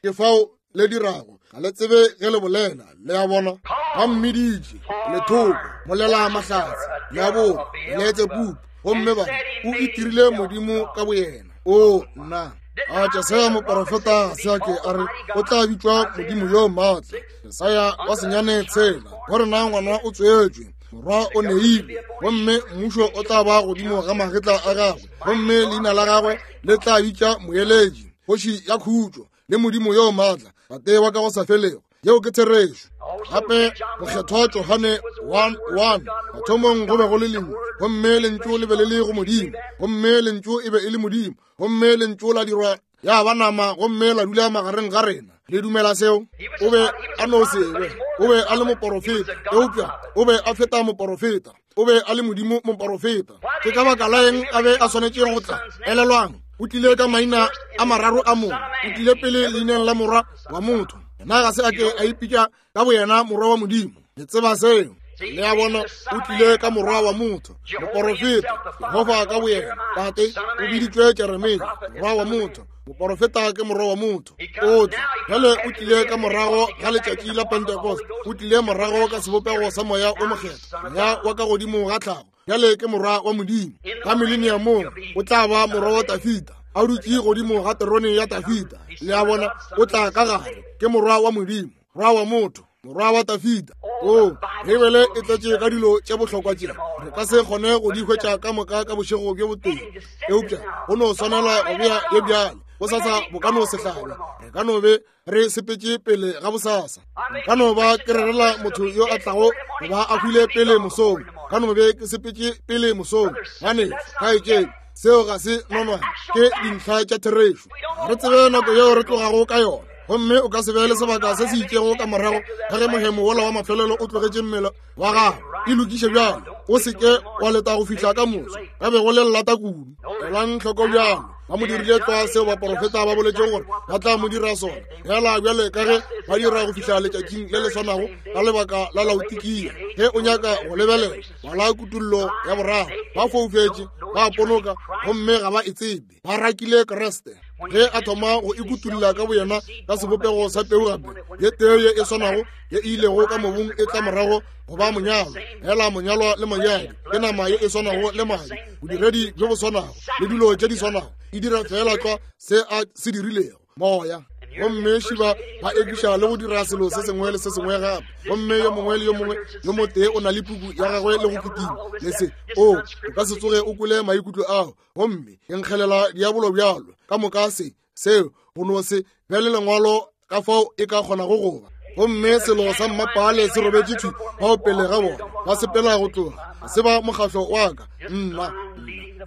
Ke fao le dirago, ga le tsebe ge le bolela. Le a bona? Ba mmiditše lethoko, molela mahlatse, diabolo, Beletsebubu, gomme ba o itirile Modimo ka boyena. O nna! A Jesaya moporofeta ga se a ke a re o tla bitšwa Modimo yo maatla? Jesaya wa 9:6, go rena ngwana o tswetšwe, morwa o neilwe, gomme mmušo o tla ba godimo ga magetla a gagwe, gomme leina la gagwe le tla bitša Moeletši, Kgoši ya Khutšo, le Modimo yo maatla, Tate wa ka go sa felego. Yeo ke therešo. Gape mokgethwa Johane 1:1, mathomong go be go le Lentšu, gomme Lentšu le be le le go Modimo, gomme Lentšu e be e le Modimo, gomme Lentšu la dirwa ya ba nama gomme la dula magareng ga rena. Le dumela seo? O be a no se be, o be a le moporofeta, eupša o be a feta moporofeta. O be a le Modimo moporofeta. Ke ka baka la eng a be a swanetše go tla? Elelwang, o tlile ka maina a mararo a mongwe. O tlile pele leineng la morwa wa motho. Yena ga se a ke a ipitša ka boyena morwa wa Modimo. Le tseba seo. Le a bona, o tlile ka morwa wa motho, moporofeta, Jehofa ka boyena. Tate o biditšwe Jeremia, morwa wa motho. Moporofeta ke morwa wa motho. O tla bjale, o tlile ka morago ga letšatši la Pentecost, o tlile morago ka sebopego sa Moya o Mokgethwa, Moya wa ka godimo ga tlhago. Bjale ke morwa wa Modimo. Ka mileniamong o tla ba morwa wa Dafida, a dutše godimo ga terone ya Dafida. Le a bona, o tla ka gare, ke morwa wa Modimo, morwa wa motho. Morwa wa Dafida. O, Beibele e tletše ka dilo tše bohlokwa tše re ka se kgone go di hwetša ka moka ka bošego bjo botee, eupša go no swanela go bea ye bjale. Bosasa bo ka no se hlabe, re ka no be re sepetše pele ga bosasa. Ka no ba ke rerela motho yo a tlago go ba a hwile pele mosong, ka no be ke sepetše pele mosong. Ngwanešu, kgaetšedi, seo ga se nonwane, ke dintlha tša therešo. Ga re tsebe nako yeo re tlogago ka yona, gomme o ka se be le sebaka se se itšego ka morago ga ge mohemo wola wa mafelelo o tlogetše mmele wa gago. E lokiše bjalo, o se ke wa leta go fihla ka moso, ka be go le llata kudu. Elang hloko bjalo, ba mo dirile tlwa seo baporofeta ba boletšego gore ba tla mo dira sona, fela bjale ka ge ba dira go fihla letšatšing le le swanago ka lebaka la Laodikia. Ge o nyaka go lebelela, bala Kutullo ya boraro. Ba foufetše, ba ponoka, gomme ga ba e tsebe. Ba rakile Kriste ge a thoma go ikutulla ka boyena ka sebopego sa peu gape, ye tee ye e swanago ye e ilego ka mobung e tla morago go ba monyalwa. Fela monyalwa le monyadi ke nama ye e swanago le madi, bodiredi bjo bo swanago le dilo tše di swanago, e dira fela tlwa se a se dirilego, moya. Gomme šiba ba ekiša le go dira selo se sengwe le se sengwe gape, gomme yo mongwe le yo mongwe yo motee o na le puku ya gagwe le go kitima le se. O, o ka se tsoge o kwele maikutlo ao, gomme ke nkgelela diabolo bjalo ka moka se seo go no se be le lengwalo ka fao e ka kgonago go ba. Gomme selo sa mmapaale se robetše thwi bao pele ga bona, ba sepela go tloga, ga se ba mokgahlo wa ka, nna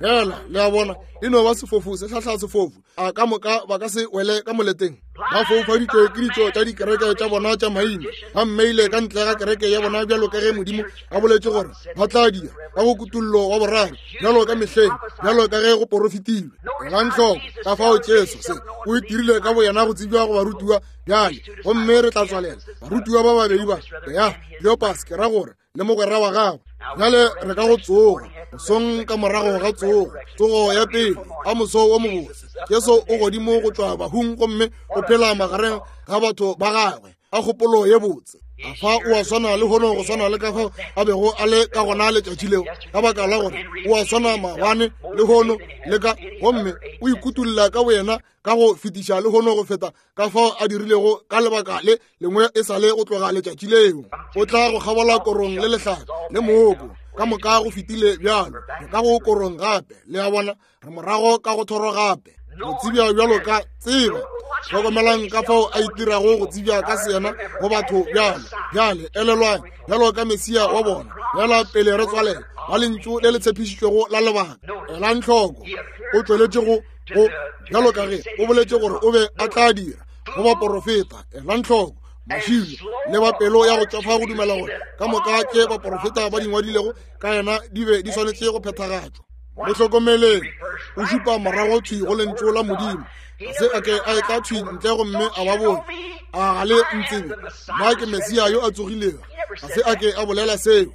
fela, le a bona, e no ba sefofu se hlahla sefofu. A ka moka ba ka se wele ka moleteng? Ba foufaditšwe ke ditšo tša dikereke tša bona tša maina, ba mmeile ka ntle ga kereke ya bona bjalo ka ge Modimo a boletše gore ba tla dira ka go Kutullo wa boraro, bjalo ka mehleng, bjalo ka ge go porofetilwe. Elang hloko ka fao Jesu se o itirile ka boyena go tsebja go barutiwa bjale, gomme re tla tswalela. Barutiwa ba babedi ba, ya Kleopas, ke ra gore, le mogwera wa gagwe. Bjale re ka go tsoga mosong ka morago ga tsogo, tsogo ya pele a moso wo mobotse. Jesu o godimo go tšwa bahung gomme o phela magareng ga batho ba gagwe. A kgopolo ye botse! A fa o a swana le hono go swana le ka fao a bego a le ka gona letšatši leo, ka baka la gore o a swana maabane le hono le ka, gomme o ikutulla ka boyena ka go fetiša le hono go feta ka fao a dirilego ka lebaka le lengwe e sa le go tloga letšatši leo. O tla go kgabola korong le lehlare le mooko, ka moka go fetile bjalo. Re ka go korong gape, le a bona, re morago ka go thoro gape, go tsebja bjalo ka tseba. Hlokomelang ka fao a itirago go tsebja ka seyena go batho bjalo. Bjale elelwang, bjalo ka Mesia wa bona, bjala pele re tswalela, ba lentšu le le tshepišitšwego la lebaka. Elang hloko, o tšweletše go go bjalo ka ge o boletše gore o be a tla dira go baporofeta. Elang hloko, mašilo le ba pelo ya go tšwafa go dumela gore ka moka tše baporofeta ba di ngwadilego ka yena di be di swanetše go phethagatšwa. Mo hlokomeleng, o šupa morago thwi go lentšu la Modimo. Ga se a ke a etla thwi ntle gomme a ba botša, a ga le ntsebe, nna ke Mesia yo a tsogilego. Ga se a ke a bolela seo.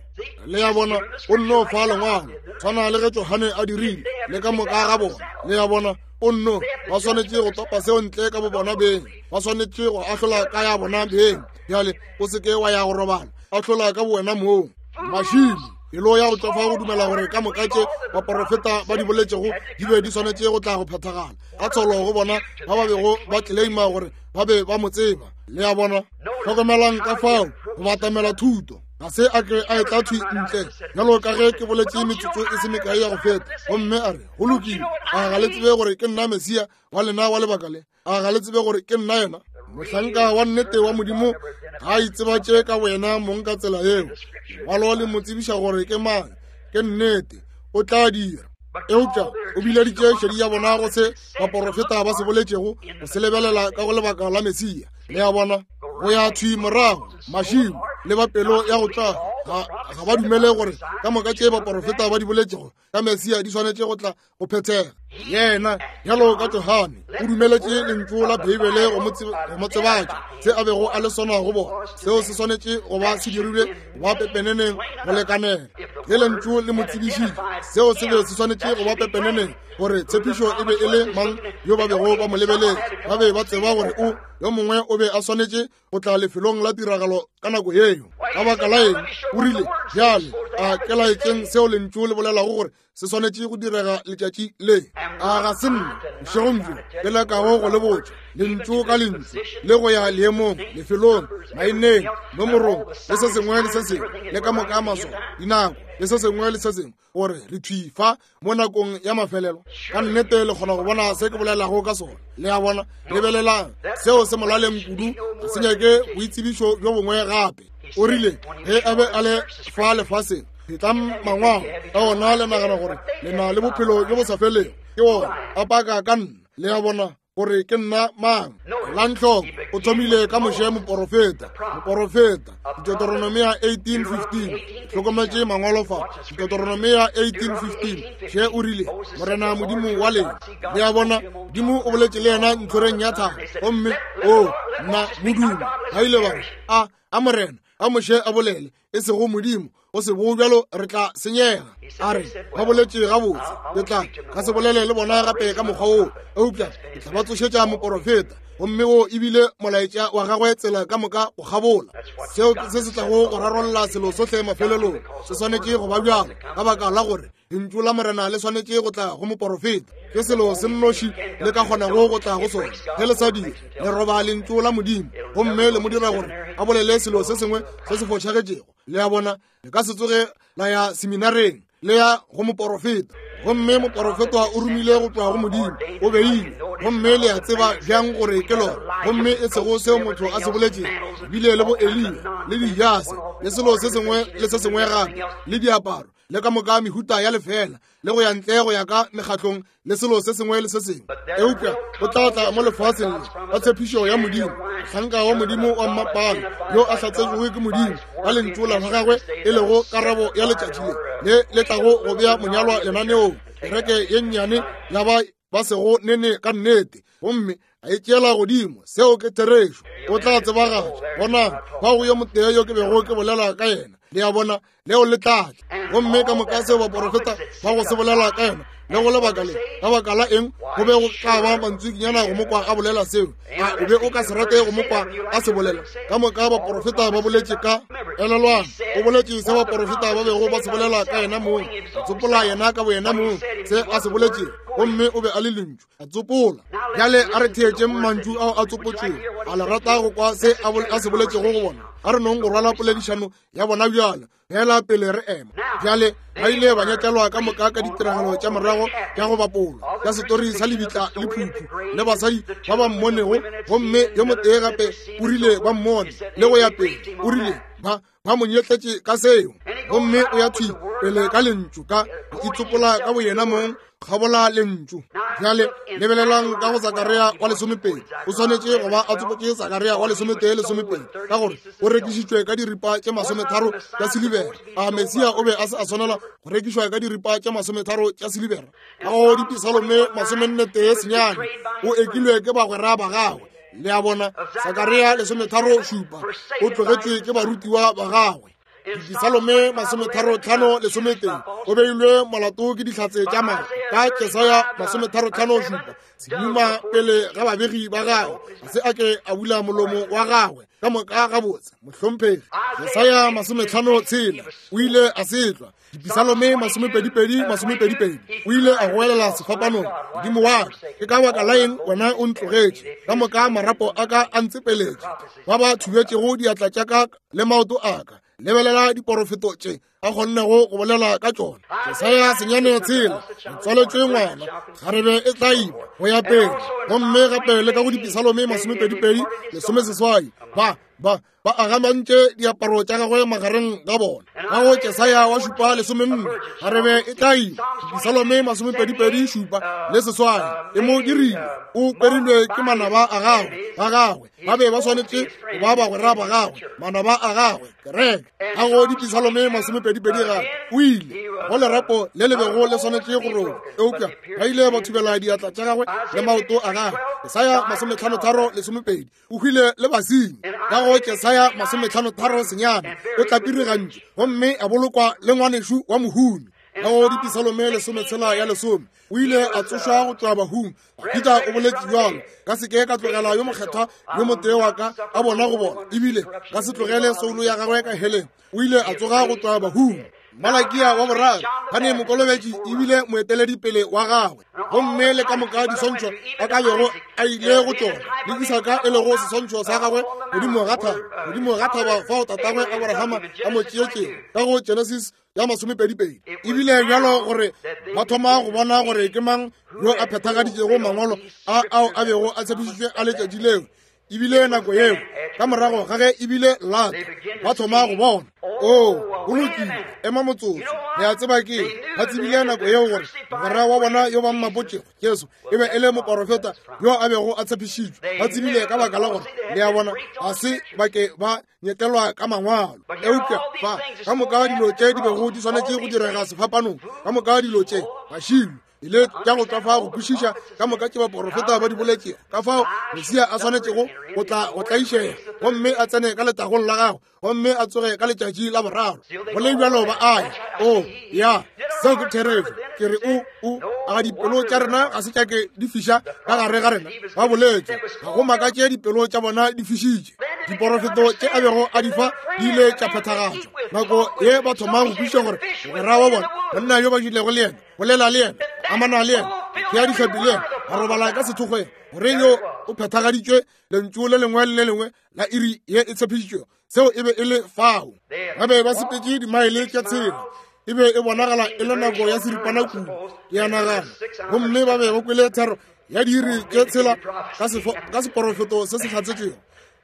Le a bona, o nno fa lengwalo, tshwana le ge Johane a dirile, le ka moka ga bona. Le a bona, o nno, ba swanetše go topa seo ntle ka bobona beng, ba swanetše go ahlola ka ya bona beng. Bjale, o se ke wa ya go robala, ahlola ka bowena mong. Mašilo, pelo ya go tšwafa go dumela gore ka moka tše baporofeta ba di boletšego di be di swanetše go tla go phethagala, ka tsholo go bona ba ba bego ba tleleima gore ba be ba mo tseba. Le a bona, hlokomelang ka fao go batamela thuto. Ga se a ke a etla thwi ntle, bjalo ka ge ke boletše metsotso e se mekae ya go feta, gomme a re, Go lokile, a ga le tsebe gore ke nna Mesia wa lena wa lebaka le? A ga le tsebe gore ke nna yena? Mohlanka wa nnete wa Modimo ga a itsebatše ka boyena mong ka tsela yeo. Lengwalo le mo tsebiša gore ke mang. Ke nnete, o tla dira. Eupša o bileditše šedi ya bona go se baporofeta ba se boletšego, go se lebelela ka go lebaka la Mesia. Le a bona, go ya thwi morago mašilo le ba pelo ya go tla ga ba dumele gore ka moka tše baporofeta ba di boletšego ka Mesia di swanetše go tla go phethega. Yena, bjalo ka Johane, o dumeletše lentšu la Beibele go mo tsebatša se a bego a le sona go bona. Seo se swanetše go ba se dirilwe go ba pepeneneng go lekanela. Ge lentšu le mo tsebišitše, seo se be se swanetše go ba pepeneneng gore tshepišo e be e le mang yo ba bego ba mo lebeletše. Ba be ba tseba gore o yo mongwe o be a swanetše go tla lefelong la tiragalo ka nako yeo. Ka baka la eng? O rile, bjale, A ke laetšeng seo Lentšu le bolelago gore se swanetše go direga letšatši le. A ga se nna, bošegong bjo, ke lekago go le botša, lentšu ka lentšu, le go ya leemong, lefelong, maineng, nomorong, le se sengwe le se sengwe, le ka moka maswao, dinako, le se sengwe le se sengwe, gore re thwi fa mo nakong ya mafelelo. Ka nnete le kgona go bona se ke bolelago ka sona. Le a bona? Lebelelang, seo se molaleng kudu, ga se nyake boitsebišo bjo bongwe gape. O rile ge a be a le fa lefaseng, Phetlang mangwalo ka ona le nagana gore le na le bophelo bjo bo sa felego. Ke ona a paka ka nna. Le a bona gore ke nna mang? Elang hloko, o thomile ka Moshe moporofeta, moporofeta, Deuteronomia 18:15. Hlokometše mangwalo fa, Deuteronomia 18:15. Še o rile, Morena Modimo wa lena. Le a bona, Modimo o boletše le yena ntlhoreng ya thaba. Gomme, o, nna, modumo. Ba ile ba re, a, a Morena, a Moshe a bolele, e sego Modimo, go se bo bjalo re tla senyega. A re, ba boletše gabotse, ke tla ka se bolele le bona gape ka mokgwa woo, eupša ke tla ba tsošetša moporofeta. Gomme wo ebile molaetša wa gagwe tsela ka moka go kgabola. Seo ke se se tlago go rarolla selo sohle mafelelong. Se swanetše go ba bjalo, ka baka la gore Lentšu la Morena le swanetše go tla go moporofeta. Ke selo se nnoši le ka kgonago go tla go sona. Ge le sa dire, le roba Lentšu la Modimo gomme le mo dira gore a bolele selo se sengwe se se fošagetšego. Le a bona, le ka se tsoge la ya seminareng, le ya go moporofeta. Gomme moporofeta o romile go tšwa go Modimo, o beile, gomme le a tseba bjang gore ke lona, gomme e sego seo motho a se boletšego. Bile le bo Eliya le dijase le selo se sengwe le se sengwe gape le diaparo le ka moka mehuta ya lefeela le go ya ntle go ya ka mekgatlong le selo se sengwe le se sengwe. Eupša o tla tla mo lefaseng le ka tshepišo ya Modimo, mohlanka wa Modimo wa mmapale yo a hlatsetšwego ke Modimo ka lentšu la gagwe, e lego karabo ya letšatši le le le tlago go bea monyalwa lenaneong, kereke ye nnyane ya ba ba sego nene ka nnete, gomme a e tšeela godimo. Seo ke therešo. O tla tsebagatša. Bonang, fa go yo motee yo ke bego ke bolela ka yena. Le a bona, leo le tla tla. Gomme ka moka seo baporofeta ba go se bolela ka yena, le go lebaka le, ka baka la eng go be go tla ba mantswikinyana go mo kwa a bolela seo? A o be o ka se rate go mo kwa a se bolela? Ka moka baporofeta ba boletše ka, elelwang, o boletše se baporofeta ba bego ba se bolela ka yena mong, a tsopola yena ka boyena mong se a se boletšego, gomme o be a le Lentšu, a tsopola. Bjale a re theetšeng mantšu ao a tsopotšwego. A le rata go kwa se a se boletšego go bona? A re nong go rwala poledišano ya bona bjale, fela pele re ema. Bjale ba ile ba nyetlelwa ka moka ka ditiragalo tša morago tša go bapolwa tša setori sa lebitla le phuphu le basadi ba ba mmonego, gomme yo motee gape o rile ba mmone le go ya pele, o rile ba ba mo nyetletše ka seo, gomme o ya thwi pele ka lentšu, ka go itsopola ka boyena mong kgabola lentšu. Bjale lebelelang ka go Sakaria wa lesomepedi. O swanetše go ba a tsopotše Sakaria wa lesometee lesomepedi, ka gore o rekišitšwe ka diripa tše masometharo tša silibera. A Mesia o be a se a swanela go rekišwa ka diripa tše masometharo tša silibera? Ka go Dipisalome masomennetee senyane, o ekilwe ke bagwera ba gagwe. Le a bona, Sakaria lesometharo šupa, o tlogetšwe ke barutiwa ba gagwe. Dipisalome masometharo-tlhano lesometee, o beilwe molato ke dihlatse tša maaka. Ka Jesaya masometharo-tlhano šupa, seduma pele ga babegi ba gagwe, ga se a ke a bula molomo wa gagwe. Ka moka gabotse, mohlomphegi. Jesaya masometlhano tshela, o ile a setlwa. Dipisalome masomepedipedi masomepedipedi, o ile a goelela sefapanong, Modimo wa ka, ke ka baka la eng wena o ntlogetše? Ka moka marapo a ka a ntsepeletše, ba ba thubetšego diatla tša ka le maoto a ka. Lebelela diporofeto tše a kgonnego go bolela ka tšona. Jesaya senyane tshela, o tswaletšwe ngwana, kgarebe e tla ima go ya pele. Gomme gape le ka go Dipisalome masomepedipedi lesomeseswai, ba ba ba agamantše diaparo tša gagwe magareng ga bona. Ka go Jesaya wa šupa lesomenne, kgarebe e tla ima. Dipisalome masomepedipedi šupa le seswai, e mo dirile o kwerilwe ke manaba a gagwe, ba gagwe ba be ba swanetše go ba bagwera ba gagwe, manaba a gagwe, kereke. Ka go Dipisalome masomepedipedi gape o ile go lerapo le le bego le swanetše go roba, eupša ba ile ba thubela diatla tša gagwe le maoto a gagwe. Jesaya masometlhanotharo lesomepedi, o hwile le basenyi. Ka go Jesaya masometlhanotharo senyane, o tlapirigantšwe gomme a bolokwa le ngwanešu wa mohumi. Ka go Dipisalome lesometshela ya lesome, o ile a tsošwa go tšwa bahung. Dafida o boletše bjalo, ka se ke ka tlogela yo mokgethwa yo motee wa ka a bona go bona, ebile ka se tlogele soulo ya gagwe ka heleng. O ile a tsoga go tšwa bahung. Malakia wa boraro, gane mokolobetši ebile moeteledipele wa gagwe. Gomme le ka moka diswantšho a ka bego a ile go tšona, le Isaka e lego seswantšho sa gagwe godimo ga thaba, godimo ga thaba fao tatagwe Aborahama a mo tšeetšego, ka go Genesis ya masomepedipedi. Ebile bjalo gore ba thoma go bona gore ke mang yo a phethagaditšego mangwalo a ao a bego a tshepišitšwe a letšatši leo. Ebile nako yeo ka morago ga ge ebile lata ba thoma go bona, o go lokile, ema motsotso, le a tseba ke ba tsebile nako yeo gore mogwera wa bona yo ba mmapotšego Jesu e be e le moporofeta yo a bego a tshepišitšwe. Ba tsebile ka baka la gore, le a bona, ga se ba ke ba nyetlelwa ka mangwalo. Eupša fa ka moka dilo tše di bego di swanetše go direga sefapanong, ka moka dilo tše bašilo ile tša go tšwa fa go kwešiša ka moka tše baporofeta ba di boletšego, ka fao Mesia a swanetšego go tla go tlaišega gomme a tsene ka letagong la gagwe gomme a tsoge ka letšatši la boraro. Go le bjalo ba aya. O ya, seo ke therešo. Ke re o a dipelo tša rena ga se tša ke di fiša ka gare ga rena. Ba boletše, ga go makatše dipelo tša bona di fišitše. Diporofeto tše a bego a di fa di ile tša phethagatšwa. Nako ye ba thoma go kwešiša gore mogwera wa bona, monna yo ba jilego le yena, bolela le yena, amana le yena, thea dihlapi le yena, a robala ka sethokgweng, gore yo o phethagaditšwe lentšu le lengwe le le lengwe la iri ye e tshepišitšwego. Seo e be e le fao. Ba be ba sepetše dimaele tša tshela. E be e bonagala e le nako ya seripana kudu, ke a nagana. Gomme ba be ba kwele thero ya diiri tše tshela ka seporofeto se se hlatsetšego,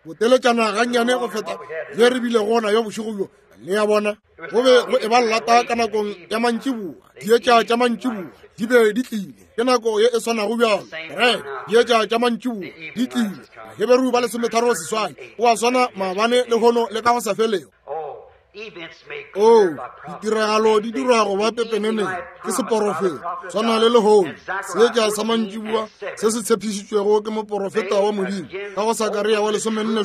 boteletšana gannyane go feta ye re bilego gona yo bošego bjo. Le a bona, go be go eba llata ka nakong ya mantšiboa, dietša tša mantšiboa di be di tlile. Ke nako ye e swanago bjalo, re dietša tša mantšiboa di tlile. Baheberu ba 36, o a swana maabane, lehono le ka go sa felego. O, ditiragalo di dirwa go ba pepeneneng ke seporofeto, swana le lehono seetša sa mantšiboa se se tshepišitšwego ke moporofeta wa Modimo ka go Sakaria wa 47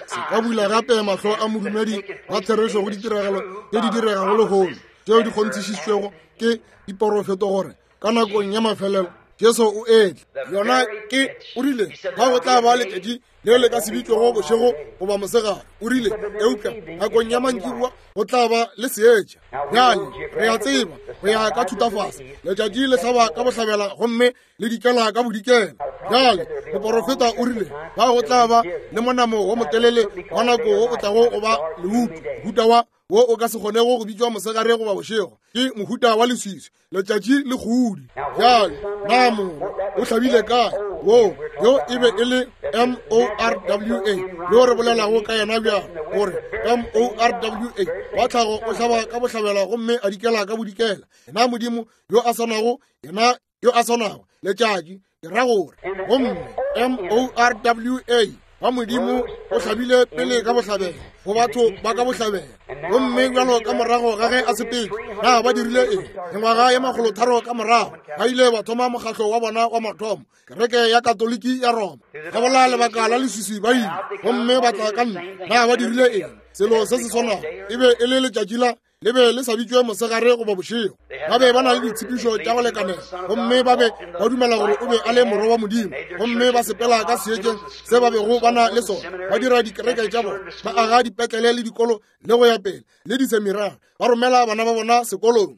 se ka bula gape mahlo a modumedi wa therešo go ditiragalo tše di diregago lehono tšeo di kgonthišišitšwego ke diporofeto gore ka nakong ya mafelelo Jesu o etla. Yona ke, o rile, ga go tla ba letšatši le le ka se bitšwego bošego goba mosegare, o rile, eupša nakong ya mantšiboa go tla ba le seetša. Bjale re a tseba go ya ka thutafase letšatši le hlaba ka bohlabela gomme le dikela ka bodikela. Bjale moporofeta o rile ba go tla ba le monamo wo motelele wa nako wo o tlago go ba leutu, mohuta wa wo o ka se kgonego go bitšwa mosegare goba bošego, ke mohuta wa leswiswi, letšatši le godi. Bjale na morwa o hlabile kae? Wo yo e be e le M-O-R-W-A yo re bolelago ka yena bjalo, gore M-O-R-W-A wa tlhago o hlaba ka bohlabela gomme a dikela ka bodikela. Yena Modimo yo a swanago, yena yo a swanago letšatši, ke ra gore, gomme M-O-R-W-A wa Modimo o hlabile pele ka bohlabela go batho ba ka bohlabela. Gomme bjalo ka morago ga ge a sepetše, na ba dirile eng? Mengwaga ye 300 ka morago ba ile ba thoma mokgahlo wa bona wa mathomo, kereke ya Katoliki ya Roma. Ga bola lebaka la leswiswi ba ile gomme ba tla ka ntle. Na ba dirile eng? Selo se se swanago. E be e le letšatši la le be le sa bitšwe mosegare goba bošego. Ba be ba na le ditshepišo tša go lekanela, gomme ba be ba dumela gore o be a le morwa wa Modimo, gomme ba sepela ka seetšeng se ba bego ba na le sona, ba dira dikereke tša bona, ba aga dipetlele le dikolo le go ya pele, le diseminari, ba romela bana ba bona sekolong.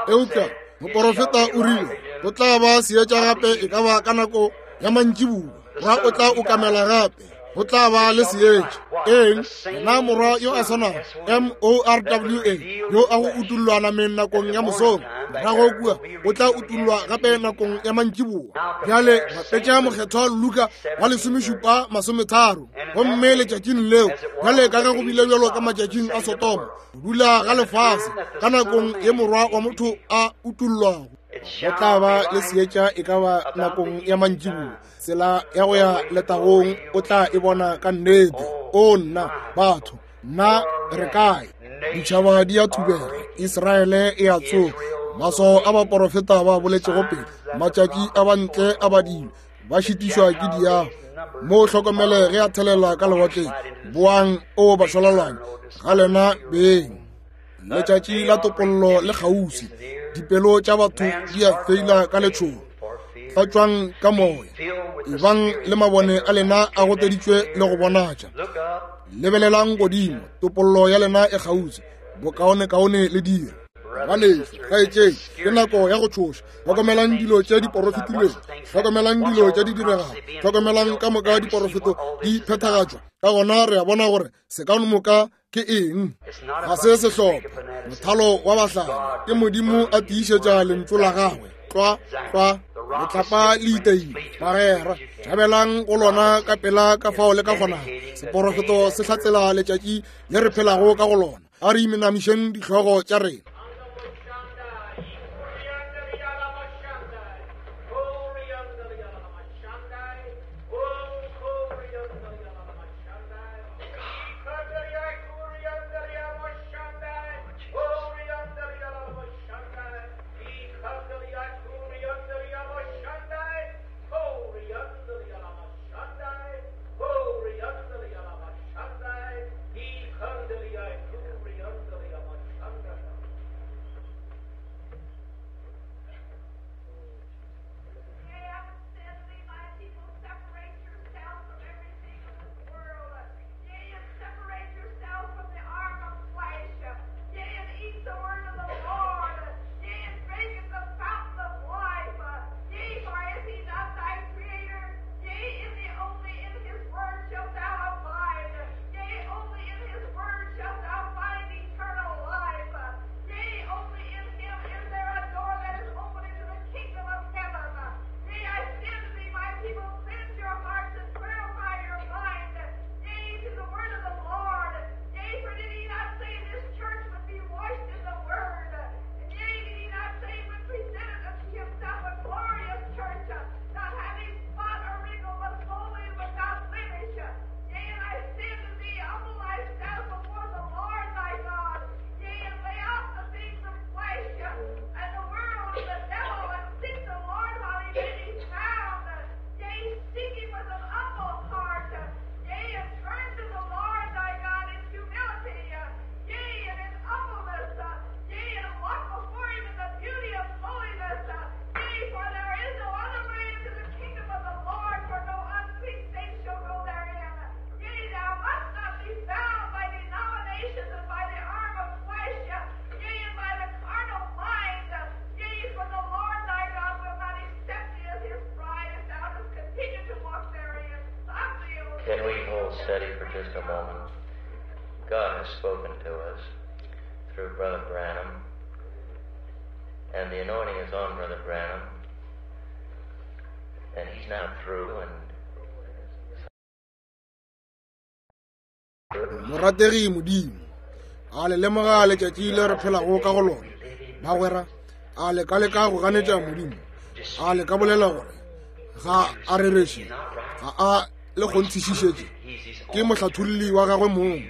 Eupša moporofeta o rile go tla ba seetša gape, e ka ba ka nako ya mantšiboa, ra o tla okamela gape, go tla ba le seetša. Eng? Yena morwa yo a swanago, M-O-R-W-A, yo a go utollwa nameng nakong ya mosong, morago kua o tla utollwa gape nakong ya mantšiboa. Bjale bapetša mokgethwa Luka wa 17 30, gomme letšatšing leo, bjale ka ge go bile bjalo ka matšatšing a Sodoma, go dula ga lefase ka nakong ye morwa wa motho a utollwago, go tla ba le seetša e ka ba nakong ya mantšiboa. Tsela ya go ya letagong o tla e bona ka nnete. O nna, batho, nna re kae? Ditšhaba di a thubega, Israele e a tsoga. Maswao a baporofeta ba boletšego pele, matšatši a bantle a badilwe, ba šitišwa ke diago. Mo hlokomele ge a thelela ka lewatleng, boang o bašwalalwane ga lena beng. Letšatši la topollo le kgauswi, dipelo tša batho di a feila ka letšhogo. Tlatšwang ka moya, ebang le mabone a lena a goteditšwe le go bonatša. Lebelelang godimo, topollo ya lena e kgauswi, bokaonekaone le dira. Ngwanešu, kgaetšedi, ke nako ya go tšhoša. Hlokomelang dilo tše di porofetilwego, hlokomelang dilo tše di diregago, hlokomelang ka moka diporofeto di phethagatšwa. Ka gona re a bona gore se ka moka ke eng. Ga se sehlopha, mothalo wa bahlala, ke Modimo a tiišetša lentšu la gagwe. Tlwa, tlwa, letlapa le iteile, bagwera, tšhabelang go lona ka pela ka fao le ka kgonago. Seporofeto se hlatsela letšatši le re phelago ka go lona. A re imenamišeng dihlogo tša rena. Can we hold steady for just a moment? God has spoken to us through Brother Branham, and the anointing is on Brother Branham, and he's now through. And Morategi Modimo, a le lemoga letšatši le re phelago ka go lona, bagwera? A le ka leka go ganetša Modimo? A le ka bolela gore ga a rereše, ga a le kgonthišišetše? Ke mohlatholli wa gagwe mong.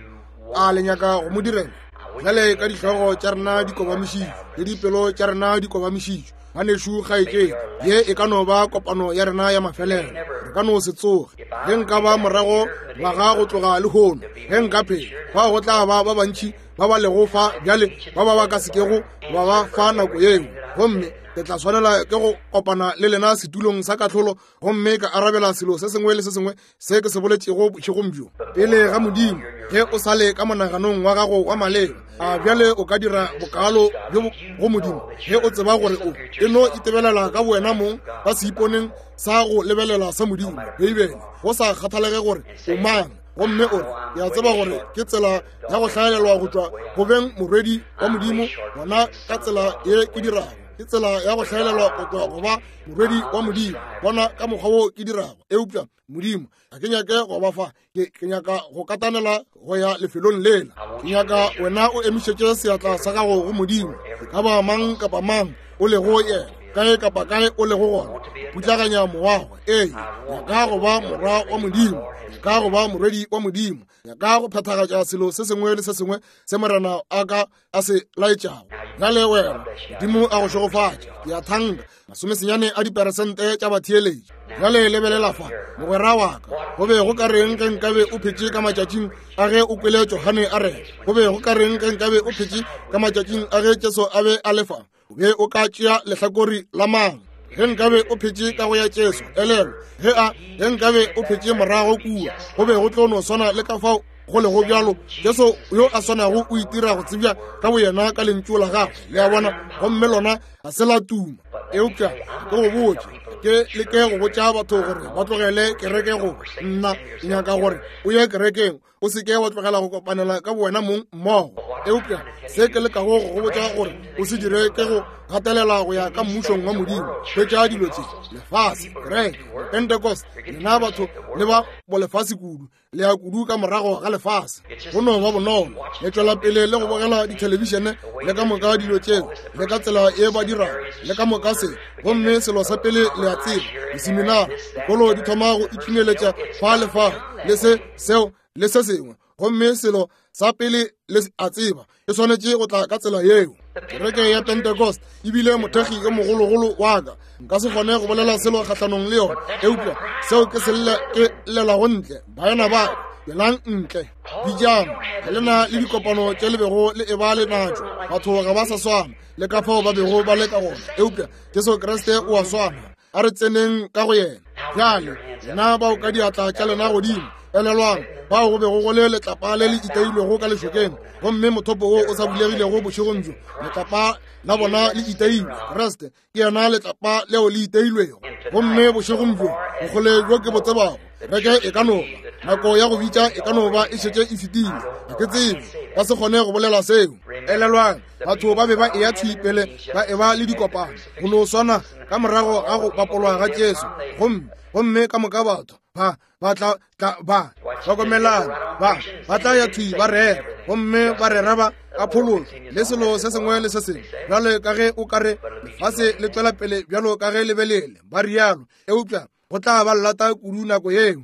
A le nyaka go mo direla? Bjale ka dihlogo tša rena di kobamišitšwe le dipelo tša rena di kobamišitšwe, ngwanešu kgaetšedi, ye e ka no ba kopano ya rena ya mafelelo. Re ka no se tsoge. Ge nka ba morago ngwaga go tloga lehono, ge nka phela, fao go tla ba ba bantši ba ba lego fa bjale ba ba ba ka sekego ba ba fa nako yeo, gomme ke tla swanela ke go kopana le lena setulong sa kahlolo gomme ka arabela selo se sengwe le se sengwe se ke se boletšego bošegong bjo pele ga Modimo. Ge o sa le ka monaganong wa gago wa maleba, a bjale o ka dira bokalo bjo go Modimo ge o tseba gore o e no itebelela ka bowena mong ka seiponeng sa go lebelela sa Modimo, Beibele, go sa kgathalege gore o mang, gomme o re, ke a tseba gore ke tsela ya go hlaelelwa go tšwa go beng morwedi wa Modimo, gona ka tsela ye ke dirago ke tsela ya go hlaelelwa go tšwa go ba morwedi wa Modimo, bona ka mokgwa wo ke dirago. Eupša Modimo, ga ke nyake go ba fa, ke nyaka go katanela go ya lefelong lela. Ke nyaka wena o emišetše seatla sa gago go Modimo, e ka ba mang kapa mang o lego yena, kae kapa kae o lego gona, putlaganya moago. Ee, nyaka go ba morwa wa Modimo, nyaka go ba morwedi wa Modimo, nyaka go phethagatša selo se sengwe le se sengwe se Morena a ka a se laetšago. Bjale wena, Modimo a go šegofatše. Ke a thanka 90 a diperesente tša batheeletši. Bjale lebelela fa, mogwera wa ka, go be go ka reng ge nkabe o phetše ka matšatšing a ge o kwele Johane a rera? Go be go ka reng ge nkabe o phetše ka matšatšing a ge Jesu a be a le fa? O be o ka tšea lehlakori la mang? Ge nkabe o phetše ka go ya Jesu, elelwa, ge a, ge nkabe o phetše morago kua, go be go tlo no swana le ka fao Go lego bjalo, Jesu yo a swanago o itira go tsebja ka boyena ka Lentšu la Gagwe, le a bona, gomme lona ga se la tuma. Eupša ke go botše, ke leke go botša batho gore ba tlogele kereke go nna, ke nyaka gore o ye kerekeng, o se ke wa tlogela go kopanela ka bowena mong mmogo. Eupša se ke lekago go go botša gore o se dire ke go gatelela go ya ka mmušong wa Modimo. Hwetša dilo tše, lefase, kereke, Pentecost, lena batho le ba bolefase kudu, le ya kudu ka morago ga lefase. Go no ba bonolo, le tšwela pele le go bogela dithelebišene le ka moka dilo tšeo, le ka tsela ye ba dirago, le ka moka se. Gomme selo sa pele le a tseba, diseminara, dikolo di thoma go ithumeletša fa le fa, le se, seo, le se sengwe. Gomme selo sa pele le a tseba, e swanetše go tla ka tsela yeo. Kereke ya Pentecost e bile mothekgi yo mogologolo wa ka. Nka se kgone go bolela selo kgahlanong le yona, eupša seo ke se ke llelago ntle. Baena ba ka, tšwelang ntle, bitšang. Ga le na le dikopano tše le bego le eba le natšo. Batho ga ba sa swana le ka fao ba bego ba le ka gona, eupša Jesu Kriste o a swana. A re tseneng ka go yena bjale. Lena bao ka diatla tša lena godimo, elelwang bao go bego go le letlapa le le itailwego ka lešokeng, gomme mothopo wo o sa bulegilego bošegong bjo, letlapa la bona le itailwe. Kriste ke yena letlapa leo le itailwego. Gomme bošegong bjo, bokgole bjo ke bo tsebago, kereke e ka no ba, nako ya go bitša e ka no ba e šetše e fetile. Ga ke tsebe, ka se kgone go bolela seo. Elelwang, batho ba be ba eya thwi pele ba eba le dikopano go no swana ka morago ga go bapolwa ga Jesu, gomme, gomme ka moka batho ba ba tla tla ba hlokomelang, ba ba tla ya thwi ba rera, gomme ba rera ba ka phološo le selo se sengwe le se sengwe, bjalo ka ge o ka re lefase le tšwela pele bjalo ka ge le be lele, ba rialo. Eupša go tla ba llata kudu nako yeo.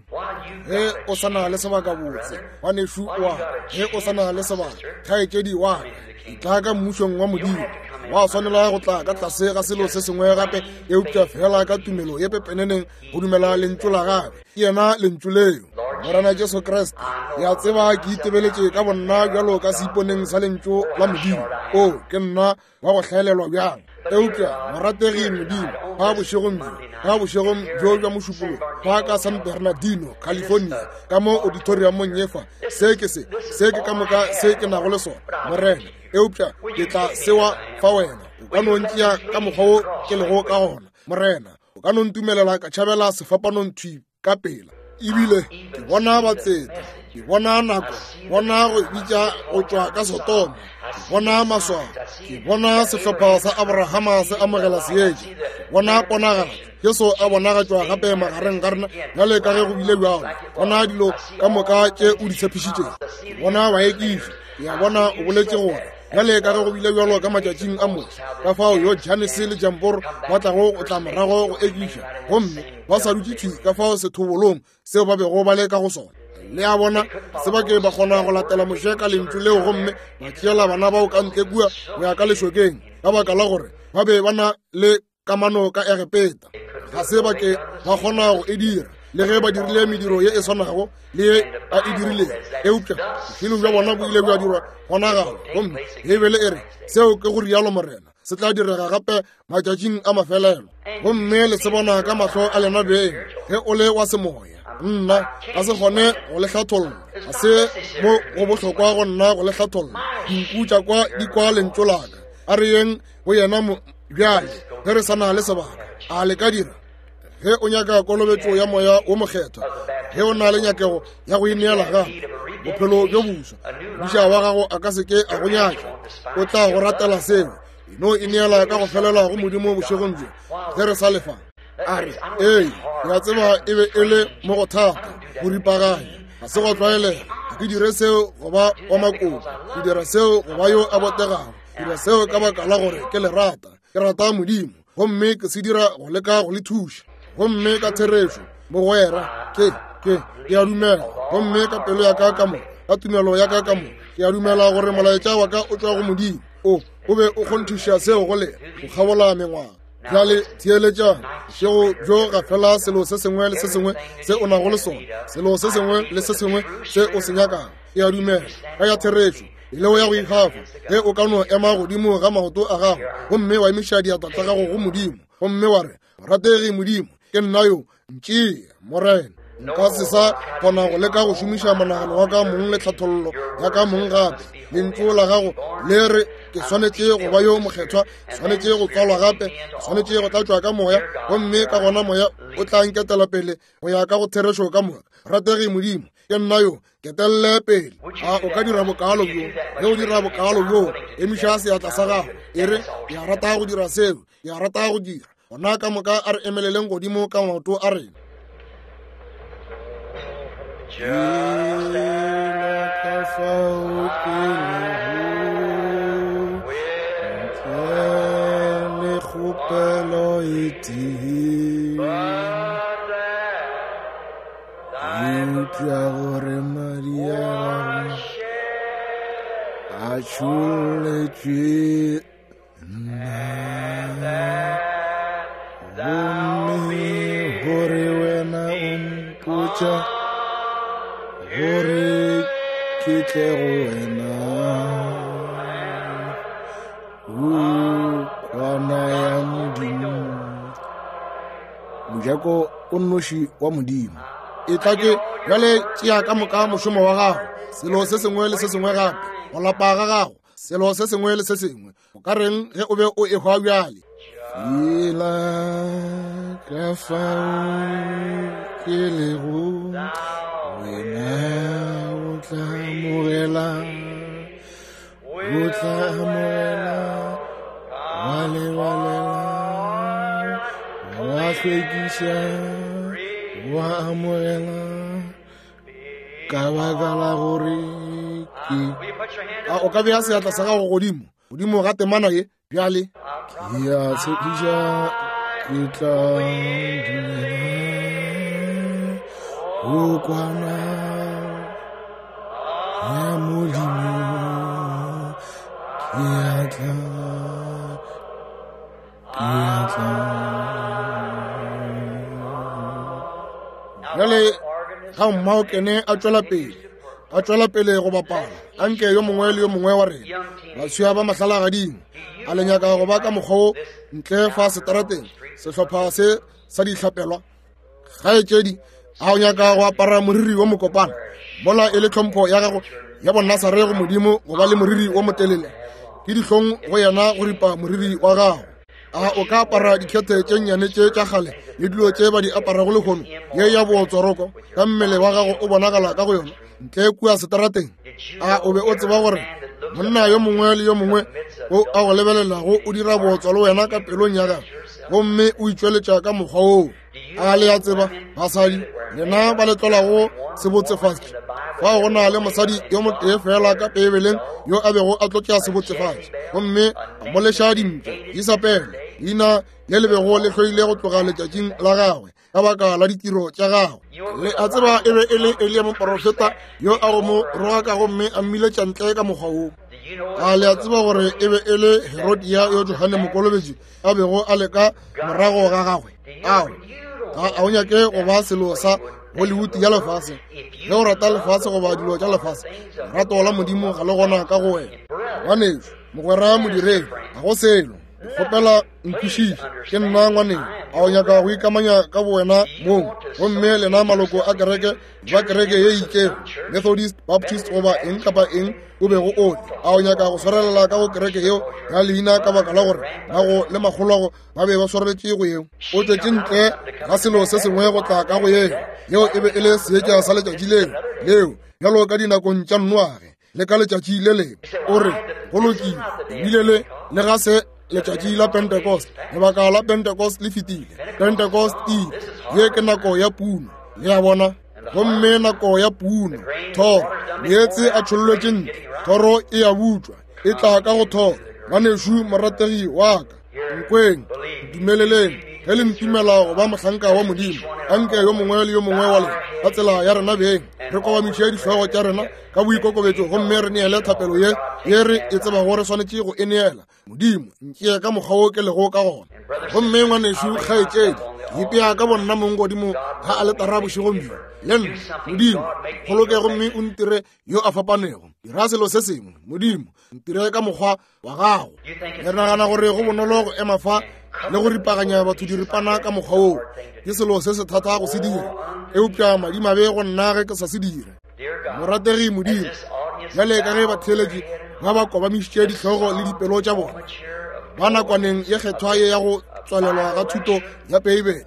Ge o sa na le sebaka botse, ngwanešu wa ka, ge o sa na le sebaka, kgaetšedi wa ka, etla ka mmušong wa Modimo. Wa swanela go tla ka tlase ga selo se sengwe gape, eupša fela ka tumelo ye pepeneneng go dumela Lentšu la Gagwe. Ke yena Lentšu leo, Morena Jesu Kriste. Ke a tseba ke itebeletše ka bonna bjalo ka seiponeng sa Lentšu la Modimo. O, ke nna wa go hlaelelwa bjang. Eupša morategi Modimo, fa bošegong bjo, fa bošegong bjo bja Mošupologo, fa ka San Bernardino, California, ka mo auditoriumong ye fa, se ke se, se ke ka moka se ke nago le sona, Morena. Eupša ke tla sewa fa Wena. O ka no ntšea ka mokgwa wo ke lego ka gona, Morena. O ka no ntumelela ka tšhabela sefapanong thwi ka pela. Ebile ke bona batseta, ke bona nako, bona go bitša go tšwa ka Sodoma, ke bona maswao, ke bona sehlopha sa Abrahama se amogela seetša, ke bona ponagatšo, Jesu a bonagatšwa gape magareng ga rena bjale ka ge go bile bjalo, bona dilo ka moka tše o di tshepišitšego, ke bona baekiši, ke a bona o boletše gore bjale ka ge go bile bjalo ka matšatšing a Moshe, ka fao yo Janese le Jamboro ba tlago go tla morago go ekiša, gomme ba sa dutše thwi ka fao sethobolong seo ba bego ba le ka go sona. Le a bona, se ba ke ba kgona go latela Moshe ka lentšu leo gomme ba tšeela bana bao ka ntle kua go ya ka lešokeng, ka baka la gore ba be ba na le kamano ka Egepeta. Ga se ba ke ba kgona go e dira, le ge ba dirile mediro ye e swanago le ye a e dirilego, eupša bošilo bja bona bo ile bja dirwa kgonagalo. Gomme Beibele e re, seo ke go rialo Morena, se tla direga gape matšatšing a mafelelo. Gomme le se bona ka mahlo a lena beng ge o le wa semoya. Nna ga se kgone go le hlatholla, ga se mo go bohlokwa go nna go le hlatholla. Dinku tša kwa di kwa lentšu la ka. A re yeng go yena bjale ge re sa na le sebaka. A le ka dira? Ge o nyaka kolobetšo ya Moya wo Mokgethwa, ge o na le nyakego ya go ineela gape bophelo bjo boswa, modiša wa gago a ka se ke a go nyatša, o tla go ratela seo. E no ineela ka go felela go Modimo bošegong bjo ge re sa lefa. A re, ee, ke a tseba e be e le mo go thata go ripaganya, ga se go tlwaelega. Ga ke dire seo go ba wa makoko, ke dira seo go ba yo a botegago. Ke dira seo ka baka la gore ke le rata, ke rata Modimo, gomme ke se dira go leka go le thuša. Gomme ka therešo, mogwera, ke, ke, ke a dumela, gomme ka pelo ya ka ka moka, ka tumelo ya ka ka moka, ke a dumela gore molaetša wa ka o tšwa go Modimo. O, o be o kgonthiša seo go lena, go kgabola mengwaga. Bjale theeletšang, bošego bjo ga fela selo se sengwe le se sengwe se o nago le sona, selo se sengwe le se sengwe se o se nyakago. Ke a dumela, ka ya therešo, leo ya go ikgafa, ge o ka no ema godimo ga maoto a gago gomme wa emiša diatla tša gago go Modimo, gomme wa re, Morategi Modimo, ke nna yo, ntšee, Morena. Nka se sa kgona go leka go šomiša monagano wa ka mong le tlhathollo ya ka mong gape. Lentšu la gago le re ke swanetše go ba yo mokgethwa, swanetše go tswalwa gape, swanetše go tlatšwa ka moya, gomme ka gona moya o tla nketela pele go ya ka go therešo ka moka. Rategi Modimo, ke nna yo, ketelele pele. A o ka dira bokaalo bjo? Ge o dira bokaalo bjo, emiša seatla sa gago, e re, ke a rata go dira seo, ke a rata go dira. Gona ka moka a re emeleleng godimo ka maoto a rena. Ka fao ke lego, ntle le kgopelo e tee. Eupša gore madi a gago a tšholletšwe nna, gomme gore wena o mpotša gore ke tle go wena. O kwana ya Modimo, mojako o nnoši wa Modimo. E tla ke bjale tšea ka moka mošomo wa gago, selo se sengwe le se sengwe gape, go lapa ga gago, selo se sengwe le se sengwe. O ka reng ge o be o ehwa bjale? Fela ka fao ke lego, wena o tla amogela, o tla amogela, wa lebalela, wa hlwekiša, wa amogela, ka baka la gore ke. A o ka bea seatla sa gago godimo godimo ga temana ye bjale? Ke a tshepiša ke tla dumela go kwana ya Modimo, ke a tla, ke a tla. Bjale ga mmaokene a tšwela pele, a tšwela pele go bapala, anke yo mongwe le yo mongwe wa rena baswia ba mahlalagading a le nyaka go ba ka mokgwa wo ntle fa setarateng, sehlopha se sa dihlapelwa. Kgaetšedi, a o nyaka go apara moriri wo mokopana mola e le tlhompho ya gago ya bonasare go Modimo go ba le moriri wo motelele? Ke dihlong go yena go ripa moriri wa gago. A o ka apara dikhethe tše nnyane tše tša kgale le dilo tše ba di aparago lehono, ye ya bootswaroko, ka mmele wa gago o bonagala ka go yona ntle kua setarateng? A o be o tseba gore monna yo mongwe le yo mongwe o a go lebelelago o dira bootswa le wena ka pelong ya gagwe, gomme o itšweletša ka mokgwa woo? A le a tseba, basadi, lena ba le tlolago sebotsefatši, fao go na le mosadi yo motee fela ka Beibeleng yo a bego a tlotša sebotsefatši, gomme a mo leša dimpša, Isabele, leina le le bego le hloile go tloga letšatšing la gagwe ka baka la ditiro tša gagwe. Le a tseba e be e le Eliya moporofeta yo a go mo rogaka gomme a mmiletša ntle ka mokgwa wo. A le a tseba gore e be e le Herodia yo Johane Mokolobetši a bego a le ka morago ga gagwe? Ao, ga a o nyake go ba selo sa Hollywood ya lefase. Ge o rata lefase goba dilo tša lefase, lerato la Modimo ga le gona ka go wena. Ngwanešu, mogwera modiredi, ga go selo. Kgopela nkwešiše, ke nna ngwaneng. A o nyaka go ikamanya ka bowena mong? Gomme lena maloko a kereke ba kereke ye itšego, Methodist, Baptist, goba eng kapa eng o bego o le, a o nyaka go swarelela ka go kereke yeo ya leina ka baka la gore mago le makgolwago ba be ba swareletše go yeo? O tšwetše ntle ga selo se sengwe go tla ka go yeo. Yeo e be e le seetša sa letšatši leo, leo bjalo ka dinakong tša Noage le ka letšatši le lengwe. O re, go lokile, ebile le le ga se letšatši la Pentecost. Lebaka la Pentecost le fetile. Pentecost e ile. Ye ke nako ya puno. Le a bona? Gomme nako ya puno, thoro, meetse a tšhollwetše ntle, thoro e a butšwa, e tla ka go thoro. Ngwanešu morategi wa ka, nkweng, ntumeleleng, ge le ntumela go ba mohlanka wa Modimo, anke yo mongwe le yo mongwe wa lena ka tsela ya rena beng re kobamiše dihlogo tša rena ka boikokobetšo gomme re neele thapelo ye ye re e tsebago re swanetše go e neela. Modimo, ntšee ka mokgwa wo ke lego ka gona. Gomme ngwanešu, kgaetšedi, ke ipea ka bonna mong godimo ga aletara bošegong bjo le nna. Modimo, kgoloke gomme o ntire yo a fapanego. Dira selo se sengwe. Modimo, ntire ka mokgwa wa gago. Le nagana gore go bonolo go ema fa le go ripaganya batho diripana ka mokgwa woo ke selo se se thata go se dira, eupša madimabe go nna ge ke sa se dire. Morategi Modimo, bjale ka ge batheeletši ba ba kobamišitše dihlogo le dipelo tša bona ba nakwaneng ye kgethwa ye ya go tswalelwa ga thuto ya Beibele,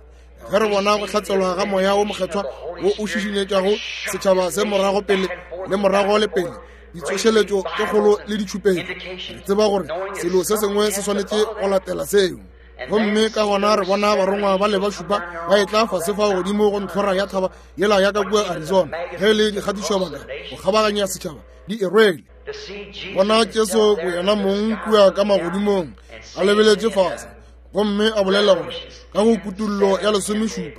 ge re bona go hlatselwa ga Moya wo Mokgethwa wo o šišinyetšago setšhaba se morago pele le morago le pele, ditsošeletšo tše kgolo le ditšhupetšo, re tseba gore selo se sengwe se swanetše go latela seo. Gomme ka gona re bona barongwa ba le ba šupa ba etla fase fa godimo go ntlhora ya thaba yela ya ka kua Arizona, ge le dikgatišobaka go kgabaganya setšhaba di e rwele. Bona Jesu boyena mong kua ka magodimong a lebeletše fase, gomme a bolela gore ka go kutullo ya 17,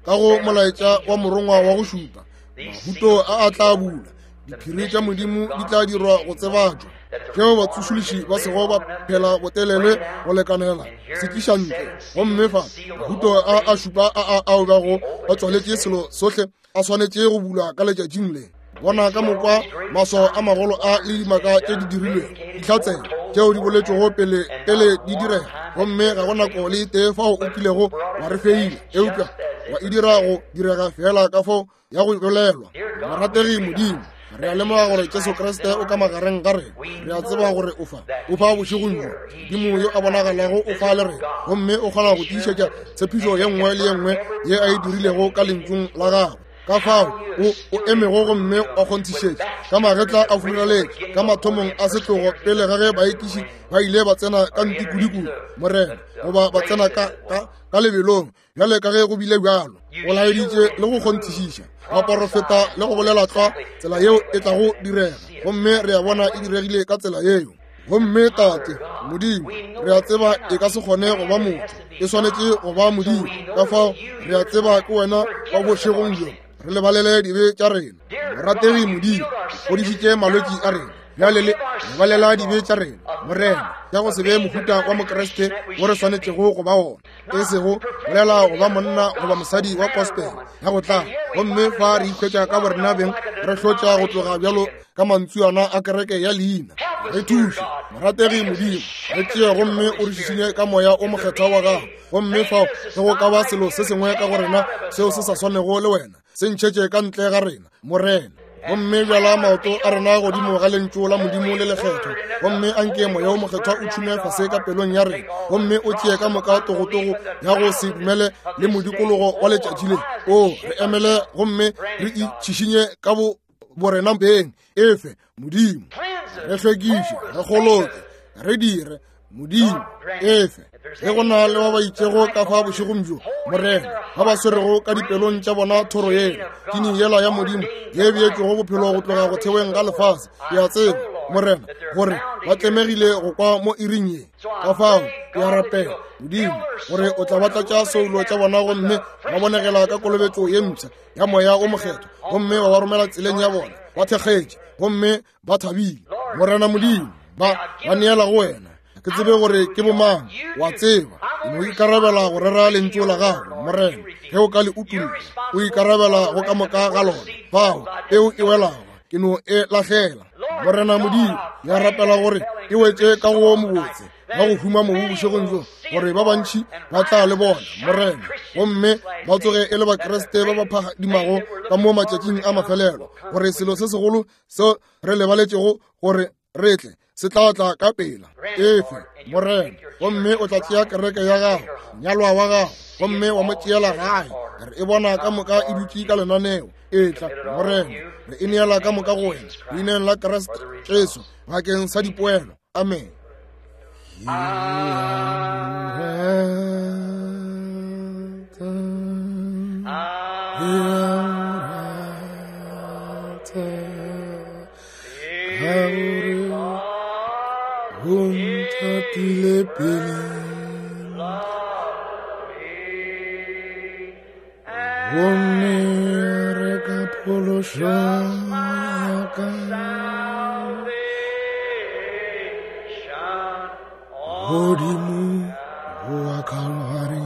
ka go molaetša wa morongwa wa go šupa, mahuto a a tla bula, diphiri tša Modimo di tla dirwa go tsebatšwa, tšeo batsošološi ba sego ba phela botelele go lekanela se tliša ntle. Gomme fa mahuto a a šupa a a ao bago ba tswaletše selo sohle a swanetše go bulwa ka letšatšing le. Bona ka mokwa maswao a magolo a le dimaka tše di dirilwego, dihlatsela tšeo di boletšwego pele pele di direga, gomme ga go nako le tee fao o kilego wa re feila, eupša wa e dira go direga fela ka fao ya go bolelwa. Morategi Modimo, re a lemoga gore Jesu Kriste o ka magareng ga rena. Re a tseba gore o fa, o fa bošegong bjo. Modimo yo a bonagalago o fa le rena, gomme o kgona go tiišetša tshepišo ye nngwe le ye nngwe ye a e dirilego ka lentšung la gagwe. Ka fao o o emego gomme wa kgonthišetša ka magetla a furaletše ka mathomong a setlogo pele ga ge baekiši ba ile ba tsena ka ntikodikudu, Morena, goba ba tsena ka, ka, ka lebelong bjale ka ge go bile bjalo. O laeditše le go kgonthišiša baporofeta le go bolela tlwa tsela yeo e tlago direga, gomme re a bona e diregile ka tsela yeo. Gomme Tate Modimo, re a tseba e ka se kgone go ba motho, e swanetše go ba Modimo. Ka fao re a tseba ke wena wa bošegong bjo, re lebalele dibe tša rena. Morategi Modimo, o fodišitše malwetši a rena, bjale le lebalela dibe tša rena, Morena, tša go se be mohuta wa Mokriste wo re swanetšego go ba wona, e sego bolela go ba monna goba mosadi wa gospel ya go tla. Gomme fa re ikhwetša ka borena beng re hlotša go tloga bjalo ka mantsuana a kereke ya leina. Re thuše, morategi Modimo, re tšee gomme o re šišinye ka Moya o Mokgethwa wa gago. Gomme fao ge go ka ba selo se sengwe ka go rena seo se sa swanego le wena, se ntšhetše ka ntle ga rena, Morena. Gomme bjala maoto a rena godimo ga lentšu la Modimo le lekgethwa, gomme anke Moya o Mokgethwa o tšhume fase ka pelong ya rena, gomme o tšee ka moka togotogo ya go se dumele le modikologo wa letšatši le. O re emele gomme re itšhišinye ka bo borena beng. Efe, Modimo, re hlwekiše, re kgoloke, re dire, Modimo, efe. Ge go na le ba ba itšego ka fa bošegong bjo, Morena, ba ba swerego ka dipelong tša bona thoro yela, tini yela ya Modimo ye beetšego bophelo go tloga go theweng ga lefase, ke a tseba, Morena, gore ba tlemegile go kwa mo iring ye. Ka fao ke a rapela, Modimo, gore o tla ba tlatša soulo tša bona gomme ba bonegela ka kolobetšo ye mpsha ya Moya o Mokgethwa, gomme ba ba romela tseleng ya bona ba thekgetše gomme ba thabile. Morena Modimo, ba ba neela go wena. Ke tsebe gore ke bomang, wa tseba. Ke no ikarabela go rera lentšu la gago, Morena, ge o ka le utulla. O ikarabela go ka moka ga lona. Fao peu e welago, ke no e lahlela. Morena Modimo, ke a rapela gore e wetše ka go mobotse ba go huma mobu bošegong bjo, gore ba bantši ba tla le bona, Morena, gomme ba tsoge e le Bakriste ba ba phadimago ka mo matšatšing a mafelelo, gore selo se segolo seo re lebaletšego gore re tle se tla tla ka pela. Efe, Morena, gomme o tla tšea kereke ya gago, nyalwa wa gago, gomme wa mo tšeela gae. Re e bona ka moka e dutše ka lenaneo. Etla, Morena, re e neela ka moka go wena, leineng la Kriste Jesu, bakeng sa dipoelo. Amen. Gomme re ka phološo ya ka godimo go Kalvari.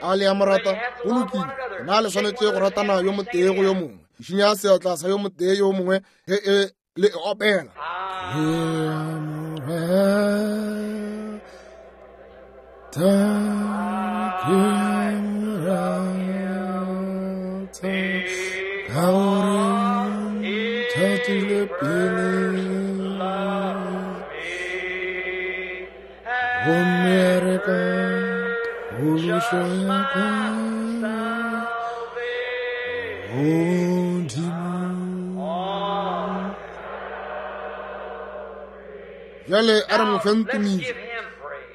A le a mo rata? Go lokile. Na le swanetše go ratana yo motee go yo mongwe? Šinya seatla sa yo motee yo mongwe ge e le e opela. Ke a mo rata. Rata, ke a rata, ka gore nthatile pele. Gomme a reka phološo ya ka godimo. Bjale a re mo feng tumišo.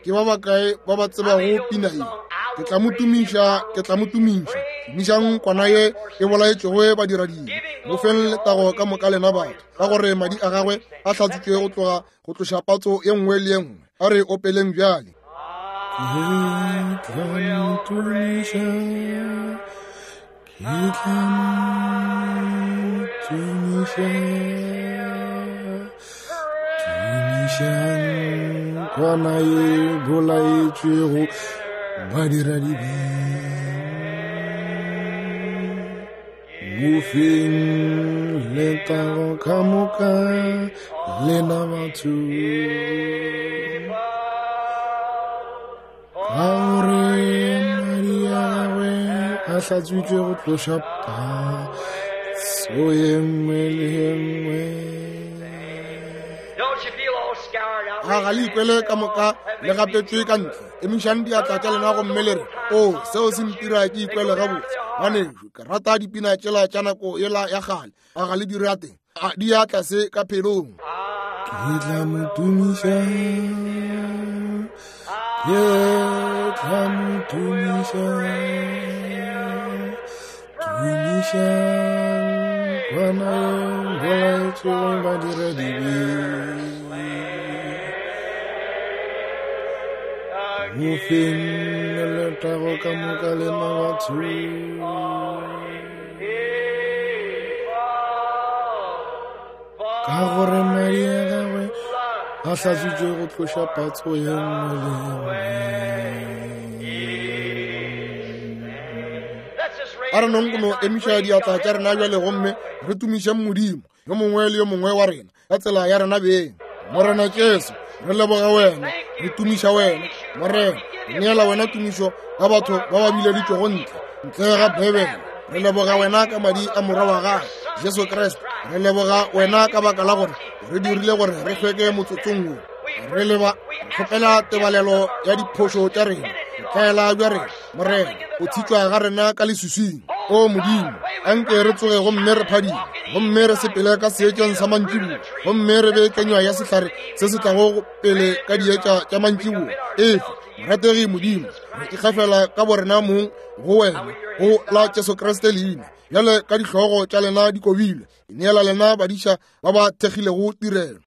Ke ba bakae ba ba tsebago pina ye? Ke tla mo tumiša, ke tla mo tumiša. Tumišang kwana ye e bolaetšwego badiradibe. Mo feng letago ka moka lena batho, ka gore madi a gagwe a hlatswitšwe go tloga go tloša patso ye nngwe le ye nngwe. A re opeleng bjale. Ke tla mo tumiša, ke tla mo tumiša, tumišang kwana ye bolaetšwego badiradibe. Mo feng letago ka moka lena batho. Ka gore madi a gagwe a hlatswitšwe go tloša patso ye nngwe le ye nngwe. A ga le ikwele ka moka le gapetšwe ka ntle? Emišang diatla tša lena gomme le re, O, seo se ntira ke ikwele gabotse. Ngwanešu, ke rata dipina tšela tša nako yela ya kgale. A ga le di rate? A di ya tlase ka pelong. Ke tla mo tumiša, ke tla mo tumiša, tumiša kwana ye bolaetšwego badiradibe. Mo feng letago ka moka lena batho. Ka gore madi a gagwe a hlatswitšwe go tloša patso ye nngwe le ye nngwe. A re nong go no emiša diatla tša rena bjale gomme re tumišeng Modimo, yo mongwe le yo mongwe wa rena, ka tsela ya rena beng. Morena Jesu, re leboga wena, re tumiša wena. Morena, re neela wena tumišo ka batho ba ba bileditšwego ntle, ntle ga Bibele. Re leboga wena ka madi a Morwa wa gago, Jesu Kriste. Re leboga wena ka baka la gore re dirile gore re hlweke motsotsong wo. Re leba kgopela tebalelo ya diphošo tša rena, botlwaela bja rena, Morena, go tshitšwa ga rena ka leswiswing. O Modimo, anke re tsoge gomme re phadime, gomme re sepele ka seetšeng sa mantšiboa, gomme re be kenywa ya sehlare se se tlago pele ka dietša tša mantšiboa. Efe, morategi Modimo, re ikgafela ka borena mong go wena, go la Jesu Kriste leina. Bjale ka dihlogo tša lena di kobilwe, ke neela lena badiša ba ba thekgilego tirelo.